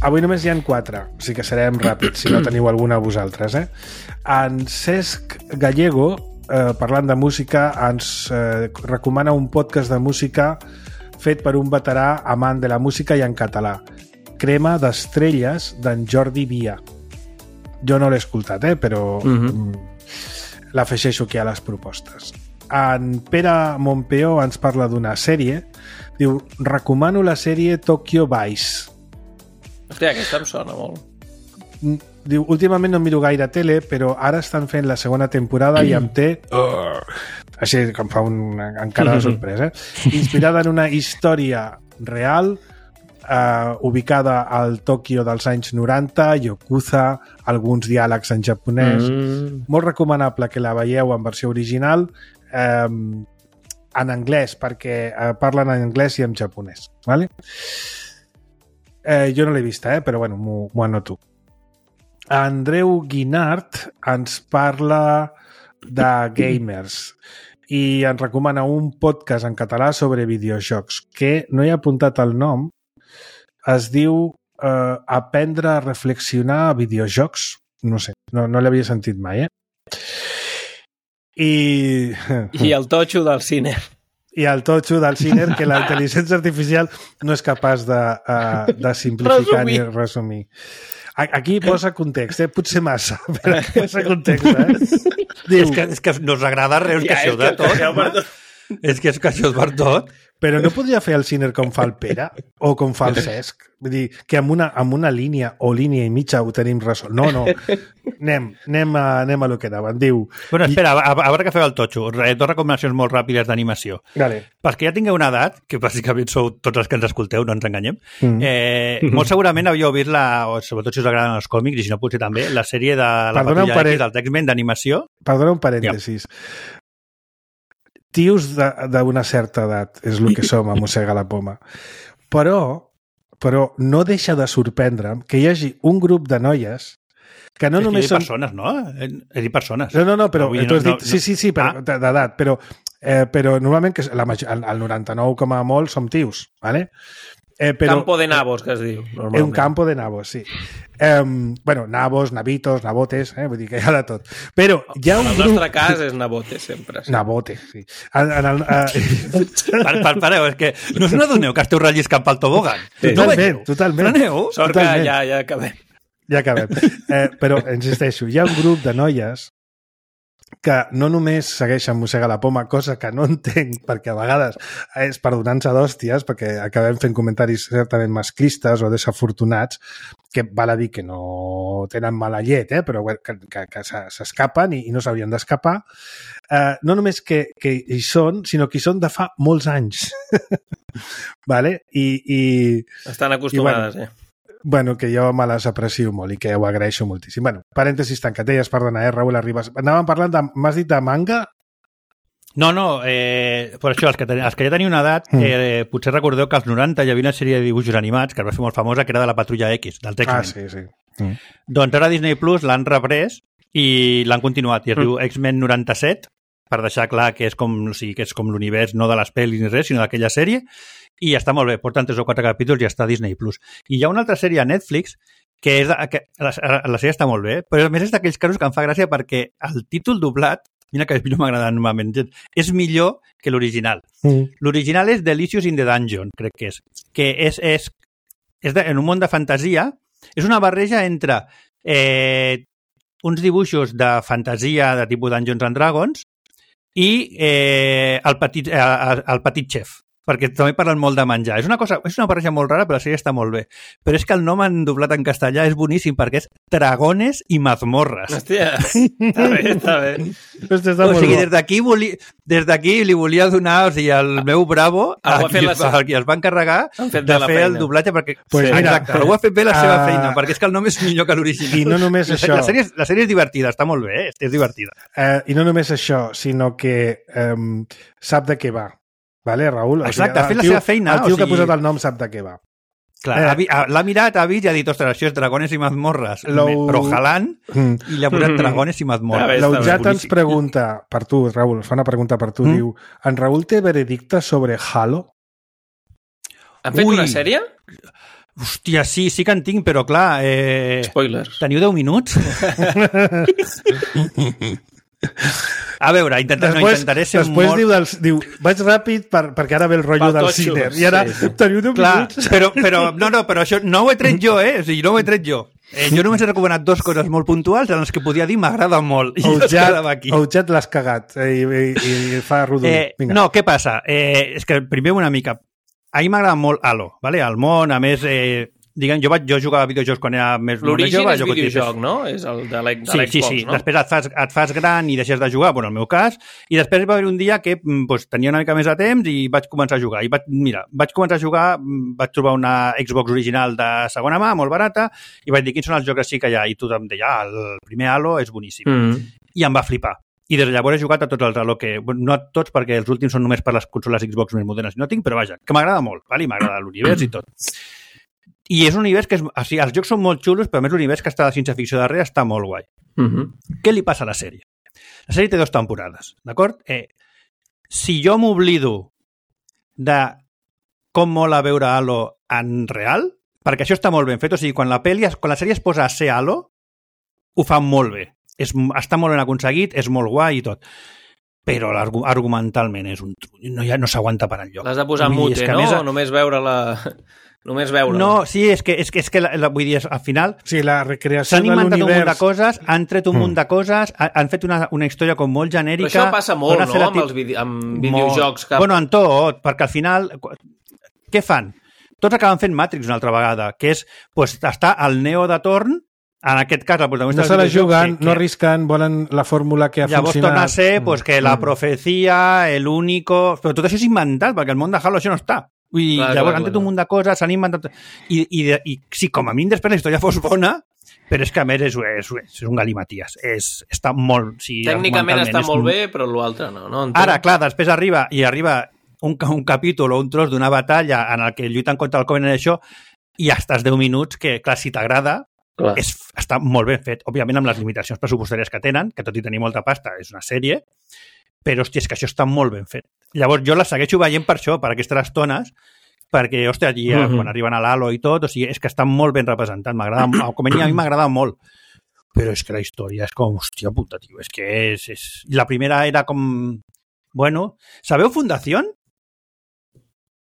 [SPEAKER 2] Avui només hi ha quatre, o sigui que serem ràpids, si no teniu alguna a vosaltres. Eh? En Cesc Gallego, eh, parlant de música, ens eh, recomana un podcast de música fet per un veterà amant de la música i en català. Crema d'estrelles d'en Jordi Via. Jo no l'he escoltat, eh, però uh-huh. l'afegeixo aquí a les propostes. En Pere Montpeó ens parla d'una sèrie. Diu, recomano la sèrie Tokyo Vice.
[SPEAKER 3] Hòstia, aquesta em sona molt.
[SPEAKER 2] Diu, últimament no miro gaire tele, però ara estan fent la segona temporada i em té... Uh, així com fa un, encara de sorpresa. Eh? Inspirada en una història real, uh, ubicada al Tòquio dels anys noranta, Yakuza, alguns diàlegs en japonès. Mm. Molt recomanable que la veieu en versió original, eh, en anglès, perquè uh, parlen en anglès i en japonès. Vale? Eh, jo no l'he vista, eh? Però bueno, m'ho anoto. Andreu Guinart ens parla de gamers i ens recomana un podcast en català sobre videojocs que no he apuntat el nom. Es diu eh, Aprendre a reflexionar a videojocs. No sé, no, no l'havia sentit mai, eh? I...
[SPEAKER 3] I el totxo del cine.
[SPEAKER 2] I el totxo del Sinner, que la intel·ligència artificial no és capaç de, uh, de simplificar resumir. ni resumir. Aquí posa context, eh? Potser massa, però posa context, eh?
[SPEAKER 4] Diu, és, que, és que no us agrada res, que ja, això de tot. No? tot. És que és que això és per tot.
[SPEAKER 2] Però no podria fer el Sinner com fa el Pere o com fa el Cesc? Vull dir, que amb una, amb una línia o línia i mitja ho tenim resolt. No, no. Anem, anem, a, anem a lo que anava. Diu...
[SPEAKER 4] Bueno, espera, a, a veure què feu el totxo. Dos recomanacions molt ràpides d'animació.
[SPEAKER 2] Vale.
[SPEAKER 4] Perquè ja tingueu una edat, que bàsicament sou tots els que ens escolteu, no ens enganyem, mm. eh, mm. molt segurament havíeu vist, la, o sobretot si us agraden els còmics, i si no potser també, la sèrie de la Patrulla X dels X-Men d'animació.
[SPEAKER 2] Perdona un parèntesis. Ja. Tios d'una certa edat és el que som a Mossega la Poma. Però, però no deixa de sorprendre'm que hi hagi un grup de noies que no
[SPEAKER 4] és
[SPEAKER 2] només
[SPEAKER 4] que
[SPEAKER 2] són...
[SPEAKER 4] persones, no? He dit persones.
[SPEAKER 2] No, no, no, però
[SPEAKER 4] no,
[SPEAKER 2] tu has
[SPEAKER 4] no,
[SPEAKER 2] dit... Sí, sí, sí, però, ah. d'edat, però, eh, però normalment que la, el noranta-nou com a molt som tios, ¿vale?
[SPEAKER 3] Eh, però, campo de nabos, que es diu.
[SPEAKER 2] És un campo de nabos, sí. Eh, bueno, nabos, navitos, nabotes, eh? Vull dir que hi ha de tot. Però hi ha un
[SPEAKER 3] el
[SPEAKER 2] grup...
[SPEAKER 3] nostre cas és nabote, sempre. Sí.
[SPEAKER 2] Nabote, sí. En, en el, uh...
[SPEAKER 4] par, par, pareu, és que no us n'adoneu que esteu relliscant pel tobogan?
[SPEAKER 2] Sí. Totalment, totalment.
[SPEAKER 4] Freneu?
[SPEAKER 3] Sort totalment. que ja, ja acabem.
[SPEAKER 2] Ja acabem. Eh, però, insisteixo, hi ha un grup de noies que no només segueixen Mossega la Poma, cosa que no entenc, perquè a vegades és per donar-nos d'hòsties, perquè acabem fent comentaris certament masclistes o desafortunats, que val a dir que no tenen mala llet, eh? Però que, que, que s'escapen i, i no s'haurien d'escapar. Eh, no només que, que hi són, sinó que hi són de fa molts anys. Vale? I, i,
[SPEAKER 3] Estan acostumades, i, bueno, eh?
[SPEAKER 2] Bueno, que jo me les aprecio molt i que ho agraeixo moltíssim. Bueno, parèntesis tancat. Deies, perdona, eh, Raül Arribas. Anàvem parlant de... M'has dit de manga?
[SPEAKER 4] No, no, eh, per això, els que, ten, els que ja teniu una edat, mm. eh, potser recordeu que als noranta hi havia una sèrie de dibuixos animats que es va fer molt famosa, que era de la Patrulla X, del X-Men.
[SPEAKER 2] Ah, sí, sí. Mm.
[SPEAKER 4] Doncs ara Disney Plus l'han reprès i l'han continuat, i es mm. diu X-Men noranta-set, per deixar clar que és com, o sigui, que és com l'univers no de les pel·lis ni res, sinó d'aquella sèrie, i està molt bé, porten tres o quatre capítols i està a Disney Plus. I hi ha una altra sèrie a Netflix que, és de, que la, la sèrie està molt bé, però a més és d'aquells casos que em fa gràcia perquè el títol doblat, mira que a mi no m'agrada normalment, és millor que l'original. Mm. L'original és Delicious in the Dungeon, crec que és. Que és, és, és de, en un món de fantasia, és una barreja entre eh, uns dibuixos de fantasia de tipus Dungeons and Dragons i eh, el, petit, eh, el petit xef, perquè també parlen molt de menjar. És una cosa, és una barreja molt rara, però la sèrie està molt bé. Però és que el nom en doblat en castellà és boníssim, perquè és Dragones i mazmorres.
[SPEAKER 3] Hòstia, està bé, està bé.
[SPEAKER 2] Hòstia, està
[SPEAKER 4] o sigui, des d'aquí des d'aquí li volia donar, o sigui, el meu bravo a qui, a qui es va encarregar de, de fer el doblatge, perquè...
[SPEAKER 2] Pues
[SPEAKER 4] sí,
[SPEAKER 2] mira,
[SPEAKER 4] exacte, algú ha fet bé la seva uh, feina, perquè és que el nom és millor que l'original.
[SPEAKER 2] I no només
[SPEAKER 4] la,
[SPEAKER 2] això...
[SPEAKER 4] La sèrie, la sèrie és divertida, està molt bé, és divertida.
[SPEAKER 2] Uh, I no només això, sinó que um, sap de què va. Vale, Raül?
[SPEAKER 4] Exacte, ha fet la seva feina.
[SPEAKER 2] El tio
[SPEAKER 4] o sigui...
[SPEAKER 2] que ha posat el nom sap de què va.
[SPEAKER 4] Clar, eh, l'ha mirat, ha vist i ha dit, ostres, això és Dragones i mazmorres, però jalant, i li ha posat Dragones i mazmorres.
[SPEAKER 2] L'Eujat ens pregunta, per tu, Raül, fa una pregunta per tu, mm? diu, en Raül té veredicte sobre Halo?
[SPEAKER 3] Han fet
[SPEAKER 4] Ui.
[SPEAKER 3] una sèrie?
[SPEAKER 4] Hòstia, sí, sí que en tinc, però clar... Eh...
[SPEAKER 3] Spoilers.
[SPEAKER 4] Teniu deu minuts? A veure, intenta,
[SPEAKER 2] després,
[SPEAKER 4] no intentaré ser
[SPEAKER 2] després
[SPEAKER 4] molt...
[SPEAKER 2] diu, dels, diu, vaig ràpid per, perquè ara ve el rotllo del Sinner. I ara sí. teniu deu
[SPEAKER 4] Clar,
[SPEAKER 2] minuts.
[SPEAKER 4] Però, però, no, no, però això no ho he tret jo, eh? O sigui, no ho he tret jo. Eh, jo només he recomanat dues coses molt puntuals en les que podia dir m'agrada molt. I es quedava aquí.
[SPEAKER 2] Eujat l'has cagat eh, i, i, i fa rodolí.
[SPEAKER 4] Eh, no, què passa? Eh, és que primer una mica... A mi m'agrada molt Halo, ¿vale? El món, a més... Eh, Diguem, jo, vaig, jo jugava a videojocs quan era més, més jove.
[SPEAKER 3] L'origen és videojoc, no? És el de l'Xbox,
[SPEAKER 4] sí, sí, sí.
[SPEAKER 3] no?
[SPEAKER 4] Després et fas, et fas gran i deixes de jugar, bueno, en el meu cas, i després va haver un dia que pues, tenia una mica més de temps i vaig començar a jugar. I vaig, mira, vaig començar a jugar, vaig trobar una Xbox original de segona mà, molt barata, i vaig dir quins són els jocs així que hi ha. I tothom deia, ah, el primer Halo és boníssim. Mm. I em va flipar. I des de llavors he jugat a tots els Halo que... No a tots, perquè els últims són només per les consoles Xbox més modernes. No tinc, però vaja, que m'agrada molt, vale? M'agrada l'univers i tot. I és un univers que... És, o sigui, els jocs són molt xulos, però a més l'univers que està de ciència-ficció darrere està molt guai. Uh-huh. Què li passa a la sèrie? La sèrie té dues temporades, d'acord? Eh, si jo m'oblido de com mola veure Halo en real, perquè això està molt ben fet, o sigui, quan la, peli, quan la sèrie es posa a ser Halo, ho fa molt bé. És, està molt ben aconseguit, és molt guai i tot. però argumentalment és un trull. No, ja no s'aguanta per enlloc.
[SPEAKER 3] L'has de posar en mute, no? O només veure la... Només veure.
[SPEAKER 4] No, sí, és que, és que, és que la, la, vull dir, al final
[SPEAKER 2] sí, la recreació
[SPEAKER 4] s'han inventat un munt de
[SPEAKER 2] univers...
[SPEAKER 4] coses, han tret un mm. munt de coses, han fet una, una història com molt genèrica...
[SPEAKER 3] Però això passa molt, no?, amb els vide amb videojocs. Que...
[SPEAKER 4] Bueno, en tot, perquè al final... Què fan? Tots acaben fent Matrix una altra vegada, que és pues, estar al Neo de torn, en aquest cas el protagonista...
[SPEAKER 2] No se la juguen, que, que... no arrisquen, volen la fórmula que ha
[SPEAKER 4] llavors
[SPEAKER 2] funcionat.
[SPEAKER 4] Llavors torna a ser pues, que mm. la profecia, el único... Però tot això és inventat, perquè el món de Halo això no està. I clar, llavors clar, han tret un munt de coses, s'han inventat... I, i, i sí, com a mínim després la història fos bona, però és que a més és, és, és un galimaties. És, està molt... Sí,
[SPEAKER 3] tècnicament està molt un... bé, però l'altre no. no
[SPEAKER 4] Ara, clar, després arriba i arriba un, un capítol o un tros d'una batalla en el que lluiten contra el Covenant d'això i estàs deu minuts que, clar, si t'agrada, és, està molt ben fet. Òbviament amb les limitacions pressupostàries que tenen, que tot i tenir molta pasta és una sèrie, però, hòstia, és que això està molt ben fet. Llavors, jo la segueixo veient per això, per aquestes estones, perquè, hòstia, allí, uh -huh. quan arriben a l'Halo i tot, o sigui, és que està molt ben representat, m'agrada, com a mi m'agrada molt, però és que la història és com, hòstia puta, tio, és que és... és... La primera era com... Bueno, ¿sabeu Fundación?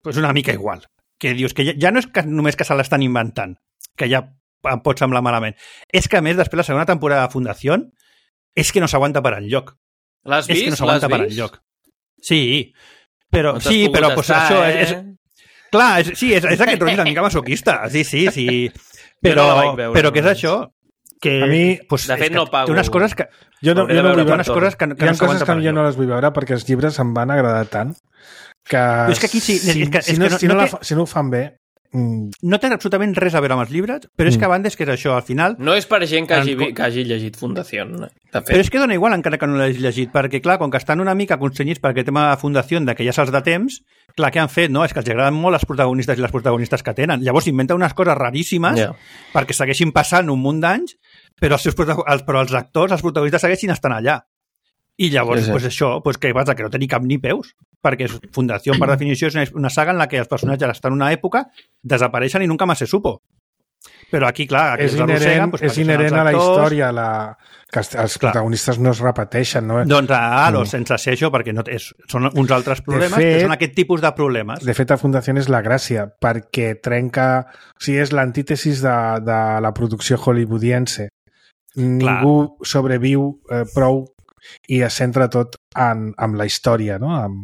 [SPEAKER 4] Pues una mica igual, que dius que ja, ja no és que només que se l'estan inventant, que ja em pot semblar malament, és que, a més, després la segona temporada de Fundación és que no s'aguanta per enlloc.
[SPEAKER 3] L'has vist?
[SPEAKER 4] És que no s'aguanta per enlloc. Sí, però, no sí, però pues, estar, això eh? és, és... Clar, és, sí, és, és aquest rotllo una mica masoquista. Sí, sí, sí. Però, no veure, però què és això? Que,
[SPEAKER 2] a mi,
[SPEAKER 3] pues, de fet, no pago.
[SPEAKER 4] Té unes coses que...
[SPEAKER 2] Jo no, jo no vull
[SPEAKER 4] unes coses que, que
[SPEAKER 2] hi ha
[SPEAKER 4] no
[SPEAKER 2] coses que jo no les vull veure perquè els llibres em van agradar tant que,
[SPEAKER 4] és que aquí sí,
[SPEAKER 2] si,
[SPEAKER 4] és que, és
[SPEAKER 2] si, no,
[SPEAKER 4] que no,
[SPEAKER 2] si, no
[SPEAKER 4] no
[SPEAKER 2] la,
[SPEAKER 4] té...
[SPEAKER 2] si no ho fan bé... Mm.
[SPEAKER 4] No té absolutament res a veure amb els llibres, però és que a banda és que és això, al final...
[SPEAKER 3] No és per gent que hagi, que hagi llegit Fundació. De fet.
[SPEAKER 4] Però és que dona igual encara que no l'hagi llegit, perquè clar, com que estan una mica constrenyits per aquest tema de Fundació, de que ja se'ls de temps, clar, què han fet? No? És que els agraden molt els protagonistes i les protagonistes que tenen. Llavors inventen unes coses raríssimes yeah. perquè segueixin passant un munt d'anys, però els, seus els, però els actors, els protagonistes segueixin estant allà. I llavors, sí, sí. pues això, pues què passa? Que no té ni cap ni peus, perquè Fundació, per definició, és una saga en la que els personatges estan en una època, desapareixen i nunca más se supo. Però aquí, clar, aquí
[SPEAKER 2] és inherent, pues, és inherent a la història, la... que els, els protagonistes no es repeteixen, no?
[SPEAKER 4] Doncs a Halo, mm. sense ser això, perquè no és, són uns altres problemes, fet, que són aquest tipus de problemes.
[SPEAKER 2] De fet, a Fundació és la gràcia, perquè trenca... O sigui, és l'antítesis de, de la producció hollywoodiense. Ningú clar. sobreviu eh, prou i es centra tot en, en la història, no? En,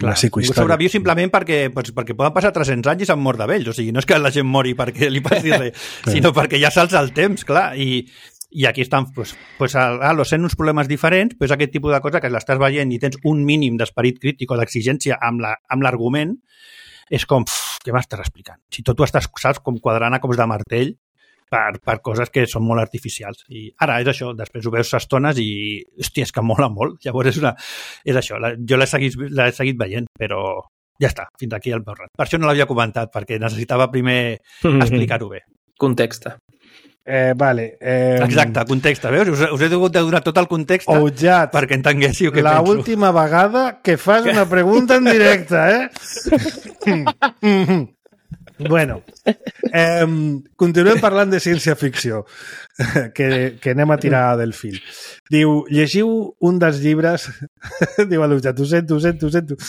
[SPEAKER 2] en la psicohistòria.
[SPEAKER 4] Sobreviu simplement perquè, pues, perquè poden passar tres-cents anys i s'han mort de vells. O sigui, no és que la gent mori perquè li passi res, sinó perquè ja salts el temps, clar. I, i aquí estan, pues, pues, a, a los sent uns problemes diferents, pues, aquest tipus de cosa que l'estàs veient i tens un mínim d'esperit crític o d'exigència amb l'argument, la, és com, pff, què m'estàs explicant? Si tot tu estàs, saps, com quadrant a cops de martell, Per, per coses que són molt artificials. I ara és això, després ho veus estones i, hòstia, és que mola molt. Llavors és, una, és això, la, jo l'he seguit, l'he seguit veient, però ja està, fins aquí el meu rat. Per això no l'havia comentat, perquè necessitava primer explicar-ho bé.
[SPEAKER 3] Context.
[SPEAKER 2] Eh, vale. Eh,
[SPEAKER 4] Exacte, context. Veus? Us, us he hagut de donar tot el context
[SPEAKER 2] Oujat,
[SPEAKER 4] perquè entenguéssiu què
[SPEAKER 2] la
[SPEAKER 4] penso.
[SPEAKER 2] La última vegada que fas una pregunta en directe, eh? Bueno, eh, continuem parlant de ciència-ficció, que, que anem a tirar del fil. Diu, llegiu un dels llibres... Diu a l'Ujat, ho sento, ho sento, ho sento.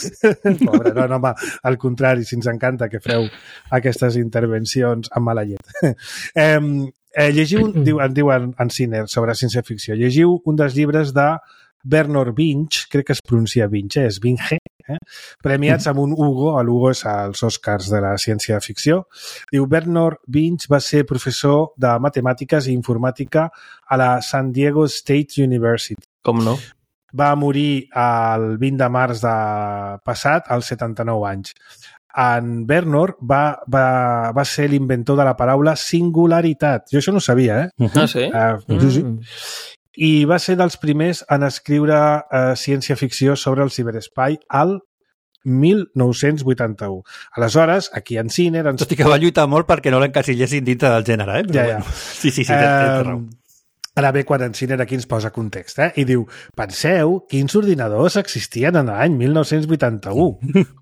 [SPEAKER 2] Pobre, no, no, home, al contrari, si ens encanta que feu aquestes intervencions amb mala llet. Eh, eh, llegiu, diu, en diu en, en Ciner sobre ciència-ficció, llegiu un dels llibres de Bernard Vinge, crec que es pronuncia Vinge, és Vinge, eh? premiats amb un Hugo, l'Hugo és als Oscars de la ciència-ficció. Diu, Bernard Vinge va ser professor de matemàtiques i informàtica a la San Diego State University.
[SPEAKER 3] Com no?
[SPEAKER 2] Va morir el vint de març de passat, als setanta-nou anys. En Bernard va, va, va ser l'inventor de la paraula singularitat. Jo això no ho sabia, eh?
[SPEAKER 3] Ah, sí?
[SPEAKER 2] Uh, mm. sí, sí. I va ser dels primers en escriure eh, ciència-ficció sobre el ciberespai al mil nou-cents vuitanta-u. Aleshores, aquí en Ciner... Ens...
[SPEAKER 4] Tot i que va lluitar molt perquè no l'encasillessin dintre del gènere, eh? Però
[SPEAKER 2] ja, ja.
[SPEAKER 4] Bueno. Sí, sí, sí, té, té raó.
[SPEAKER 2] Ara ve quan en Ciner aquí ens posa context, eh? I diu, penseu quins ordinadors existien en l'any mil nou-cents vuitanta-u,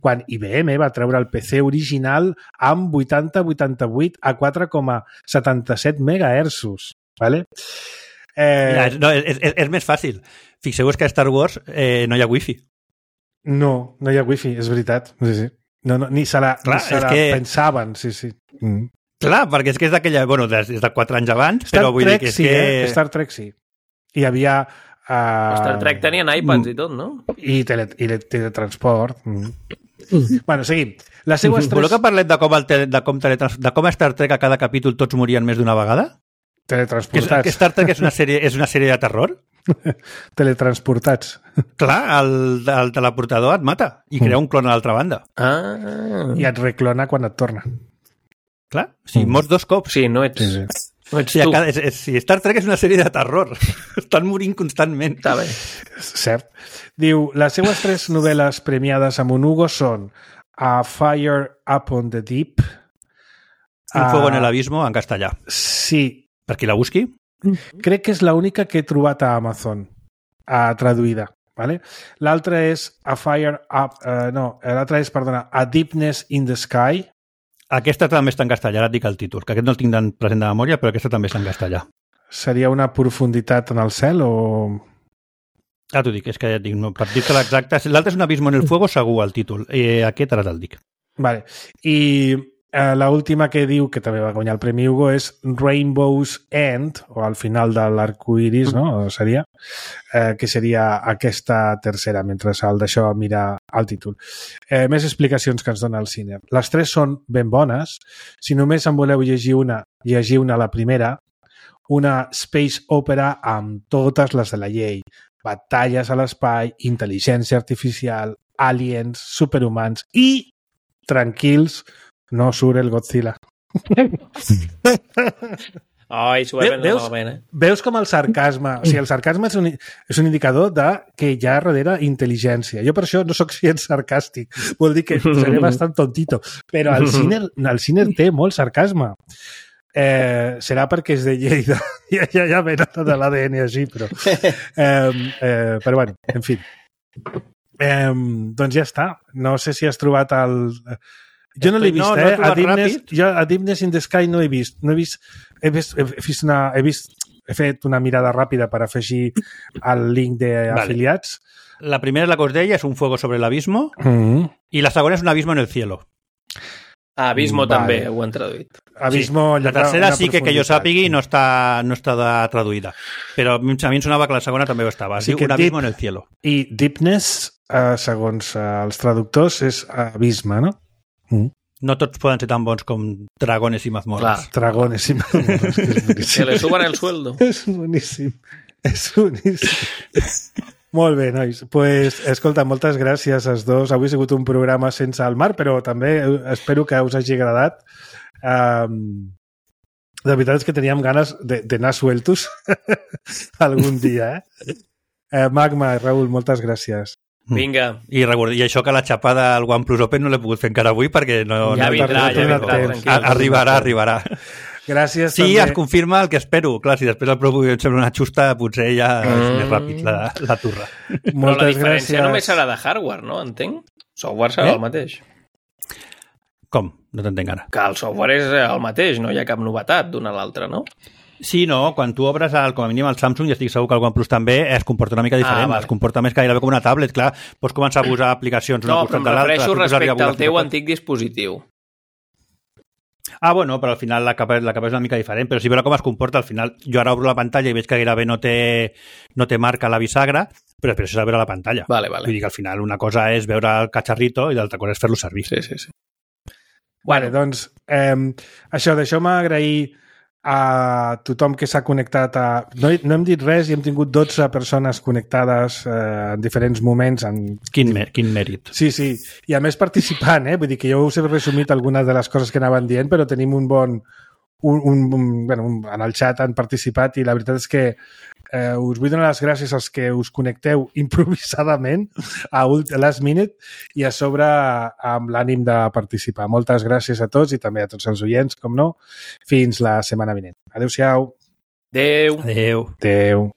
[SPEAKER 2] quan I B M va treure el P C original amb vuitanta vuitanta-vuit a quatre coma setanta-set megahertzos. Vale? Eh...
[SPEAKER 4] Ja, no, és, és, és més fàcil. Fixeu-vos que a Star Wars eh, no hi ha wifi.
[SPEAKER 2] No, no hi ha wifi, és veritat. Sí, sí. No, no, ni se la, Clar, ni se la que... pensaven, sí, sí. Mm.
[SPEAKER 4] Clar, perquè és que és d'aquella... Bueno, des, des de quatre anys abans,
[SPEAKER 2] Star
[SPEAKER 4] però vull
[SPEAKER 2] Trek,
[SPEAKER 4] dir que és
[SPEAKER 2] sí,
[SPEAKER 4] que...
[SPEAKER 2] Eh? Star Trek sí. Hi havia... Uh...
[SPEAKER 3] Star Trek tenien iPads i tot, no?
[SPEAKER 2] I, tele, i teletransport. Mm. Mm. Bueno, seguim. Les seues tres...
[SPEAKER 4] Voleu que parlem de com, el tele, de, com teletrans... de com a Star Trek a cada capítol tots morien més d'una vegada?
[SPEAKER 2] Teletransportats.
[SPEAKER 4] Que, que Star Trek és una sèrie, és una sèrie de terror?
[SPEAKER 2] Teletransportats.
[SPEAKER 4] Clar, el, el teleportador et mata i crea un clon a l'altra banda.
[SPEAKER 3] Ah.
[SPEAKER 2] I et reclona quan et torna.
[SPEAKER 4] Clar, si mm. mors dos cops.
[SPEAKER 3] Sí, no ets...
[SPEAKER 2] Sí, sí.
[SPEAKER 3] No ets
[SPEAKER 4] sí,
[SPEAKER 3] tu.
[SPEAKER 4] Cada, és, és, sí, Star Trek és una sèrie de terror. Estan morint constantment.
[SPEAKER 3] Està bé.
[SPEAKER 2] Cert. Diu, les seues tres novel·les premiades amb un Hugo són A Fire Upon the Deep,
[SPEAKER 4] Un fuego en el abismo, en castellà.
[SPEAKER 2] Sí.
[SPEAKER 4] Per qui la busqui?
[SPEAKER 2] Crec que és l'única que he trobat a Amazon, a traduïda. Vale? L'altra és A Fire Up... Uh, no, l'altra és, perdona, A Deepness in the Sky.
[SPEAKER 4] Aquesta també està en castellà, ara et dic el títol, que aquest no el tinc present de memòria, però aquesta també està en castellà.
[SPEAKER 2] Seria una profunditat en el cel o...
[SPEAKER 4] Ah, t'ho dic, és que ja et dic, no, per dir-te l'exacta... L'altre és Un abismo en el fuego, segur, el títol. Eh, aquest ara te'l dic.
[SPEAKER 2] Vale. I eh, l'última que diu, que també va guanyar el Premi Hugo, és Rainbow's End, o al final de l'arcoiris, no? Seria, eh, que seria aquesta tercera, mentre el d'això mira el títol. Eh, més explicacions que ens dona el cine. Les tres són ben bones. Si només en voleu llegir una, llegir una la primera, una space opera amb totes les de la llei. Batalles a l'espai, intel·ligència artificial, aliens, superhumans i, tranquils, no surt el Godzilla.
[SPEAKER 3] Ai, s'ho va prendre malament, eh?
[SPEAKER 2] Veus com el sarcasme... O sigui, el sarcasme és un, és un indicador de que hi ha darrere intel·ligència. Jo per això no sóc gens sarcàstic. Vol dir que seré bastant tontito. Però el cine, el cine té molt sarcasme. Eh, serà perquè és de Lleida. Ja, ja, ja ve de l'A D N així, però... Eh, eh, però bueno, en fi. Eh, doncs ja està. No sé si has trobat el... Jo no l'he vist, no, eh? No a, Deepness, jo a Deepness in the Sky no he vist. No he vist... He vist, he vist, una, he vist... He fet una mirada ràpida per afegir el link d'afiliats.
[SPEAKER 4] Vale. La primera, la que us deia, és Un fuego sobre l'abismo,
[SPEAKER 2] mm-hmm.
[SPEAKER 4] i la segona és Un abismo en el cielo.
[SPEAKER 3] Ah, Abismo vale. També ho han traduït.
[SPEAKER 2] Abismo,
[SPEAKER 4] sí. La tercera sí que, que jo sàpigui no està, no està traduïda, però a mi em sonava que la segona també ho estava. Es sí diu Un abismo deep, en el cielo.
[SPEAKER 2] I Deepness, eh, segons eh, els traductors, és abisme, no?
[SPEAKER 4] Mm. No tots poden ser tan bons com Dragones i mazmorras.
[SPEAKER 2] Dragones i mazmorras.
[SPEAKER 3] Que le suban el sueldo.
[SPEAKER 2] És boníssim. És boníssim. Molt bé, nois. Pues, escolta, moltes gràcies als dos. Avui ha sigut un programa sense el mar, però també espero que us hagi agradat. Um, de veritat és que teníem ganes d'anar sueltos algun dia, eh? eh? Magma i Raül, moltes gràcies.
[SPEAKER 3] Vinga.
[SPEAKER 4] I, I això que la xapada al OnePlus Open no l'he pogut fer encara avui perquè no...
[SPEAKER 3] Ja
[SPEAKER 4] no
[SPEAKER 3] vindrà, ja vindrà.
[SPEAKER 4] vindrà arribarà, arribarà.
[SPEAKER 2] Gràcies.
[SPEAKER 4] Sí, també. Es confirma el que espero. Clar, si després el Pro em sembla una xusta, potser ja mm. és més ràpid la, la turra.
[SPEAKER 3] Moltes Però la diferència gràcies. Només serà de hardware, no? Entenc? Software serà eh? el mateix.
[SPEAKER 4] Com? No t'entenc ara.
[SPEAKER 3] Que el software és el mateix, no hi ha cap novetat d'una a l'altra, no?
[SPEAKER 4] Sí, no, quan tu obres el, com a mínim el Samsung, i estic segur que el OnePlus també, es comporta una mica diferent, ah, vale. Es comporta més gairebé com una tablet, clar, pots començar a posar aplicacions
[SPEAKER 3] no,
[SPEAKER 4] una costat de l'altra.
[SPEAKER 3] No, em refereixo respecte al teu antic dispositiu.
[SPEAKER 4] Ah, bueno, però al final la capa, la capa és una mica diferent, però si veure com es comporta, al final jo ara obro la pantalla i veig que gairebé no té, no té marca la bisagra, però després és a veure la pantalla.
[SPEAKER 3] Vale, vale.
[SPEAKER 4] Vull dir que al final una cosa és veure el catxarrito i l'altra cosa és fer-lo servir.
[SPEAKER 3] Sí, sí, sí.
[SPEAKER 2] Vale, doncs, eh, això, deixeu-me agrair a tothom que s'ha connectat a... No, no hem dit res i hem tingut dotze persones connectades eh, en diferents moments. En...
[SPEAKER 4] Quin, mer quin mèrit.
[SPEAKER 2] Sí, sí. I a més participant, eh? Vull dir que jo us he resumit algunes de les coses que anaven dient, però tenim un bon... Un, un, un, bueno, un, en el xat han participat i la veritat és que eh, us vull donar les gràcies als que us connecteu improvisadament a last minute i a sobre amb l'ànim de participar. Moltes gràcies a tots i també a tots els oients, com no. Fins la setmana vinent. Adéu-siau.
[SPEAKER 3] Adéu.
[SPEAKER 4] Adéu.
[SPEAKER 2] Adéu.